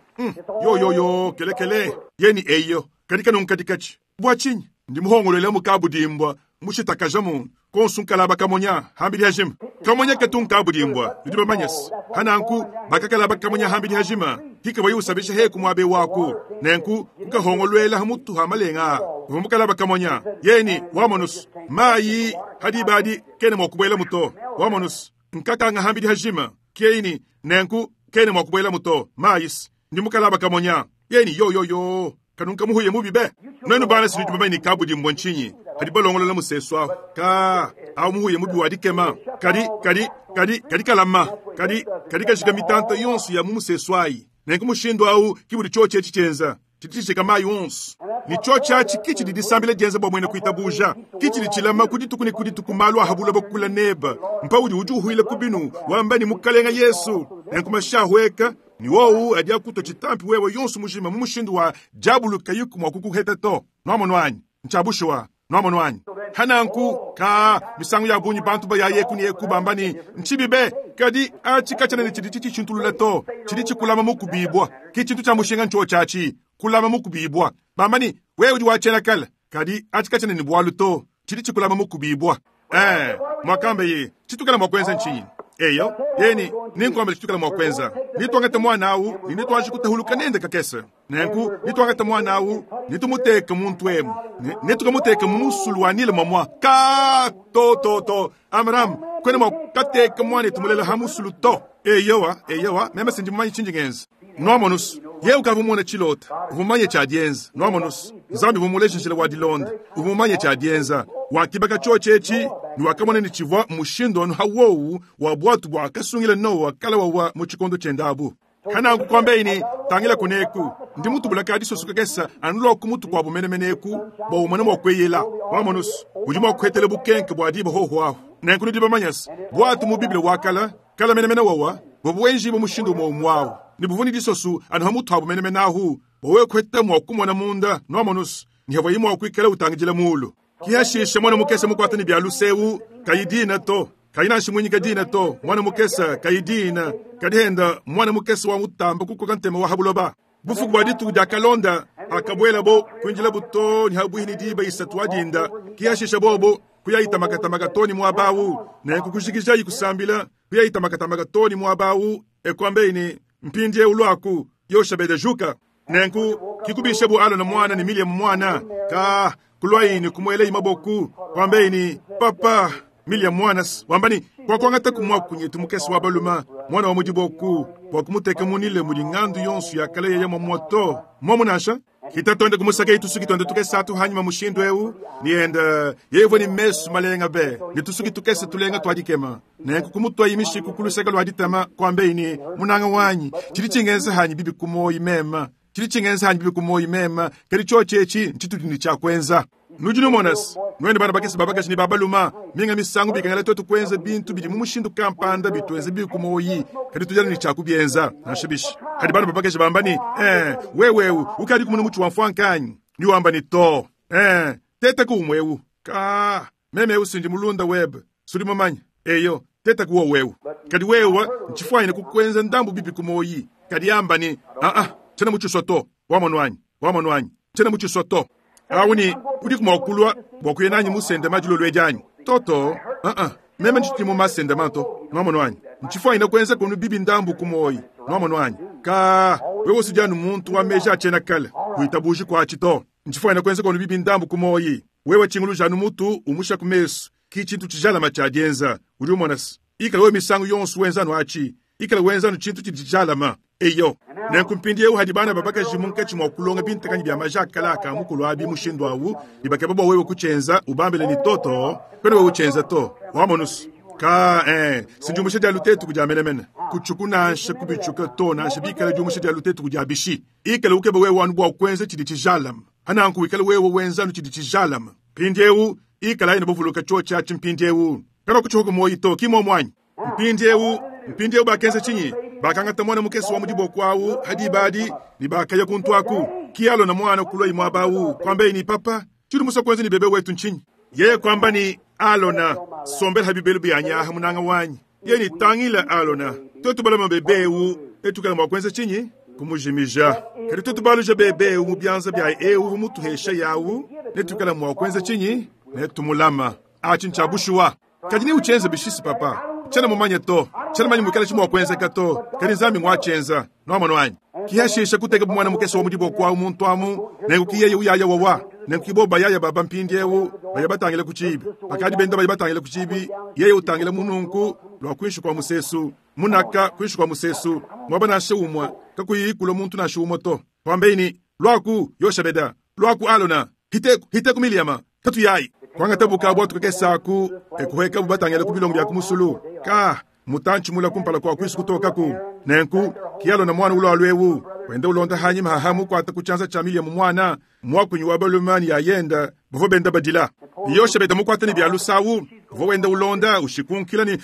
Speaker 1: Yo yo yo, kele kele. Yeni eyo, kadi kanunka dikachi. Bua tshinyi? Ndi muhongolole mukabudimbwa, mushitakaja muntu. Konsu nkalaba kamonya, hambili hajima. Kamonya ketu nkabudimbwa, nudi bamanyasi. Hananku, bakakalaba kamonya hambili hajima. Hika bayi usabisha heku mwabe waku. Nenku, kukahongolwela hamutu ha malenga. Mukalaba kamonya. Yeni, wamonus. Mayi, hadibadi, kene mwakubwela muto. Wamonus. Nkakanga hambili hajima. Keini, nenku, kene mwakubwela muto. Mayis, ndi mukalaba kamonya. Yeni, yo yo yo. Kanunka muhuye mubi be. Nwenu bana sinudi bamanye kabudimbwa ntshinyi. Kadi balongolola musesu awu. Ka, awu muhuye mubi wa dikema. Kadi, kadi, kadi, kadi kalama. Kadi, kadi kajika mitanta yonso ya mu musesu ayi. Nenku mushindu awu kibudi tshiotshi etshi tshienza. Tshidi mayi onso. Ni tshiotshi atshi kitshidi disambila dienza bua muena kuitabuja. Kitshidi tshilama ku dituku ne ku dituku malu ahabula bakula neba. Mpaudi udi uhuila ku binu, wamba ni mukalenga Yesu. Nenku mashahweka, ni wowu adi akutwa tshitampi wewe yonso mujima mu mushindu wa diabulu kayuku mua kukuheta to. Nuamono anyi? Ncya bushuwa. Nwamonu anyi? Pa nanku, kaa, misangu yabungi bantu baya eku ne eku bamba ne, Ncibi be! Kadi aci kacyena ne cidi cicishintulula to. Cidi cikulama mukubiibwa. Ki cintu cya mushinga ncyoci aci, kulama mukubiibwa. Bamba ne, Wewe udi wa cyena kale. Kadi aci kacyena ne bwalu to. Cidi cikulama mukubiibwa. Ee, mwakambeye, citwikala mwa kwenza ncinyi? Eyo, yeye ne, Nenkwambile citwikala mwa kwenza. Netwangate mwana awu ne netwanji kutahuluka nende kakese. Nenku netwangate mwana awu ne tumuteke muntu emu, ne netukamuteke mu musulu wa Nile mwamwa. Kaa, to, to, to, Amram, kwena mwa kukateka mwanetu mulela ha musulu to. Eyowa, eyowa, meme se ndi mumanye cindi ngenza. Nwamonu's, yeye ukavwa mumone cilota, uvwa mumanye cya dyenza. Nwamonu's, Nzambi uvwa mumuleje njila wa dilonda, uvwa mumanye cya dyenza. Wakibaka cyoci eci, ne wakamona ne civwa mmushindu anu ha wowu wa bwatu bwakasungila Nowa kala wawa mu cikondo cyende abu. Pa nanku kuambaye ne, Tangila kuneku, ndi mutubula ka disoso kakese anu lua ku mutu kuabu menemene eku, bua umone mua kueyela. Wamonu's, udi mua kuhetela bukenke bua diba hohu ahu. Nenku nudi bamanya's, buatu mu Bible wa kala, kala menemene wawa, buvua buenjibue mushindu umue umue awu, ne buvua ne disoso anu ha mutu abu menemene ahu, bua wewe kuheta mua kumona munda, nuamonu's, ne havuaye mua kuikala utangidila mulu. Ki hashishe muana mukese mukuata ne bia luse eu, kayi dina to, kayi nansha muinyika dina to, muana mukese kayi dina, kadi henda muana mukese wa mutamba kukoka ntema wa ha buloba. Bufuku bua dituku diakalonda, hakabuelabo, kuinjilabo to ne ha buihi ne diba isatu wa dinda. Ki hashishe bobo kuyayi tamakatamaka to ne muaba au, nenku kujikijayi kusambila, kuyayi tamakatamaka to ne muaba au, e kuambeyi ne, Mpindieu luaku, Yoshabede, juka. Nenku kikubishabu Alona muana ne Miliamu muana, ka kuluayi ne kumuelayi maboku, kuambeyi ne, Papa, Miliamu muana, wamba ne, Kuakuangataku muakunyetu mukese wa balume, muana wa mu diboku, bua kumuteka mu Nile mudi ngandu yonso ya kale yeya muamua to, mmuomu nansha? Hita tuende kumusakayi tusuki tuende tukese atu hanyima mushindu eu, ne enda yeye uvua ne mesu malenga be, ne tusuki tukese tulenga tua dikema. Nenku kumutuayi mishiku ku luseke lua ditama, kuambeyi ne, Munanga wanyi, tshidi tshingenza hanyi bibi ku muoyi mema, tshidi tshingenza hanyi bibi ku muoyi mema, kadi tshiotshi etshi ntshitudi ne tshia kuenza. Nudi numona's, nuenu bana bakese ba bakaji ne ba baluma, minga misangu bikengela tuetu kuenza bintu bidi mu mushindu kampanda bituenza bibi ku muoyi, kadi tudi anu ne tshia kubienza, nansha bishi. Hadi bana ba bakaji bamba ne, Ee, wewe eu ukadi kumona mutshi wa mfuanka anyi? Ni wamba ne, To. Ee, tetaku umue eu. Kaa, meme eu si ndi mulunda webe, sudi mumanye. Eyo, tetaku wowu eu. Kadi wewe, ntshifuanyine kukuenza ndambu bibi ku muoyi. Kadi amba ne, Aa, tshiena mutshisua to. Wamonu anyi? Wamonu anyi? Tshiena mutshisua to. Awu ne, udiku mua kulua bua kuya nanyi mu sendema dilolo edi anyi? To, to. Aa, meme ntshidi mu masendema to. Nwamonu anyi? Ntshifuanyine kuenza kunu bibi ndambu ku muoyi. Nwamonu anyi? Kaa, wewe usudi anu muntu wa meji a tshiena kale. Kuitabuji kuatshi to. Ntshifuanyine kuenza kunu bibi ndambu ku muoyi. Wewe tshinguluja anu mutu umusha ku mesu. Ki tshintu tshijalama tshia dienza. Udi umona's? Ikala wewe misangu yonso wenza anu atshi. Ikala wenza anu tshintu tshidi tshijalama. Eyo. Nenku mpindiewu hadi bana ba bakaji munkatshi mua kulonga bintakanyi bia maja a kale a ka mukulu abi mushindu awu, ne bakeba bua wewe kutshienza, ubambile ne, To, to, kuena wewe utshienza to. Wamonu's? Kaa, ee, si diumbusha dia lutetuku dia menemene. Kutshuku nansha kubitshuka to, nansha bikala diumbusha dia lutetuku dia bishi. Ikala ukeba wewe anu bua kuenza tshidi tshijalame. Pa nanku wikale wewe wenza anu tshidi tshijalame. Mpindiewu, ikalayi ne buvuluka tshiotshi atshi mpindiewu. Kanuakutshihuka muoyi to, ki muomu anyi? Mpindiewu, mpindiewu bakenza tshinyi? Bakangata muana mukese wa mu diboko awu ha diba adi, ne bakaya kuntu aku. Ki Alona muana kuluayi muaba awu, kuambaye ne, Papa, tshiudi musue kuenza ne bebe wetu ntshinyi? Yeye kuamba ne, Alona, sombela ha bibelu bianyi aha, munanga wanyi. Yeye ne, Tangila, Alona, tuetu balama bebe ewu, netuikale mua kuenza tshinyi? Kumujimija. Kadi tuetu baluja bebe ewu mu bianza bia ewu uvua mutuhesha yawu, netuikale mua kuenza tshinyi? Netumulama. Atshi ntshia bushuwa. Kadi neutshienze bishisi, papa? Tshiena mumanye to. Tshiena mumanye muikala tshi mua kuenzeka to. Kadi Nzambi nguatshienza. Nuamonu anyi? Ki hashisha kuteka bu muana mukese wa mu diboko awu muntu amu, nenku ki yeye uyaya wawa. Nenku ki bobu bayaya baba mpindiewu, baya batangila ku tshiibi. Bakadi benda baya batangila ku tshiibi, yeye utangila mu nunku lua kuinshi kua musesu, munaka kuinshi kua musesu, muaba nansha umue kakuyi kulua muntu nansha umue to. Kuambeyi ne, Luaku, Yoshabeda. Luaku, Alona. Hiteku, hiteku Miliyama, katuyayi. Kuangatabu ka buatu kakese aku, e kuhuekabu batangile ku bilongo bia ku musulu. Ka, mutantshi mule kumpala kua kuisu kutokaku. Nenku, ki Alona muana ulualu eu, wenda ulonda hanyima haha mukuata ku tshianza tshia Miliyama muana, muakunyi wa balume ne yayenda, bavua benda badila. Ne Yoshebede mukuata ne bia lusawu, uvua wenda ulonda, ushikunkila ne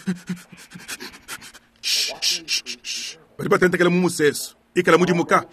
Speaker 1: badi batentekela mu musesu. Ikala mudimuka.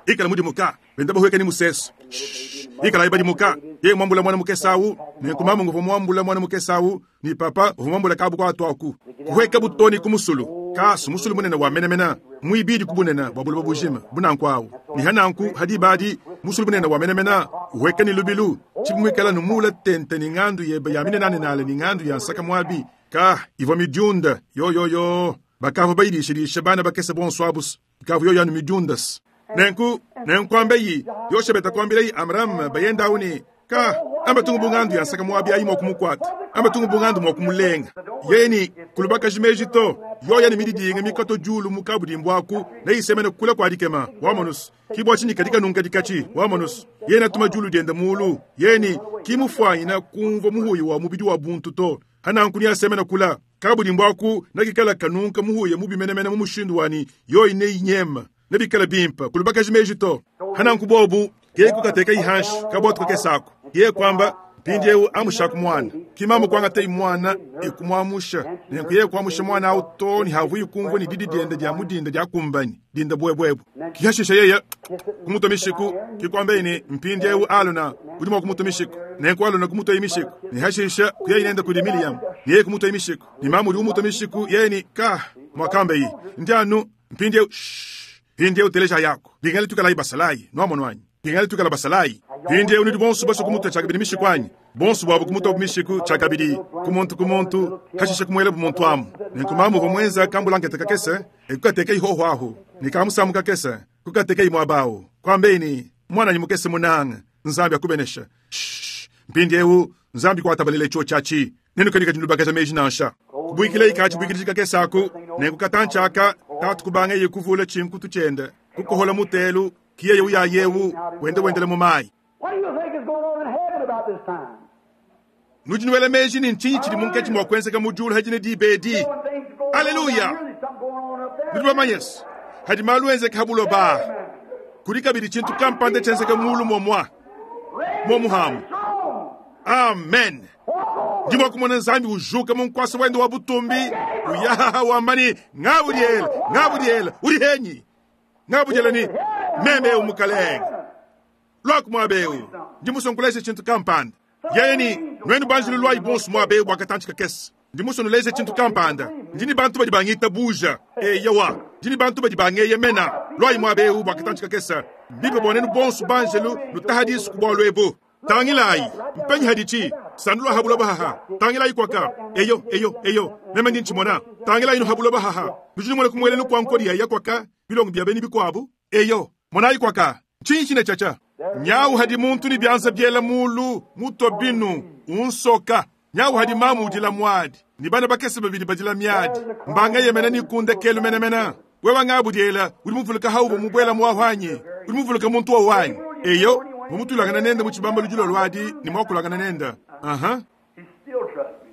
Speaker 1: Ikala mudimuka, benda bahueka ni musesu. Shh, ikalayi badimuka. Yeye muambula mwana mukese awu, nenku mamu nguvua muambula mwana mukese awu, ni papa uvua muambula kabu kuatu aku. Kuhueka butoni ku musulu. Kasu musulu munene wa menemene, muibidi ku bunene bua buloba bujima, bu nanku awu. Ni ha nanku ha diba adi, musulu munene wa menemene uhueka ni lubilu, tshibi muikala numuula tente ni ngandu yebe ya minenanenale ni ngandu ya nsaka muabi. Ka ivua midiunda, yoyoyo, bakavua bayidishidisha bana bakese bonso abus, ikavua yoyo anu midiundas. Nenku, nenkuambeyi, Yoshebeta kuambilayi Amram bayende awu ne, Ka, amba tungu bu ngandu ya nsaka muabi ayi mua kumukuata, amba tungu bu ngandu mua kumulenga. Yeye ne, Kulubakaji meji to, yoya ne mididinga mikato diulu mu kabudimbu aku, neyisemene kule kua dikema, wamonus. Ki bua tshinyi kadi kanunka dikatshi, wamonus. Yeye natuma diulu diende mulu, yeye ne, Ki mufuanyina kumvua muhuya wa mubidi wa buntu to. Hananku neasemena kula, kabudimbu aku nakikala kanunka muhuya mubi menemene mu mushindu wa ne yoyi neyinyema, nebikale bimpe, kulubakaji meji to. Hananku bobu, yeye kukateka ihanshi kabuatu kakese aku. Yeye kuamba, Mpindieu amushaku muana. Ki mamu kuangatayi muana e kumuamusha. Nenku yeye kuamusha muana au too ne havuyi kumvua ne didi diende dia mu dinda diakumbanyi, dinda buebuebu. Ki hashisha yeye kumutua mishiku, ki kuambaye ne, Mpindieu Alona, udi mua kumutua mishiku. Nenku Alona kumutuaye mishiku, ne hashisha kuyaye nende kudi Miriam, ne yeye kumutuaye mishiku. Ne mamu udi umutua mishiku, yeye ne, Ka, muakambaye, ndi anu mpindieu. Shh, mpindieu teleja yako. Bingale tuikalayi basalayi, nuamonu anyi? Bingale tuikala basalayi. Mpindieu nudi bonso basue kumutua tshiakabidi mishiku anyi? Bonso buabu kumutuabu mishiku tshiakabidi, ku muntu ku muntu, hashisha kumuelabu muntu amu. Nenku mamu uvua muenza kambulankete kakese, e kukateka ihoho ahu, ne kamusamu kakese, kukateka muaba awu. Kuambeyi ne, Muananyi mukese munanga, Nzambi akubenesha. Shh, mpindieu Nzambi kuatabalele tshiotshi atshi. Nenukadi nulubakaja meji nansha. Kubuikilayi ka tshibuikidiji kakese aku, nenku katantshi aka, tatu kubangeye kuvula tshinkutu tshiende, kukohola mutelu, ki yeye uyaye eu, wenda wendela mu mayi.
Speaker 2: What do you think is going on in heaven about this time?
Speaker 1: Nudi nuela meji ne ntshinyi tshidi munkatshi mua kuenzeka mu diulu hadi ne diba edi?
Speaker 2: When things go on
Speaker 1: Aleluya!
Speaker 2: down here, there's something going on up there.
Speaker 1: Nudi bamanye se, hadi malu enzeka ha buloba, kudi kabidi tshintu kampanda tshienzeka mulu momua, momuhamu.
Speaker 2: Throne.
Speaker 1: Amen. Ndi mua kumona Nzambi ujuka mu nkuasa wende wa butumbi, uyahaha wamba ne, Ngabudiela, ngabudiela, udi henyi? Ngabudiela ni meme eu mukalenge. Luaku muaba eu, ndi musue nkuleja tshintu kampanda. Yeye ni, nuenu banjelu luayi bonso muaba eu bua katantshi kakese. Ndi musue nuleja tshintu kampanda. Ndi ne bantu badi bangitabuja. Eyowa, ndi ne bantu badi bangeyemena. Luayi muaba eu bua katantshi kakese. Mbimpe bua nenu bonso banjelu nutaha disu ku bualu ebu. Tangilayi, mpenyi haditshi, sandu lua habuloba haha. Tangilayi kwaka. Eyo, eyo, eyo. Meme ndi ntshimona. Tangilayi nu habuloba haha. Nudi numona kumuelelu kua nkodi ya kwaka, bilongo bia beni bikuabu. Eyo, monayi kwaka. Ntshinyi tshine tshiatshia? Nyawu hadi muntu ni bianza biela mulu, mutua binu, unsoka. Nyawu hadi mamu udila muadi, ni bana bakese babidi badila miadi. Mbanga yemena ni kunda kelu menemena. Wewe ngabudiela, udi muvuluka haubu mubuela muahwanyi. Udi muvuluka muntu wa wanyi. Eyo, mumutulangana nende mu tshibamba ludilo luadi ni mwakulangana nende. Aha.
Speaker 2: He still trusts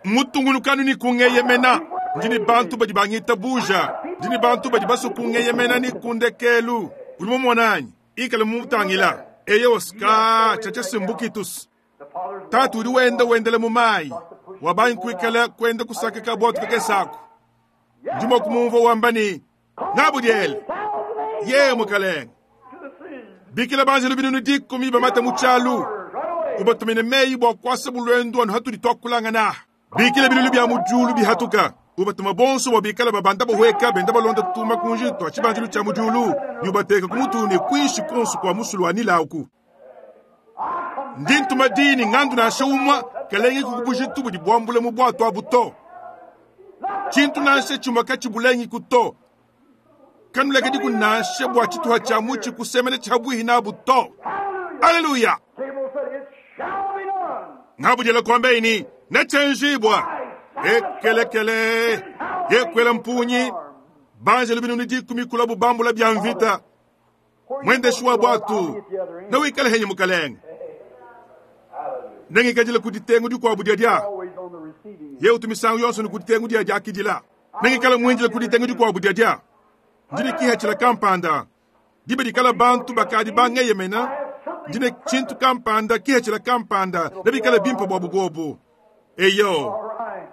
Speaker 2: me.
Speaker 1: Mutungulukanu ni kungeyemena. Ndi ni bantu badi bangitabuja. Ndi ni bantu badi basue kungeyemena ni kundekelu. Udi mumumonanyi? Ikala mumutangila. Eyo ska tshatsha simbukitus.
Speaker 2: The Father's
Speaker 1: Tatu udi wenda wendela mu mayi. Wabangi kuikala kwenda kusaka kabwatu kakese aku. Ndi mua kumumvua wamba ni, Ngabudiele.
Speaker 2: thousand
Speaker 1: Ye mukalenge.
Speaker 2: to the sea.
Speaker 1: Bikila banjelu binunu dikumi bamata mu tshialu.
Speaker 2: Right away.
Speaker 1: Ubatumine meyi bua kuasa bulwendu anu hatudi tuakulangana. Bikila bilulu bia mu diulu bihatuka. Ubatuma bonso bua bikala babanda bahueka benda balonda tuma kunji tua tshibandilu tshia mu diulu. Ne ubateka ku mutu ne kuinshi konso kua musulu wa Nile aku. Ndi ntuma dini ngandu nansha umua kalenge ku bujitu budi buambule mu bwatu abu to. Tshintu nansha tshimue katshibulengi ku to. Kanulekedi ku nansha bua tshituha tshia mutshi kusemena tshiabuihi nabu to. Haleluya!
Speaker 2: Gabriel said, It shall be done.
Speaker 1: Ngabudiela kuambeini nechenjibwa ekelekele yekwela mpunyi banjelu binunu dikumi kula bubambula bya mvita mwendeshi wa bwatu nawikale henyi mukalenge nengikadila ku ditengu dikuabu diadia
Speaker 2: Always on the receiving end.
Speaker 1: ye utumisangu yonso ni ku ditengu dia diakidila nengikala muinjila ku ditengu dikuabu diadia ndine kihatshila kampanda dibe dikala bantu bakadi bangeyemena ndine tshintu kampanda kihatshila kampanda nebikala bimpe bua bugobu eyo
Speaker 2: All right.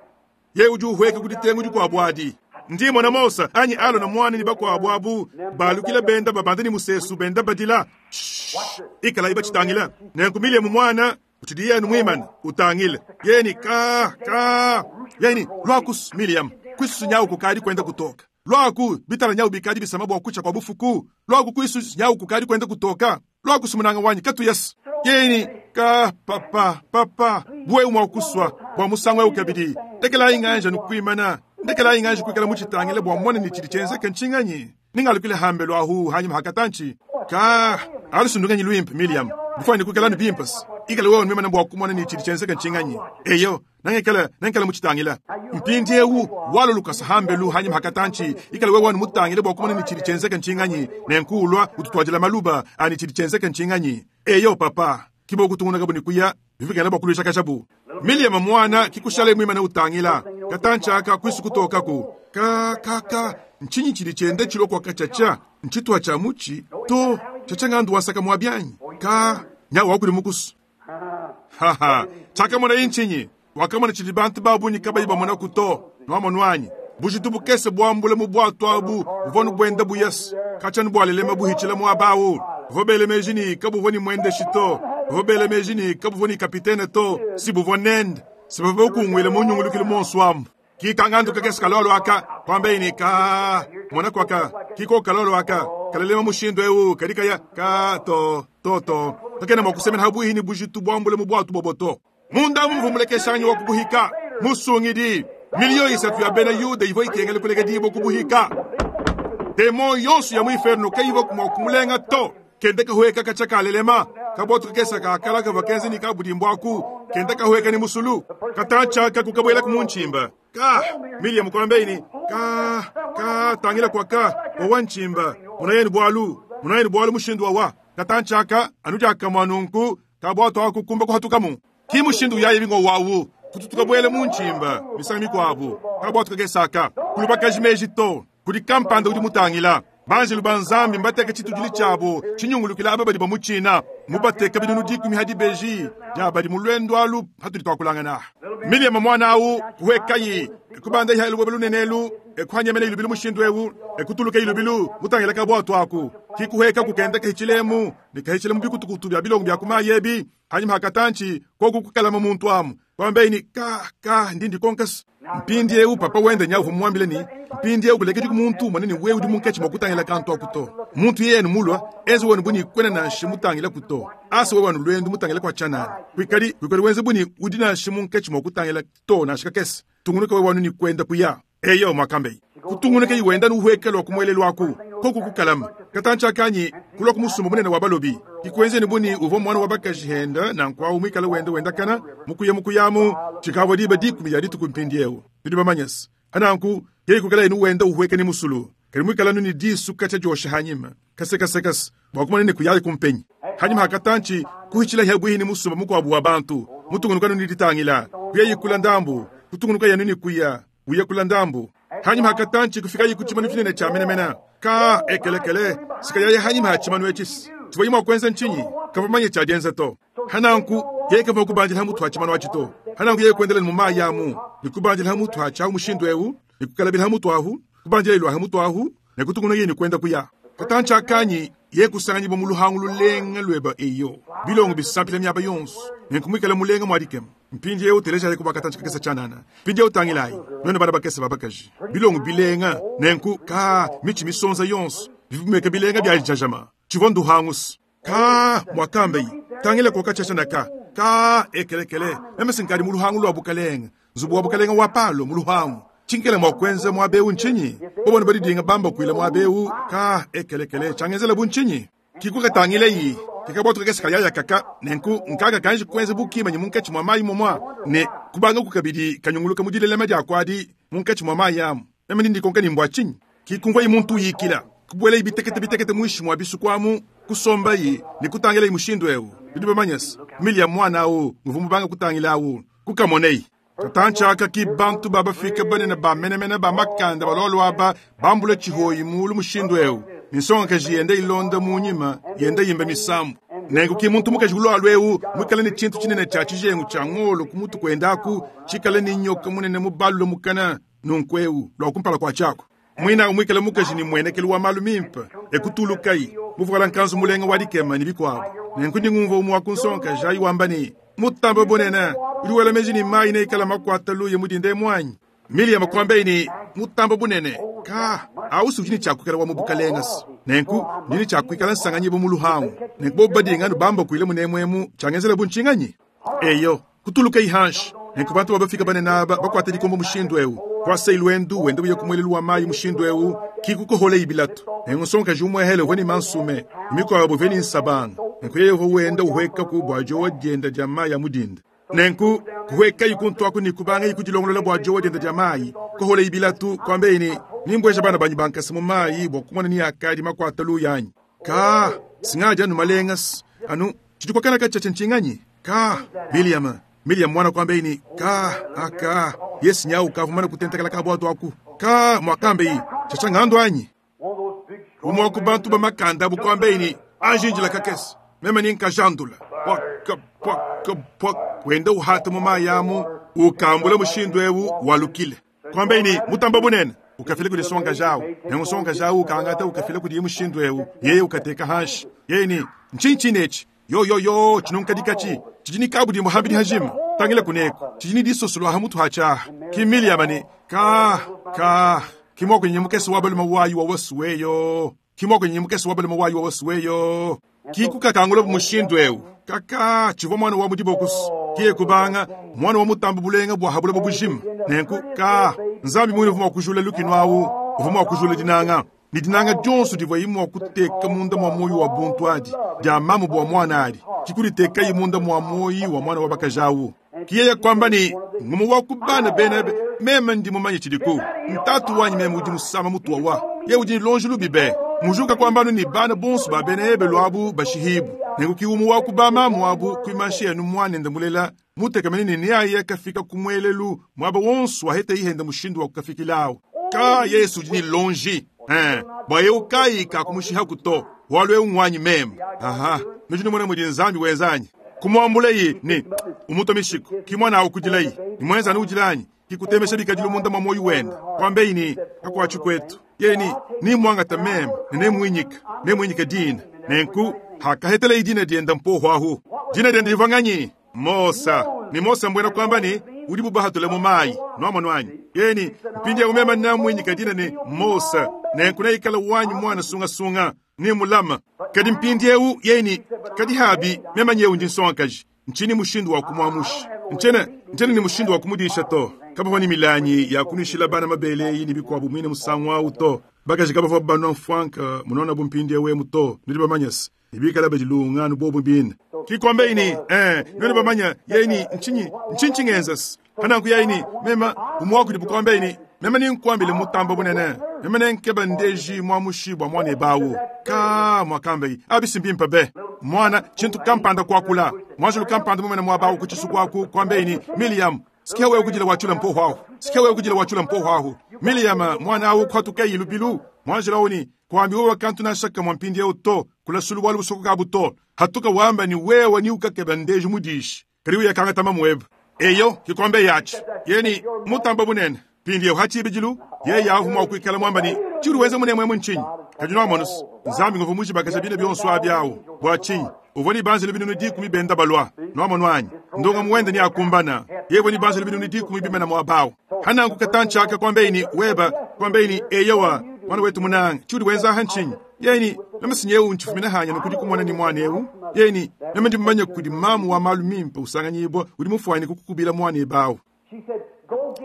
Speaker 1: ye udi uhueka ku ditengu dikuabu adi. Ndi mmona Mose anyi Alona muana ne bakuabu abu balukila benda babanda ne musesu benda badila. Shh! Ikalayi batshitangila. Nenku Miliyamu muana utshidi yenu muimane utangile. Yeye ka ka. Yeye luaku Miliyamu, kuisu nyawu kukadi kuenda kutoka. Luaku bitala nyawu bikadi bisama bua kutsha kua bufuku. Luaku kuisu nyawu kukadi kuenda kutoka. Luaku munanga wanyi katuyas. Yeye ka papa papa buwe mua kusua bua musangu eu kabidi. Ndekelayi nganja nukuimana. Ndekelayi nganja kuikala muchitangile bua mone ni tshidi tshienzeke ntshinganyi. Ningalukile hambelu ahu hanyuma hakatanchi. Ka alusundunganyi luimpe Miriam. Bufani kuikala nubimpas. Ikala wewe nwimana bua kumona ni tshidi tshienzeke ntshinganyi. Eyo nangekala nangekala muchitangila. Mpindi eu walulukasa hambelu hanyuma hakatanchi. Ikala wewe mutangile bua kumona ni tshidi tshienzeke ntshinganyi. Nenkulwa ututwadila maluba ani tshidi tshienzeke ntshinganyi. Eyo papa kibo kutunguna kabuni kuya bivikana bua kuluisha kashabu. Miriam mwana kikushale mwimana utangila. Katanchi aka kwisu kutokaku. Ka ka ka nchinyi chili chende chilokwa kachacha nchitwa cha muchi to chachangandu wasaka mwabyanyi ka nyawa wakuli mukusu. Haha chakamona inchinyi wakamona chili bantu babunyi kabayi bamona kuto nwamonwanyi bujitu bukese bwambule mu bwatu abu buvonu bwenda buyasi kachanu bwalelema buhichila mwabawu vobele mejini kabuvoni mwende shito vobele mejini kabuvoni kapitene to si buvonende sibava kungwile munyungulukile monswamu kikangandu kakesi kalolo aka kwambeini ka mona kwaka kiko kalolo aka kalelema mushindo eu kadikaya ka to to to kakena mwakusemena habuhini bujitu bwambule mu bwatu boboto munda mumvumulekeshanyi wa kubuhika musungidi miliyo isatu ya bena yuda ivo ikengele kulega dibo kubuhika demo yonso ya muinferno kaivo kumwakumulenga to kende kahueka kachakalelema kabotu kakesa kakala kavakenzi ni kabudimbwaku kende kahueka ni musulu katacha kakukabwela kumunchimba ka Miriam kwambeini ka ka tangila kwa ka owa nchimba munayeni bwalu munayeni bwalu mushindu wawa katanchaka anujaka mwanunku kabwato akukumba kuhatukamu ki mushindu yaye bingo wawu kututukabwele munchimba misanga mikwabu kabwato kakesaka kulubakaji meji to kuli kampanda udi mutangila banjelu banzambi mbateka chitujili chabo chinyungulukila aba badi bamuchina mubateka binunu dikumi hadi beji dia badi mulwendo alu hatuli twakulangana Miriam mwana awu kuwekayi ekubanda iha elubebe lunenelu ekuhanyemene ilubilu mushindu ewu ekutuluka ilubilu mutangila kabwatu aku kikuheka kukenda kahichilemu nikahichilemu bikutukutu bya bilongo bya kumayebi hanyuma hakatanchi koku kukalama muntu amu kwambeini ka ka ndindi konkasi mpindi eu papa wende nyavu mwambile ni mpindi eu kulekedi kumuntu manene wewe udi munkechi mwakutangila kantu akuto muntu yenu mulwa enze wenu buni kwena nanshe mutangila kuto asa wewe wanu lwendu mutangila kwa chanani kwikali kwikali wenze buni udi nanshe munkechi mwakutangila to nanshe kakesi tungunuka wewe wanu ni kwenda kuya eyo mwakambei kutungunuka iwenda nuhwekela kumwelelo aku koku kukalama katancha kanyi kulwa kumusumba munene wa balobi kikwenzeni buni uvo mwana wa bakaji henda na nkwawu mwikala wenda wendakana mukuya mukuyamu chikabwa diba dikumi ya dituku mpindi ewu bidi bamanyasi ananku yei kukala inu wenda uhweke ni musulu kali mwikala nuni disu kacha josha hanyima kasekasekasi bwakumana ni kuyali kumpenyi hanyima hakatanchi kuhichila hebwihi ni musumba mukwabu wa bantu mutungunuka nuni ditangila kuya yikula ndambu kutungunuka yanuni kuya uya kula ndambu hanyuma hakatanchi kufika yikuchimanu chinene cha menemena ka ekelekele sikayaye hanyuma hachimanu echisi tivoyima kwenza nchinyi kavamanye chajenza to hananku yeye kava kubanjila hamutu hachimanu achito hananku yeye kuendela mu yamu nikubanjila hamutu hacha mushindu eu nikukalabila hamutu ahu kubanjila ilwa hamutu ahu nekutunguna yeye nikwenda kuya katanchi akanyi ye kusanganyibwa mu luhangu lulenga lweba eyo bilongo bisampila myaba yonso nenkumwikala mulenga mwadikema mpindi eu teleja kuba katanchi kakesa chanana mpindi eu tangilayi nwene bana bakesa babakaji bilongo bilenga nenku ka michi misonza yonso bivumeka bilenga byajajama chivo nduhangusi ka mwakambeyi tangila koka chachanaka ka ekelekele namesinkali mu luhangu lwa bukalenga nzubu wa bukalenga wa palo mu luhangu chinkele mwakwenza mwabeu nchinyi bobona badidinga bamba kwila mwabeu ka ekelekele changenzela bunchinyi kikukatangile kikabwatu kakesi kayaya kaka nenku nkaka kanji kwenza bukimanyi munkatshi mwa mayi momwa ne kubanga kukabidi kanyunguluka mudilelema dia kwadi munkatshi mwa mayi amu name ndikonka ni mbwa chinyi kikumva yi muntu yikila kubwela ibitekete bitekete mwishi mwa bisukwamu kusomba yi ni kutangila yi mushindu ewu bidi bamanyasi mili ya mwana awu nguvu mubanga kutangila awu kukamonei katanchaka ki bantu babafika banene bamenemene bamakanda balolo aba bambula chihoyi mulu mushindu ewu minsonga kaji yenda ilonda munyima yenda yimba misambu nenku ki muntu mukaji ulwalwa ewu mwikala ni chintu chinene cha chijengu cha ng'olo kumutu kwendaku chikala ni nyoka munene mubalula mukana Nunku eu lua kumpala kua tshiaku muinawu muikale mukaji ne mmuenekelu wa malu mimpe, e kutulukayi muvuala nkanzu mulenga wa dikema ne bikuabu. Nenku ndi ngumvua umue wa ku nsongakaji ayi wamba ne, Mutambe bunene, udi wela meji ne, mayi neikale makuate luya mu dinda emu anyi? Miliyama kuambaye ne, Mutambe bunene, ka, au si udi ne tshia kuikala wa mu bukalenge se. Nenku ndi ne tshia kuikala nsanganyibua mu luhangu. Nenku bobu badinga anu bambakuile munemu emu, tshiangenzelabu ntshinganyi? Eyo, kutulukayi hanshi. Nenku bantu ba bafika banene aba bakuate dikombo mushindu eu, kuasayi luendu wenda uya ku muelelu wa mayi mushindu eu, ki kukoholayi bilatu. Nenku nsongakaji umuehele uvua ne mansume, ne mikuabu ivua ne nsabanga. Nenku yeye uvua wenda uhuekaku bua diowa dienda dia mayi a mu dinda. Nenku kuhuekayi kuntu aku ne kubangayi kudilongolola bua diowa dienda dia mayi, kuholayi bilatu, kuambeyi ne, Nimbueja bana banyi ba nkasa mu mayi bua kumona ni akadi makuata luya anyi. Ka, singadi anu malenga anu tshidi kuakana katshiatshia ntshinganyi? Ka, William, William mwana kuambeyi ne, Ka, aka, Yesu nyawu ukavua mumane kutentekela ka buatu aku. Ka, muakambeyi, tshiatshia ngandu anyi? Umue wa ku bantu ba makanda abu kuambeyi ne, Anji njila kakese, meme ni nkajandula. Pwaka, pwaka, pwaka, wenda uhata mu mayi amu, ukambula mushindu eu walukile. Kuambaye ne, Mutamba bunene, ukafila kudi nsongakaji au. Nenku nsongakaji au ukangata ukafila kudiye mushindu eu, yeye ukateka hanshi. Yeye ne, Ntshinyi tshine etshi? Yo, yo, yo, tshinunkadikatshi tshidi ne kabudimbu hambidi hajima. Tangila kuneku, tshidi ne disosolo ha mutu hatshi aha. Ki Miliyama ne, Ka, ka, ki muakunyi mukese wa balume wayi wa wasuweyo. Ki muakunyi mukese wa balume wayi wa wasuweyo. Ki kukakangulabu mushindu eu. Kaka, tshivua muana wa mu dibokusu. Kiye kubanga, muana wa mutambu bulenga bua ha buloba bujima. Nenku, ka, Nzambi muine uvua mua kujula lukinu awu, uvua mua kujula dinanga. Ne dinanga dionso divuaye mua kuteka munda mua muoyo wa buntu adi, dia mamu bua muana adi, ki kuditekaye munda mua muoyo wa muana wa bakaji awu. Ki yeye kuamba ne, Ngumue wa ku bana bena ebe, meme ndi mumanye tshidiku. Ntatu wanyi meme udi musama mutua wa. Yeye udi ne luonji lubi be. Mujuka kuamba anu ne bana bonso ba bena Ebelu abu bashihibue. Nenku ki umue wa ku bamamu abu kuimansha anu muanende mulela, mutekemene ne neaye kafika ku muelelu muaba wonso waheteye hende mushindu wa kukafikilawu. Ka Yesu udi ne luonji, eh, bua eu kayi kakumushihaku to, bualu eu nguanyi meme. Aha, nudi numona mudi Nzambi wenza anyi? Kumuambulaye ne umutua mishiku, ki muana awu kudilaye, ne muenza anu udila anyi? Ki kutemesha bikadilu munda mua muoyo wende, kuambeyi ne, Kakuatshi kuetu. Yeye ne, Nemmuangate meme, ne nemuinyike, nemuinyike dina. Nenku hakahetelaye dina diende mpohu ahu. Dina diende divua nganyi? Mosa. Ne Mosa mbuena kuamba ne, udibu bahatule mu mayi. Nuamonu anyi? Yeye ne, Mpindieu meme namuinyika dina ne, Mosa, nenku neikale wanyi muana sungasunga, nemulame. Kadi mpindieu yeye ne, Kadi habi, meme nyeu ndi nsongakaji, ntshinyi mushindu wa kumuamusha? Ntshiena, ntshiena ne mushindu wa kumudisha to. Kabavua ne milangi ya kunuishila bana mabele eyi ne bikuabu muine musangu au to. Bakaji kabavua banua mfuanka munona bu mpindieu emu to, nudi bamanye se, ne bikala badilunga anu bobu bine. Ki kuambaye ne, Ee, nuenu bamanye, yeye ne, ntshinyi, ntshinyi tshingenza se? Pananku yeye ne, Meme, umue wa kudibu kuambaye ne, Meme nenkuambile mutamba bunene, meme nenkeba ndeji muamushi bua muanebe awu. Kaa, muakambaye, abi si mbimpe be! Muana, tshintu kampanda kuakula. Muanjelu kampanda mumene muaba awu ku tshisuku aku, kuambaye ne, Miliyamu, sikia wewe kudila wacula mpohu ahu. Sikia wewe kudila wacula mpohu ahu. Miliyamu, muana awu kuhatukayi lubilu. Muanjelu awu ne, Kuambi wewe kantu nansha kamue mpindieu to, kulasulu bualu busokoka abu to. Hatuka wamba ne wewe ni ukakeba ndeji mudishi, kadi uyakangata mamuebe. Eyo, kikombe yatshi. Yeye ne, Mutamba bunene. Mpindieu ha tshibidilu, yeye avu mua kuikala muamba ne, Tshiudi wenza munemu emu ntshinyi? Kadi nuamonu se, Nzambi nguvua mujibakaja bina bionso abi awu. Bua tshinyi? Uvua ne banjelu 100,000 benda balua. Nuamonu anyi? Ndongamu wende neakumbana. Yeye uvua ne banjelu 100,000 bimana muaba awu. Hananku katantshi aka kuambeyi ne, Weba, kuambeyi ne, Eyowa, mwana wetu munanga, tshiudi wenza aha ntshinyi? Yeye ne, Meme si nyewu ntshifumina hanya nukudi kumona ne muana eu. Yeye ne, Meme ndi mumanye kudi mamu wa malu mimpe usanganyibua udi mufuane kukukubila muana ebe awu.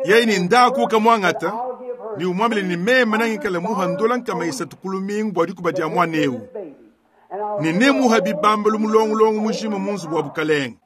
Speaker 1: Yeye ne, Ndaku ukamuangata ne umuambile ne meme nangikale muha ndola 300 ku lumingu bua dikuba dia muana eu, ne nemuha bibambalu mulongolongo mujima mu nzubu wa bukalenge.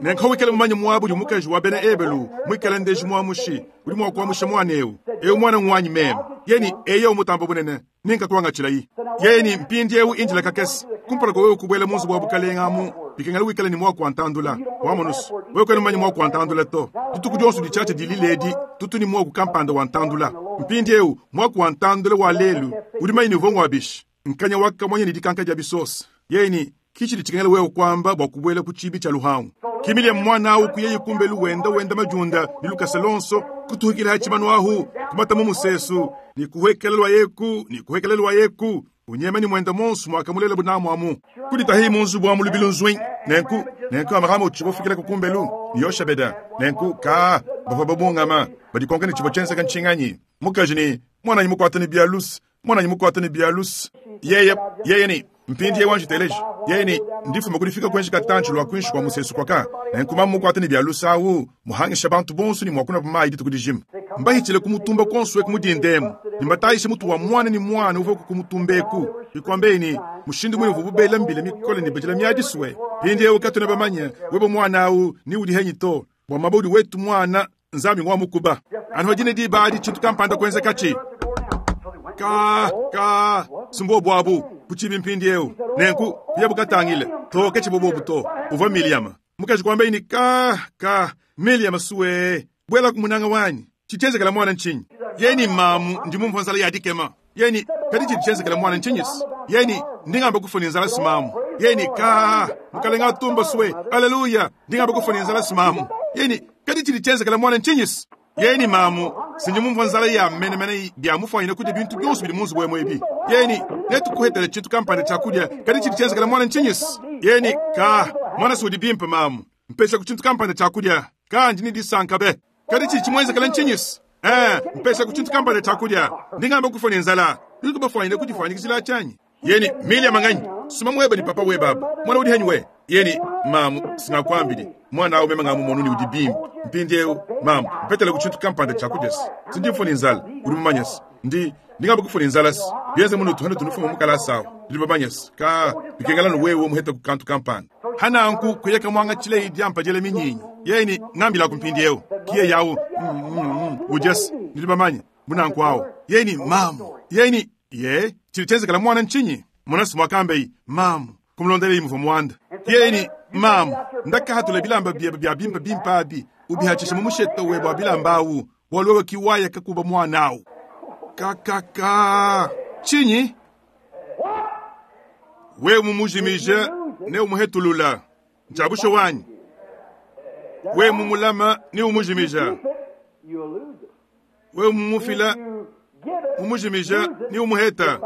Speaker 1: Nenku wikale mumanye muaba udi mukaji wa bena Ebelu muikale ndeji muamushi, udi mua kuamusha muana eu. Eu muana nguanyi meme. Yeye ne, Eyo mutamba bunene, nenkakuangatshilayi. Yeye ne, Mpindieu indila kakese, kumpala kua wewe kubuela mu nzubu wa bukalenge amu, bikengela wikale ne muaku wa ntandula. Wamonusu, wewe kuena mumanye muaku wa ntandula to. Dituku dionso ditshiatshia dilila edi, tutu ne muaku kampanda wa ntandula. Mpindieu, muaku wa ntandula wa lelu, udi mumanye ne uvua ngua bishi? Nkanya wa kamonya ne dikanka dia bisosa. Yeye ne, Ki tshidi tshikengela wewe kuamba bua kubuela ku tshiibi tshia luhangu. Ki Miliam muana awu kuyaye kumbelu wenda wenda madiunda ne lukasa luonso, kutuhukila ha tshimanu ahu, kumata mu musesu, ne kuhuekela lua eku ne kuhuekela lua eku, unyema ne muenda muonso muakamulelabu namu amu. Kuditahi mu nzubu amu lubilu nzui. Nenku, nenku Amarama utshivua ufikila ku kumbelu ne Yoshebeda. Nenku, kaa, bavua babungama, badikonka ne tshivua tshienzeka ntshinganyi. Mukaji ne, Muananyi mukuata ne bia luse, muananyi mukuata ne bia luse. Yeye, yeye ne, Mpindiewu anji teleja. Yeye ne, Ndifuma ku difika kuenji katantshi lua kuinshi kua musesu kuaka. Nenku mamu mukuata ne bia luse awu, muhangisha bantu bonso ne mua kunua mayi dituku dijima. Mbahitshile ku mutumba kuonso eku mu dinda emu, ne mbatayishe mutu wa muana ne muana uvua ku mutumba eku. Bikuambeye ne, mushindu muine uvuabu bela mbila mikole ne badila miadi sue. Mpindiewu katuena bamanye webe muana awu ni udi henyi to, bua muaba udi wetu muana, Nzambi ngua mukuba. Anu dine diba adi tshintu kampanda kuenzekatshi. Ka, ka, si mbuobu abu, ku tshibi mpindiewu. Nenku, kuyabu katangile, to ke tshivua buobu to. Uvua Miliama. Mukaji kuambaye ne, Ka, ka, Miliama suee, buelaku munanga wanyi. Tshidi tshienzekela muana ntshinyi? Yeye ne, Mamu, ndi mumvua nzala ya dikema. Yeye ne, Kadi tshidi tshienzekela muana ntshinyi-se? Yeye ne, Ndi ngamba kufua ne nzala-se mamu. Yeye ne, Ka, Mukalenga atumba sue, aleluya, ndi ngamba kufua ne nzala-se mamu. Yeye ne, Kadi tshidi tshienzekela muana ntshinyi-se? Yeye ne, Mamu, si ndi mumvua nzala ya menemene bia mufuanyine kudia bintu bionso bidi mu nzubu emu ebi. Yeye ne, Netukuhetele tshintu kampanda tshia kudia, kadi tshidi tshienzekela muana ntshinyi-se? Yeye ne, Ka, muana si udi bimpe mamu. Mpeshaku tshintu kampanda tshia kudia. Ka, ndi ne disanka be. Kadi tshidi tshimuenzekela ntshinyi-se? Ee, mpeshaku tshintu kampanda tshia kudia. Ndi ngamba kufua ne nzala. Nudiku bafuanyine kudifuanyikijila tshianyi? Yeye ne, Miriam nganyi? Suma muebe ne papa webe abu. Muana udi henyi we? Yeye ne, Mamu, singakuambidi. Muana awu meme ngamumonu ne udi bimpe. Mpindiewu, mamu, mpetelaku tshintu kampanda tshia kudia-se. Si ndi mfua ne nzala, udi mumanye-se. Ndi, ndi ngamba kufua ne nzala-se. Bienze munutu hanutu nufuma mu kalasa awu, nudi bamanye-se. Kaa, bikengela anu wewe muhetaku kantu kampanda. Hananku kuyeka muangatshileyi diampa diela minyinyi. Yeye ne, Ngambilaku mpindiewu. Ki yeye awu, mm, mm, mm, udia-se. Nudi bamanye, bu nanku awu. Yeye ne, Mamu. Yeye ne, Ye, tshidi tshienzekela muana ntshinyi? Mona-se muakambeyi, Mamu, kumulondeleyi muvua muanda. Yeye ne, Mamu, ndakahatula bilamba biebe bia bimpe bimpe abi, ubihatshishe mu mushete webe wa bilamba awu, bualu wewe ki waya kakuba muana awu. Kakaka! Tshinyi? Wewe mumujimije ne umuhetulula, ntshia bushuwa anyi? Wewe mumulama ne umujimija, wewe mumufila, mumujimija ne umuheta,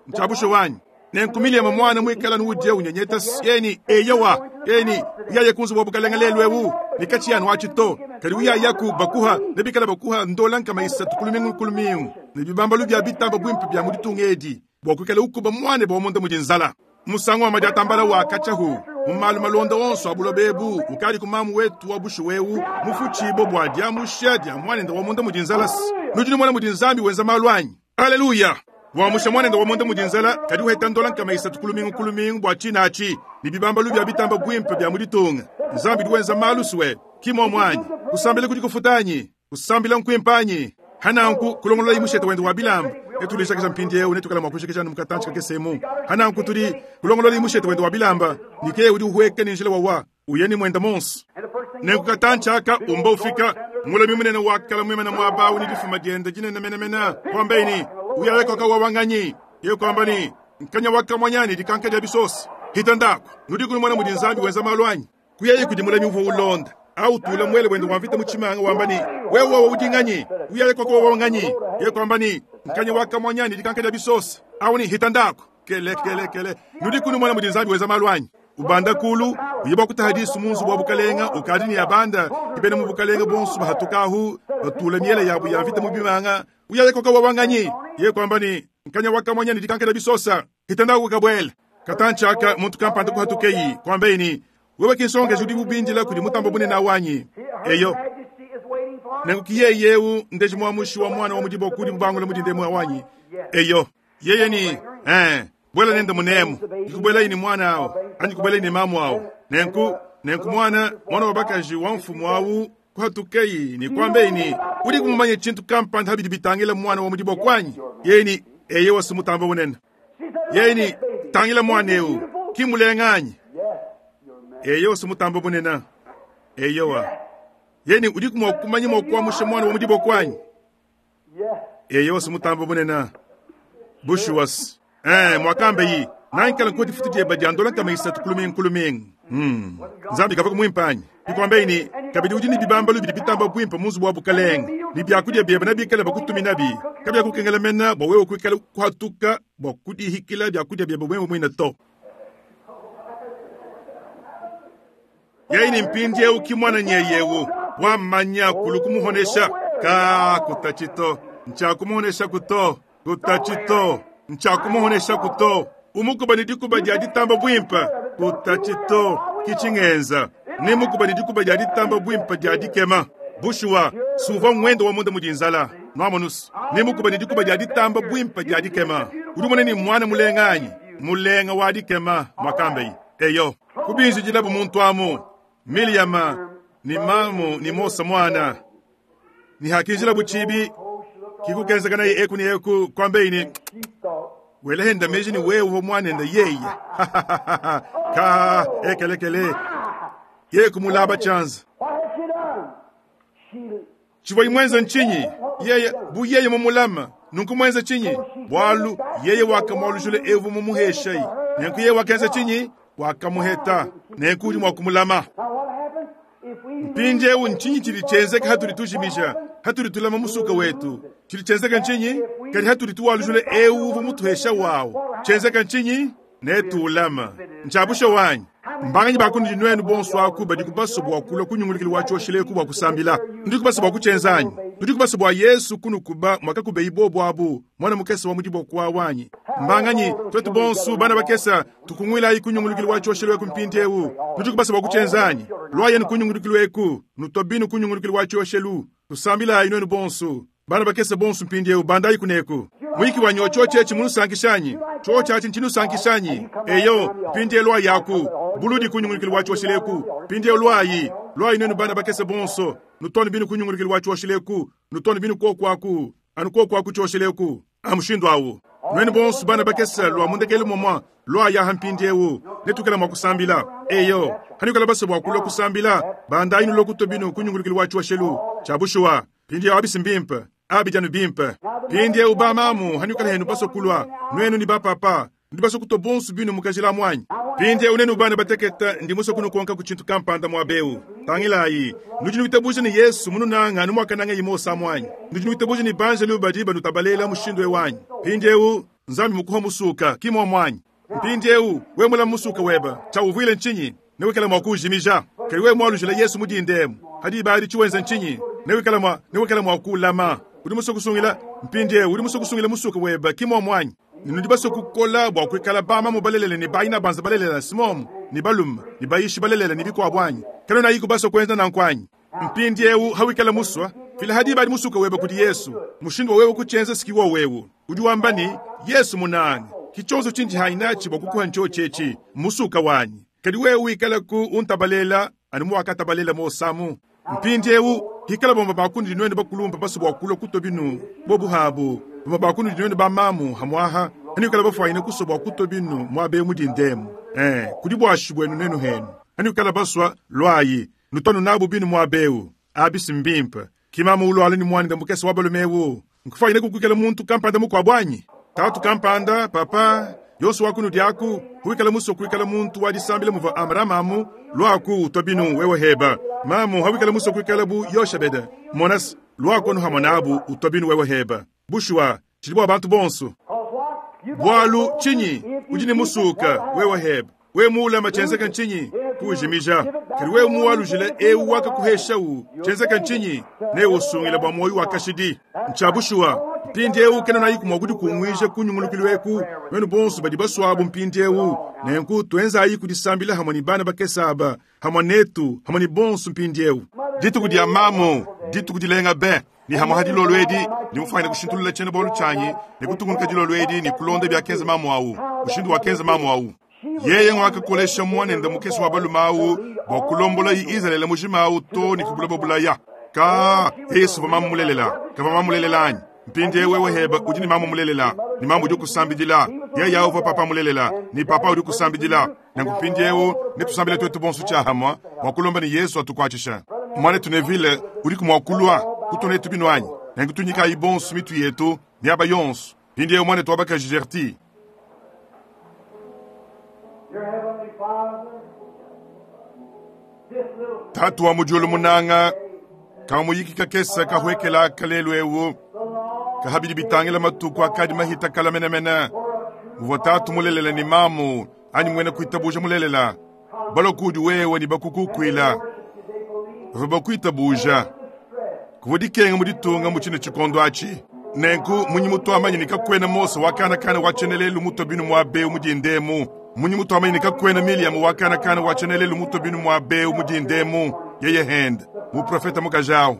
Speaker 1: ntshia bushuwa anyi? Nenku Miliama muana muikala nudia unyenyeta yeni eyowa yeni uyaye ku nzubu wa bukalenge lelu eu ne katshiyi anu atshi to, kadi uyayaku bakuha ne bikala bakuha ndola 300 ku lumingu ku lumingu ne bibambalu bia bitamba buimpe bia mu ditunga edi bua kuikala ukuba muanebe wa munda mudi nzala. Musangu wa madiatambala wa katshiahu mu malu malonda onso a buloba ebu ukadi ku mamu wetu wa bushuwa eu mufutshibue bua diamusha dia muanende wa munda mudi nzala. Nudi numona mudi Nzambi wenza malu anyi? Aleluya! Wamusha muanende wa munda mudi nzala, kadi uheta ndola 300 ku lumingu ku lumingu bua tshina atshi ne bibambalu bia bitamba buimpe bia mu ditunga. Nzambi udi wenza malu sue, ki muomu anyi? Kusambila kudi kufuta anyi? Kusambila nkuimpe anyi? Hananku kulongololayi mushete wende wa bilamba. Netudijakija mpindiewu, netuikale mua kujikija anu mu katantshi kakese emu. Hananku tudi kulongololayi mushete wende wa bilamba, ne ke udi uhueka ne njila wawa uya ne muenda monso. Nenku katantshi aka umba ufika, mulami munene wa kala muimana muaba awu ne difuma diende dinene menemene, kuambaye ne, Uyaye koka wawa nganyi? Yeye kuamba ne, Nkanya wa kamuanya ne dikanka dia bisosa. Hita ndaku, nudiku numona mudi Nzambi wenza malu anyi? Kuyaye kudi mulami uvua ulonda awu utula muele wende wa mvita mu tshimanga wamba ne, Wewe wawa udi nganyi? Uyaye koka wawa nganyi? Yeye kuamba ne, Nkanya wa kamuanya ne dikanka dia bisosa. Awu ne, Hita ndaku. Kele, kele, kele. Nudiku numona mudi Nzambi wenza malu anyi? Ubanda kulu, uye bua kutaha disu mu nzubu wa bukalenga, ukadi ne abanda, ke bena mu bukalenga bonso bahatukahu, batula miele yabu ya mvita mu bimanga. Uyaye koka wawa nganyi? Yeye kuamba ne, Nkanya wa kamuanya ne dikanka dia bisosa. Hita ndaku kabuela. Katantshi aka muntu kampanda kuhatukeyi, kuambaye ne, Wewe ki nsongakaji udi ubindila kudi mutamba bunene awu anyi? Eyo. Nenku ki yeye eu ndeji muamushi wa muana wa mu diboko udi mubangula mu dinda emu awu anyi? Eyo. Yeye ne, Ee, buela nende munemu. Dikubuelayi ne muana awu, anyi kubuelayi ne mamu awu. Nenku, nenku muana, muana wa bakaji wa mfumu awu kuhatukeyi ne kuambeyi ne, Udiku mumanye tshintu kampanda ha bidi bitangila muana wa mu diboko anyi? Yeye ne, Eyowa, si mutamba bunene. Yeye ne, Tangila muana eu, ki mulenga anyi? Eyowa, si mutamba bunene. Eyowa. Yeye ne, Udiku mua kumanya mua kuamusha muana wa mu diboko anyi? Eyowa, si mutamba bunene. Bushuwa-se. Ee, muakambeyi. Nankala nkuwa difutu dieba dia ndola 300 ku lumingu ku lumingu. Hmm. Nzambi kavua muimpe anyi? Bikuambeyi ne, kabidi udi ne bibambalu bidi bitamba buimpe mu nzubu wa bukalenge, ne biakudia biebe nebikale bakutuminabi. Kabiakukengela mene bua wewe kuikala kuhatuka bua kudihikila biakudia biebe wewe muine to. Yeye ne mpindieu ki muananyi eu wamanya kulu kumuhonesha ka kutachi to ntshiakumuhonesha kuto kutachi to ntshiakumuhonesha kuto umukuba ne dikuba dia ditamba buimpe kutachi to kitshingenza ne mukuba ne dikuba dia ditamba buimpe dia dikema bushuwa suvua ngwendo wa munda mudi nzala nwamonusu ne mukuba ne dikuba dia ditamba buimpe dia dikema udi umone ne mwana mulenga anyi mulenga wa dikema mwakambeyi eyo kubinjidilabu muntu amu Miliyama ni mamu ni Mose mwana ni hakinjilabu chibi kikukenzeka naye eku ni eku kwambeyi ni welehenda meji ni wewe uvo mwanenda yeye ka ekelekele ye kumulaba chanza
Speaker 2: What had she done? She
Speaker 1: chivwa imwenza nchinyi yeye bu yeye mumulama nunku mwenza chinyi bwalu yeye wakamwalujule evu mumuheshayi nenku yeye wakenza chinyi wakamuheta nenku udi mwa kumulama
Speaker 2: Now what happens if we
Speaker 1: mpindieu nchinyi chili chenzeka hatuli tujimisha hatuli tulama musuka wetu chili chenzeka nchinyi kadi hatuli tuwalujule ewu uvu mutuhesha wawu chenzeka nchinyi netuulama nchabusha wanyi mbanganyi bakundi nwenu bonso aku badi kubasa bua kulua kunyungulukila wa tshoshileku bua kusambila ndi kubasa bua kuchenzanyi ndi kubasa bua yesu kunukuba mwakakubeyi bobo abu mwana mukesa wa mudiboko wa wanyi mbanganyi twetu bonso bana bakesa tukungwilayi kunyungulukila wa tshoshileku mpindiewu ndi kubasa bua kuchenzanyi lwayenu kunyungulukilweku nutobinu kunyungulukila wa tshioshelu tusambilayi nwenu bonso bana bakesa bonso mpindiewu bandayi kuneku mwiki wanyi ochochechi munusankishanyi chochachi nchinusankishanyi eyo mpindie lwayi aku buludi kunyungulukila wa tshoshileku mpindie lwayi lwayi nenu bana bakesa bonso nutone binu kunyungulukila wa tshoshileku nutone binu kokwaku anu kokwaku tshoshileku amushindu awu nwenu bonso bana bakesa lwa mundekele momwa lwayi aha mpindiewu netukela mwa kusambila eyo hanikala basa bua kulua kusambila bandayi nulokuto binu kunyungulukila wa tshioshelu tshabushuwa pindiewu abisi mbimpe abijanu bimpe pindiewu bamamu hanikala henu baso kulua nwenu ni bapapa ndi baso kuto bonso binu mukajila mwanyi pindiewu nenu bana bateketa ndi muso kunukonka ku tshintu kampanda mwabewu tangilayi nudi nuitabuja ni yesu mununanga numwakananga yimosa mwanyi nudi nuitabuja ni banjelu badi banutabalela mushindu ewanyi pindiewu nzambi mukuha musuka kimwa mwanyi mpindiewu we mula musuka weba chawuvwile nchinyi newikala mwa kujimija kali we mwalujila yesu mudindemu hadi bali chiwenza nchinyi newikala mwa newikala mwa kulama udi muso kusungila mpindiewu udi muso kusungila musuka weba kimwa mwanyi nudi baso kukola bua kuikala bama mubalelele ni bayina banza balelela simomu ni balume ni bayishi balelela ni bikwabwanyi kano nayiku baso kwenza nankwanyi mpindiewu hawikala muswa fila hadi bali musuka weba kudi yesu mushindu wa wewe kuchenza sikiwa wewu udi wamba ni yesu munange kichonzo chinji hainachi bua kukuha ncho chechi musuka wanyi kadi wewe wikala ku untabalela anu muwakatabalela mosamu mpindiewu hikala bomba bakundi dinwene bakulumpa baso bua kulua kuto binu bobuhabu bomba bakundi dinwene bamamu hamwaha ani wikala bafwayine kuso bua kuto binu mwabe mudindemu eh kudi bwashi bwenu nenu henu ani wikala baswa lwayi nutonu nabu binu mwabewu abisi mbimpe kimamu ulwala ni mwana ndamukesa wa balumewu nkufwayine kukwikala muntu kampanda mukwabwanyi tatu kampanda papa yonso wakunu diaku huikala muso kuikala muntu wadisambila muva amramamu lwaku utobinu wewe heba mamu hawikala muso kuikala bu yoshabeda monas lwaku anu hamonabu utobinu wewe heba bushuwa chili bua bantu bonso
Speaker 2: Cause what? You got
Speaker 1: bwalu chinyi udi ni musuka wewe heba we muulama chenzeka nchinyi kujimija kali we muwalujila ewu wakakuheshawu chenzeka nchinyi newe usungila bua moyo wakashidi nchabushuwa mpindiewu kena nayiku mwakudi kungwija kunyungulukilweku wenu bonso badi baswabu mpindiewu nenku twenzayi kudisambila hamwe ni bana bakesaba hamwe netu hamwe ni bonso mpindiewu dituku dia mamu dituku dilenga be ni hamwe ha dilolo edi nimufanyile kushintulula chene bolu chanyi ni kutungunuka dilolo edi ni kulonda byakenza mamu awu mushindu wakenza mamu awu yeye ngwakakolesha mwanende mukesi wa balume awu bua kulombola yi izalele mujima awu to ni kubula bulaya ka yesu va mamu mulelela kava mamu mulelela anyi mpindie wewe heba udi ni mamu mulelela ni mamu udi kusambidila yeye awu va papa mulelela ni papa udi kusambidila nanku mpindiewu netusambile twetu bonso tshiahamwa mua kulomba ni yesu atukuatshisha mwana tunevile udi kumwakulua kutona etu binu anyi nanku tunyikayi bonso mitu yetu miaba yonso mpindiewu mwana twabaka gerti. Tatu wa mu diulu munanga, kamuyiki kakese kahwekela kalelu ewu, kahabidi bitangila matuku akadi mahita kala menemene. Muvua tatu mulelela ni mamu, anyi mwena kuitabuja mulelela. Balokudi wewe ni bakukukwila. Bavua bakuitabuja. Kuvua dikenga mu ditunga mu tshine tshikondo atshi. Nenku munyi mutuamanyi ni kakuena Mose wa kanakana wa tshienelelu mutue binu mua beu mu dindemu. Munyi mutuamanyi ni kakuena Miriam wa kanakana wa tshienelelu mutue binu mua beu mu dindemu. Yeye hende muprofeta mukajawu.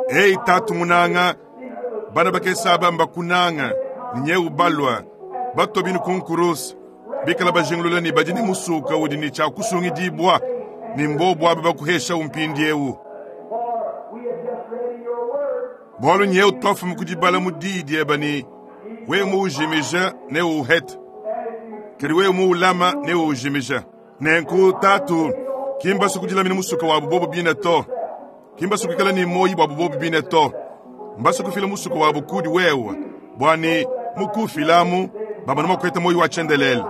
Speaker 1: Ei tatu munanga, bana bakese aba mbakunanga, ni nyeu balwa batue binu ku nkurusa. Bikala bajingulula ni badi ni musuka udi ni tshia kusungidibwa, ni mbobu aba bakuhesha umpindiewu. Bwalu nyeu twafumu kudibala mu diyi dieba ni wewe muujimija ne uuhete, kadi wewe muulama ne uujimija. Nenku tatu kimbasu kudilamina musuka wabu bobo bine to, kimbasu kuikala ni moyi bwabu bobo bine to, mbasu kufila musuka wabu kudi wewe bwani mukufilamu baba noma kweta moyi wa tshiendelele.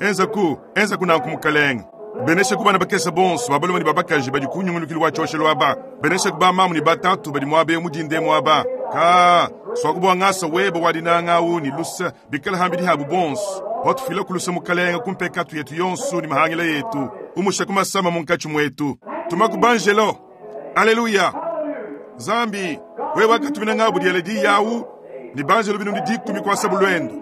Speaker 1: Enza ku nanku mukalenge. Benesha ku bana bakese bonso babalume ni babakaji badi kunyungulukili wa tshioshelo aba. Benesha ku bamamu ni batatu badi muabe mudinde muaba. Ka swakubwa ngasa weba wadinanga ni lusa bikala hambidi habu bonso. Watufila kulusa mukalenge kumpekatu yetu yonso ni mahangila yetu. Umusha kumasama munkachi mwetu. Tumakubanjelo. Haleluya. Zambi wewe wakatumina ngabu diele yawu ni banjelo binu ndi dikumi kwa sabu lwendo.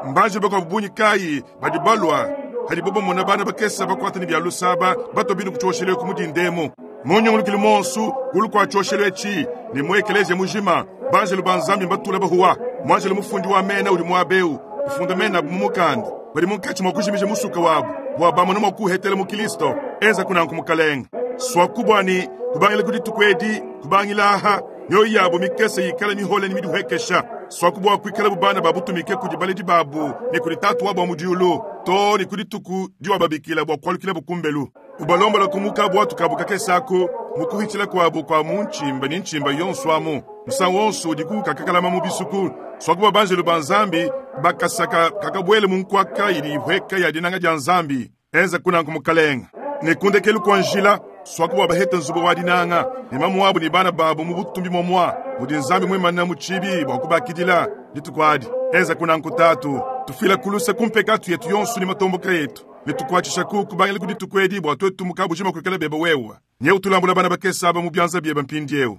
Speaker 1: Mbanje bakwa bubunyi kai badi balwa hadi bobo mona bana bakesa bakwata ni bya lusaba bato binu kuchoshele kumudindemo. Munyungulukili monsu kulu kwa choshele chi ni mwekeleze mujima banjelo banzambi batula bahuwa mwanjelo mufundi wa mena uli mwabeu ufunda mena mumukanda bali munkachi mwakushimije musuka wabu bwa bamona mwakuhetela mu Kristo enza kuna nkumukalenga swakubwa ni kubangila kuditukwedi kubangila aha nyoyo yabo mikese yikala mihole ni miduhekesha swakubwa kwikala bubana babutumike kudi baledi babu ni kudi tatu wabo mudiulu to ni kudi tuku diwa babikila bwa kwalukila bukumbelu ubalombola kumuka bwatu kabu kakesako mukuhitila kwabu kwa munchimba ni nchimba yonso amu musango wonso udi kukakalama mu bisuku swakubwa banjelu ba nzambi bakasaka kakabwele munkwaka ili ihweka ya dinanga dia nzambi enza kuna nkumukalenga ne kundekelu kwa njila swakubwa baheta nzubu wa dinanga ni mamu wabu ni bana babu mu butumbi momwa mudi nzambi mwimana mu chibi bwa kubakidila ditukwadi enza kuna nkutatu tufila kulusa kumpekatu yetu yonso ni matomboka yetu netukwachisha ku kubangila kuditukwedi bwa twetu mukabu jima kwikala beba wewa nye utulambula bana bakesa aba mu byanza byeba mpindiewu.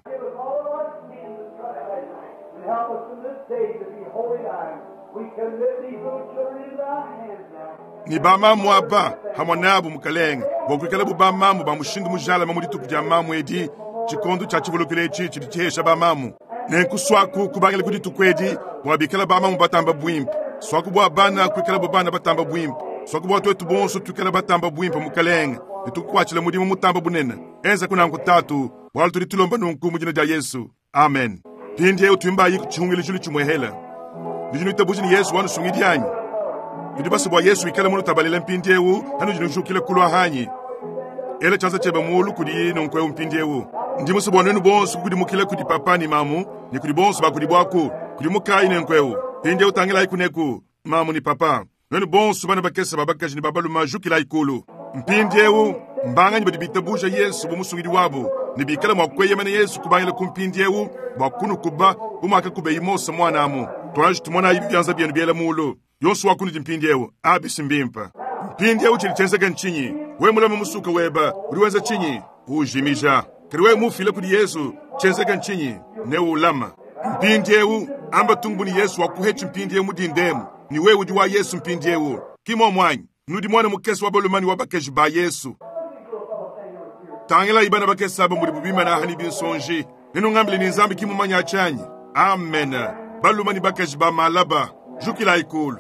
Speaker 1: Ni bamamu aba hamwe nabo mukalenga bwa kwikala bu bamamu ba mushindu mujala mu dituku dia mamu edi tshikondo tshia tshivulukilo etshi tshidi tshihesha bamamu nenkuswaku kubangila kudituku edi bwa bikala bamamu batamba bwimpe swaku bwa bana kwikala bu bana batamba bwimpe swaku bwa twetu bonso twikala batamba bwimpe mukalenga netukukwatshila mudimu mutamba bunene enza kunanku tatu bwalu tudi tulomba nunku mu dina dia Yesu amen. Pindiewu twimbayi kuchihungila tshulu tshimwehela nudi nuitabuja ni Yesu wanusungidi anyi nudi basa bwa Yesu ikala munu tabalela mpindiewu hanu jinujukila kulwa hanyi ela chanza cheba mulu kudi nonkweu mpindiewu ndi musa bwa nwenu bonso kukudimukila kudi papa ni mamu ni kudi bonso bakudi bwaku kudi mukai nenkweu pindiewu tangila ikuneku mamu ni papa nwenu bonso bana bakesa babakaji ni babaluma jukila ikulu mpindiewu mbanganyi badi bitabuja Yesu bumusungidi wabu ni bikala mwa kweyemana Yesu kubangila kumpindiewu bwa kunukuba bumwaka kubeyi Mose mwanamu twaji tumona ibi byanza byenu byela mulu yonso wakunudi mpindiewu abisi mbimpa mpindiewu chili chenzeka nchinyi we mulama musuka weba uri wenza chinyi ujimija kari we mufile kudi Yesu chenzeka nchinyi ne ulama mpindiewu amba tungu ni Yesu wakuhechi mpindiewu mudindemu ni we udi wa Yesu mpindiewu kimo mwanyi nudi mwana mukesi wa balumani wa bakeji ba Yesu tangila ibana bakesi aba mudi bubimana hani binsonji ninungambile ni nzambi kimumanya achanyi amen balumani bakaji ba malaba jukila ikulu.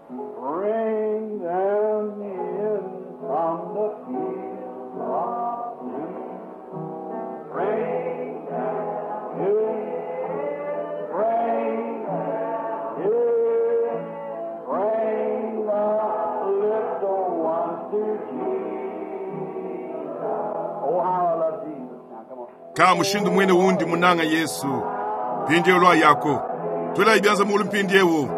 Speaker 2: Bring them in from the field of blue. Bring them in, bring them in, bring the little ones to Jesus. Oh, how I love Jesus. Now, come on.
Speaker 1: Ka mushindu mwene wundi munanga Yesu pindiewu lwa yako twela ibyanza mulu mpindiewu.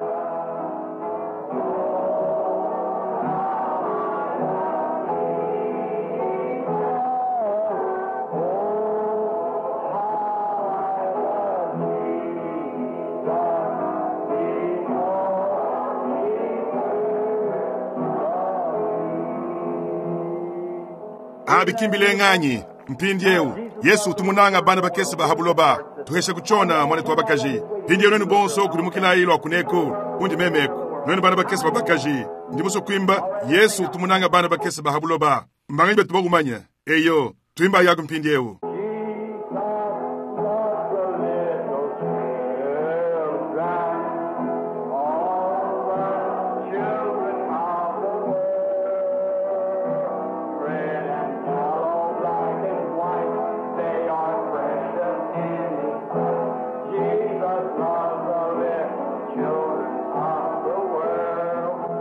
Speaker 1: Abi ki mbilenga anyi? Mpindiewu, Yesu utu munanga bana bakese ba ha buloba. Tuhesha kutshiona, muanetu wa bakaji. Mpindiewu nuenu bonso kudimukilayi lua kuneku, kundi memeku. Nuenu bana bakese ba bakaji, ndi musue kuimba Yesu utu munanga bana bakese ba ha buloba. Mbanganyi betu bakumanya? Eyo, tuimbayi aku mpindiewu.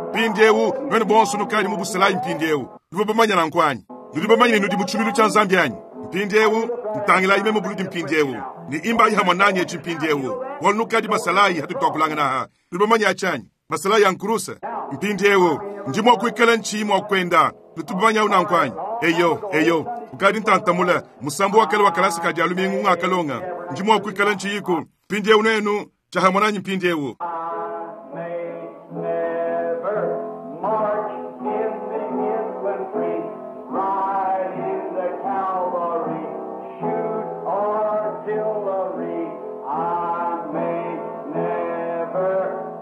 Speaker 1: Mpindiewu, nuenu bonso nukadi mu busalayi mpindiewu. Nuvua bamanya nanku anyi? Nudi bamanye ne nudi mu tshiluilu tshia Nzambi anyi? Mpindiewu, ntangilayi meme buludi mpindiewu, ne imbayi hamue nanyi etshi mpindiewu, bualu nukadi masalayi hatudi tuakulangana aha. Nudi bamanye atshi anyi? Masalayi a nkurusa. Mpindiewu, ndi mua kuikala ntshiyi mua kuenda. Nutu bamanye awu nanku anyi? Eyo, eyo, ukadi ntantamula, musambu wa kale wa kalasa ka dia lumingu ngakalonga. Ndi mua kuikala ntshiyiku. Mpindiewu nuenu, tshia hamue nanyi mpindiewu.
Speaker 2: March in the infantry, ride in the cavalry, shoot artillery. I may never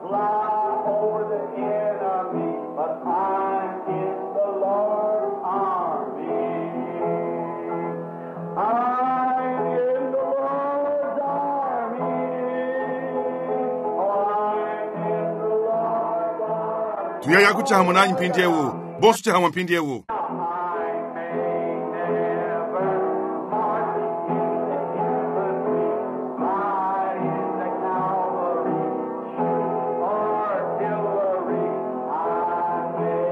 Speaker 2: fly over the enemy, but I'm in the Lord's army. I'm in the Lord's army. Oh, I'm in the Lord's army.
Speaker 1: Tuyayaku tshia hamue nanyi mpindiewu, bonso tshia hamue mpindiewu.
Speaker 2: I may never march in the infantry, ride in the cavalry, shoot artillery. I may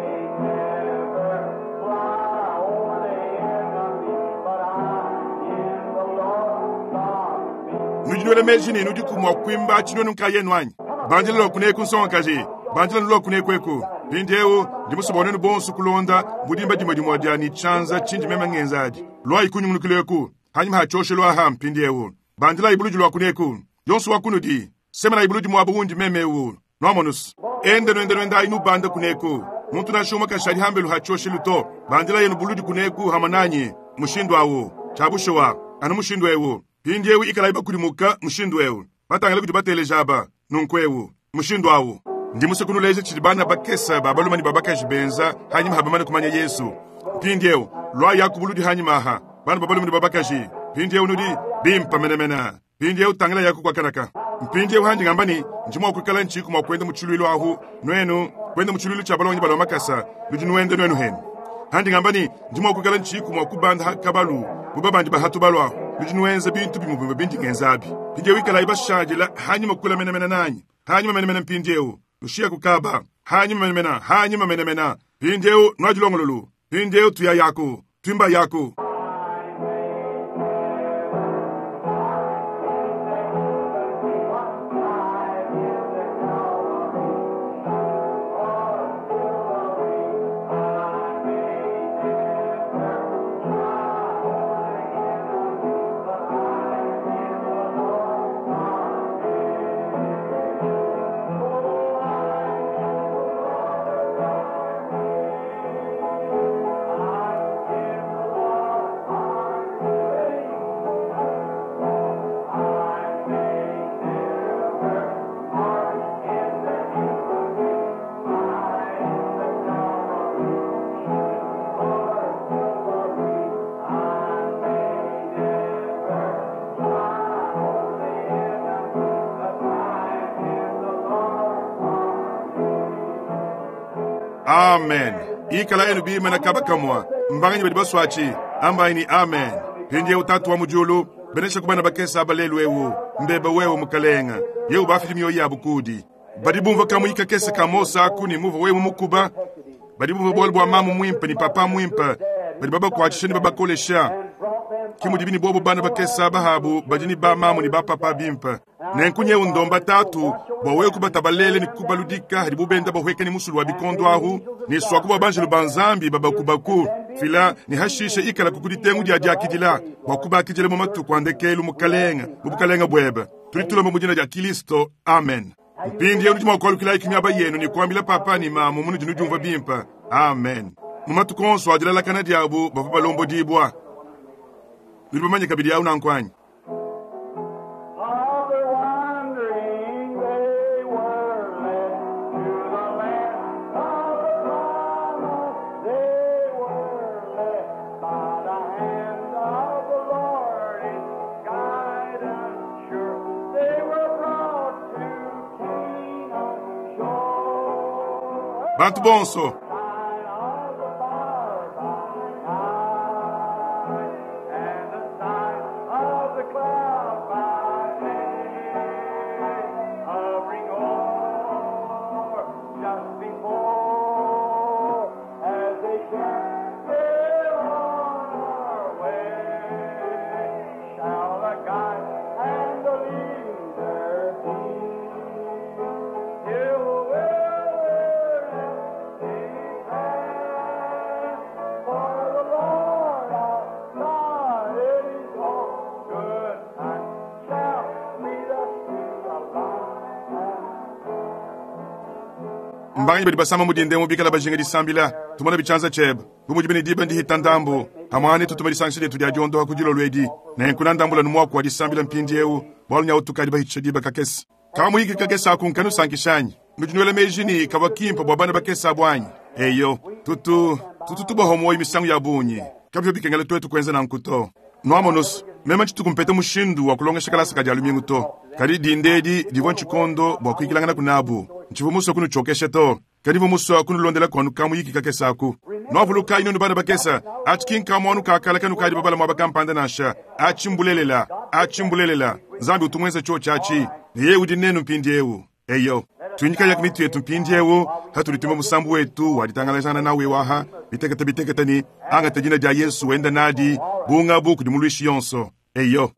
Speaker 2: never fly over the enemy, but I'm in the Lord's army.
Speaker 1: Nudi nuela meji ne nudiku mua kuimba tshinuenu nkayenu anyi? Bandila lua kuneku nsongakaji, bandila lua kuneku eku. Mpindiewu, ndi musue bua nuenu bonso kulonda mudimba dimue dimue dia ne tshianza tshindi meme ngenza adi. Luayi kunyungulukila eku, hanyima ha tshioshelu aha mpindiewu. Bandilayi buludi lua kuneku, yonso wa kunudi, semenayi buludi muaba wundi meme ewu. Nuamonusu. Ende nuende nuendayi nubanda kuneku. Muntu nansha umue kashadi hambelu ha tshioshelu to. Bandila yenu buludi kuneku hamue nanyi, mushindu awu. Tshia bushuwa, anu mushindu ewu. Mpindiewu ikalayi bakudimuka mushindu ewu. Batangila kudi bateleja aba, nunku ewu, mushindu awu. Ndi musue kunuleja tshidi bana bakese ba balume ne ba bakaji benza hanyima ha bamane kumanya Yesu. Mpindiewu, luayi aku buludi hanyima aha, bana ba balume ne ba bakaji. Mpindiewu nudi bimpa menemene. Mpindiewu tangila yaku kwa kanaka. Mpindiewu handi ngamba ne, ndi mua kuikala ntshiku mua kuenda mu tshiluilu ahu, nuenu, kuenda mu tshiluilu tshia balongi balua makasa, nudi nuenda nuenu henu. Handi ngamba ne, ndi mua kuikala ntshiku mua kubanda ha kabalu, bu babandi ba hatu balua ahu, nudi nuenza bintu bimue bimue bindi ngenza abi. Mpindiewu ikalayi bashadila hanyima kula menemene nanyi, hanyima menemene mpindiewu, nushiya kukaba, hanyima menemene, hanyima menemene. Mpindiewu nuadilongololu, mpindiewu tuya yaku, tuimba yaku. Amen. Ikala enu bimana kaba kamua. Mbanganyi badi baswatshi. Ambayi ni amen. Mpindiewu tatu wa mu diulu, benesha ku bana bakese aba lelu ewu. Mbeba wewe mukalenga. Yewu bafidi mioyo yabu kudi. Badi bumvua kamui kakese ka Mose aku ne muva wewe mukuba. Badi bumvua bualu bua mamu muimpe ne papa muimpe. Badi babakuatshisha ne babakolesha. Ke mudibi ne bobo bana bakese aba habu badi ne ba mamu ne ba papa bimpe. Nenku nyewu ndomba tatu bua wewe kubatabalele ne kubaludika hadi bubenda bahueka ne musulu wa bikondo ahu ne swaku bua banjelu ba Nzambi babakubaku fila ne hashishe ikala ku ditengu dia diakidila bua kubakidila mu matuku a ndekelu mukalenga mu bukalenga buebe. Tudi tulomba mu dina dia Kilisto, amen. Mpindiewu nudi mua kualukila iki miaba yenu ne kuambila papa ne mamu munudi nudiumvua bimpe. Amen. Mu matuku onso a dilalakana diabu bavua balombodibua. Nudi bamanye kabidi awu nanku anyi?
Speaker 2: Of their wandering they were led to the land of the promise. They were led by the hand of the Lord in guidance sure. They were brought to Canaan's shore.
Speaker 1: Bantu bonso
Speaker 2: Sign of the fire by night, and the sign of the cloud by day, hovering o'er just before, as they journeyed on our way, shall the guide and the leader be. Till the wilderness declare, for the Lord our God is all good and shall lead us to the land.
Speaker 1: Mbanganyi badi basama mu dinda emu bikala bajinga disambila, tumona bitshianza tshiebe. Bu mudi bene diba ndihita ndambu, hamwane tutuma disangisha dietu dia diondoha ku dilolo edi. Nenku nandambula nu muaku wa disambila mpindieu, bualu nyawu tukadi bahitshisha diba kakese. Kamuyiki kakese aku nkanusankisha anyi? Nudi nuela meji ne kavua kimpe bua bana bakese abu anyi? Eyo, tutu, tutu tubaha muoyo misangu ya bungi. Kabivua bikengela tuetu kuenza nanku to. Nuamonusu, meme ntshituku mpeta mushindu wa kulongesha kalasa ka dia lumingu to. Kadi dinda edi divua ntshikondo bua kuyikilanganaku nabu. Ntshivua musue kunutshiokesha to, kadi mvua musue kunulondela kuanu kamuyiki kakese aku. Nuavulukayi nuenu bana bakese, atshi ki nkamuanu ka kale kanukadi babala muaba kampanda nansha. Atshi mbulelela, atshi mbulelela. Nzambi utu muenze tshiotshi atshi, ne yeye udi nenu mpindieu. Eyo, tuinyikayaku mitu yetu mpindieu, patudi tuimba musambu wetu wa ditangalajangana nawu eu aha, bitekete bitekete ne, angata dina dia Yesu wenda nadi, bungabu kudi muluishi yonso. Eyo.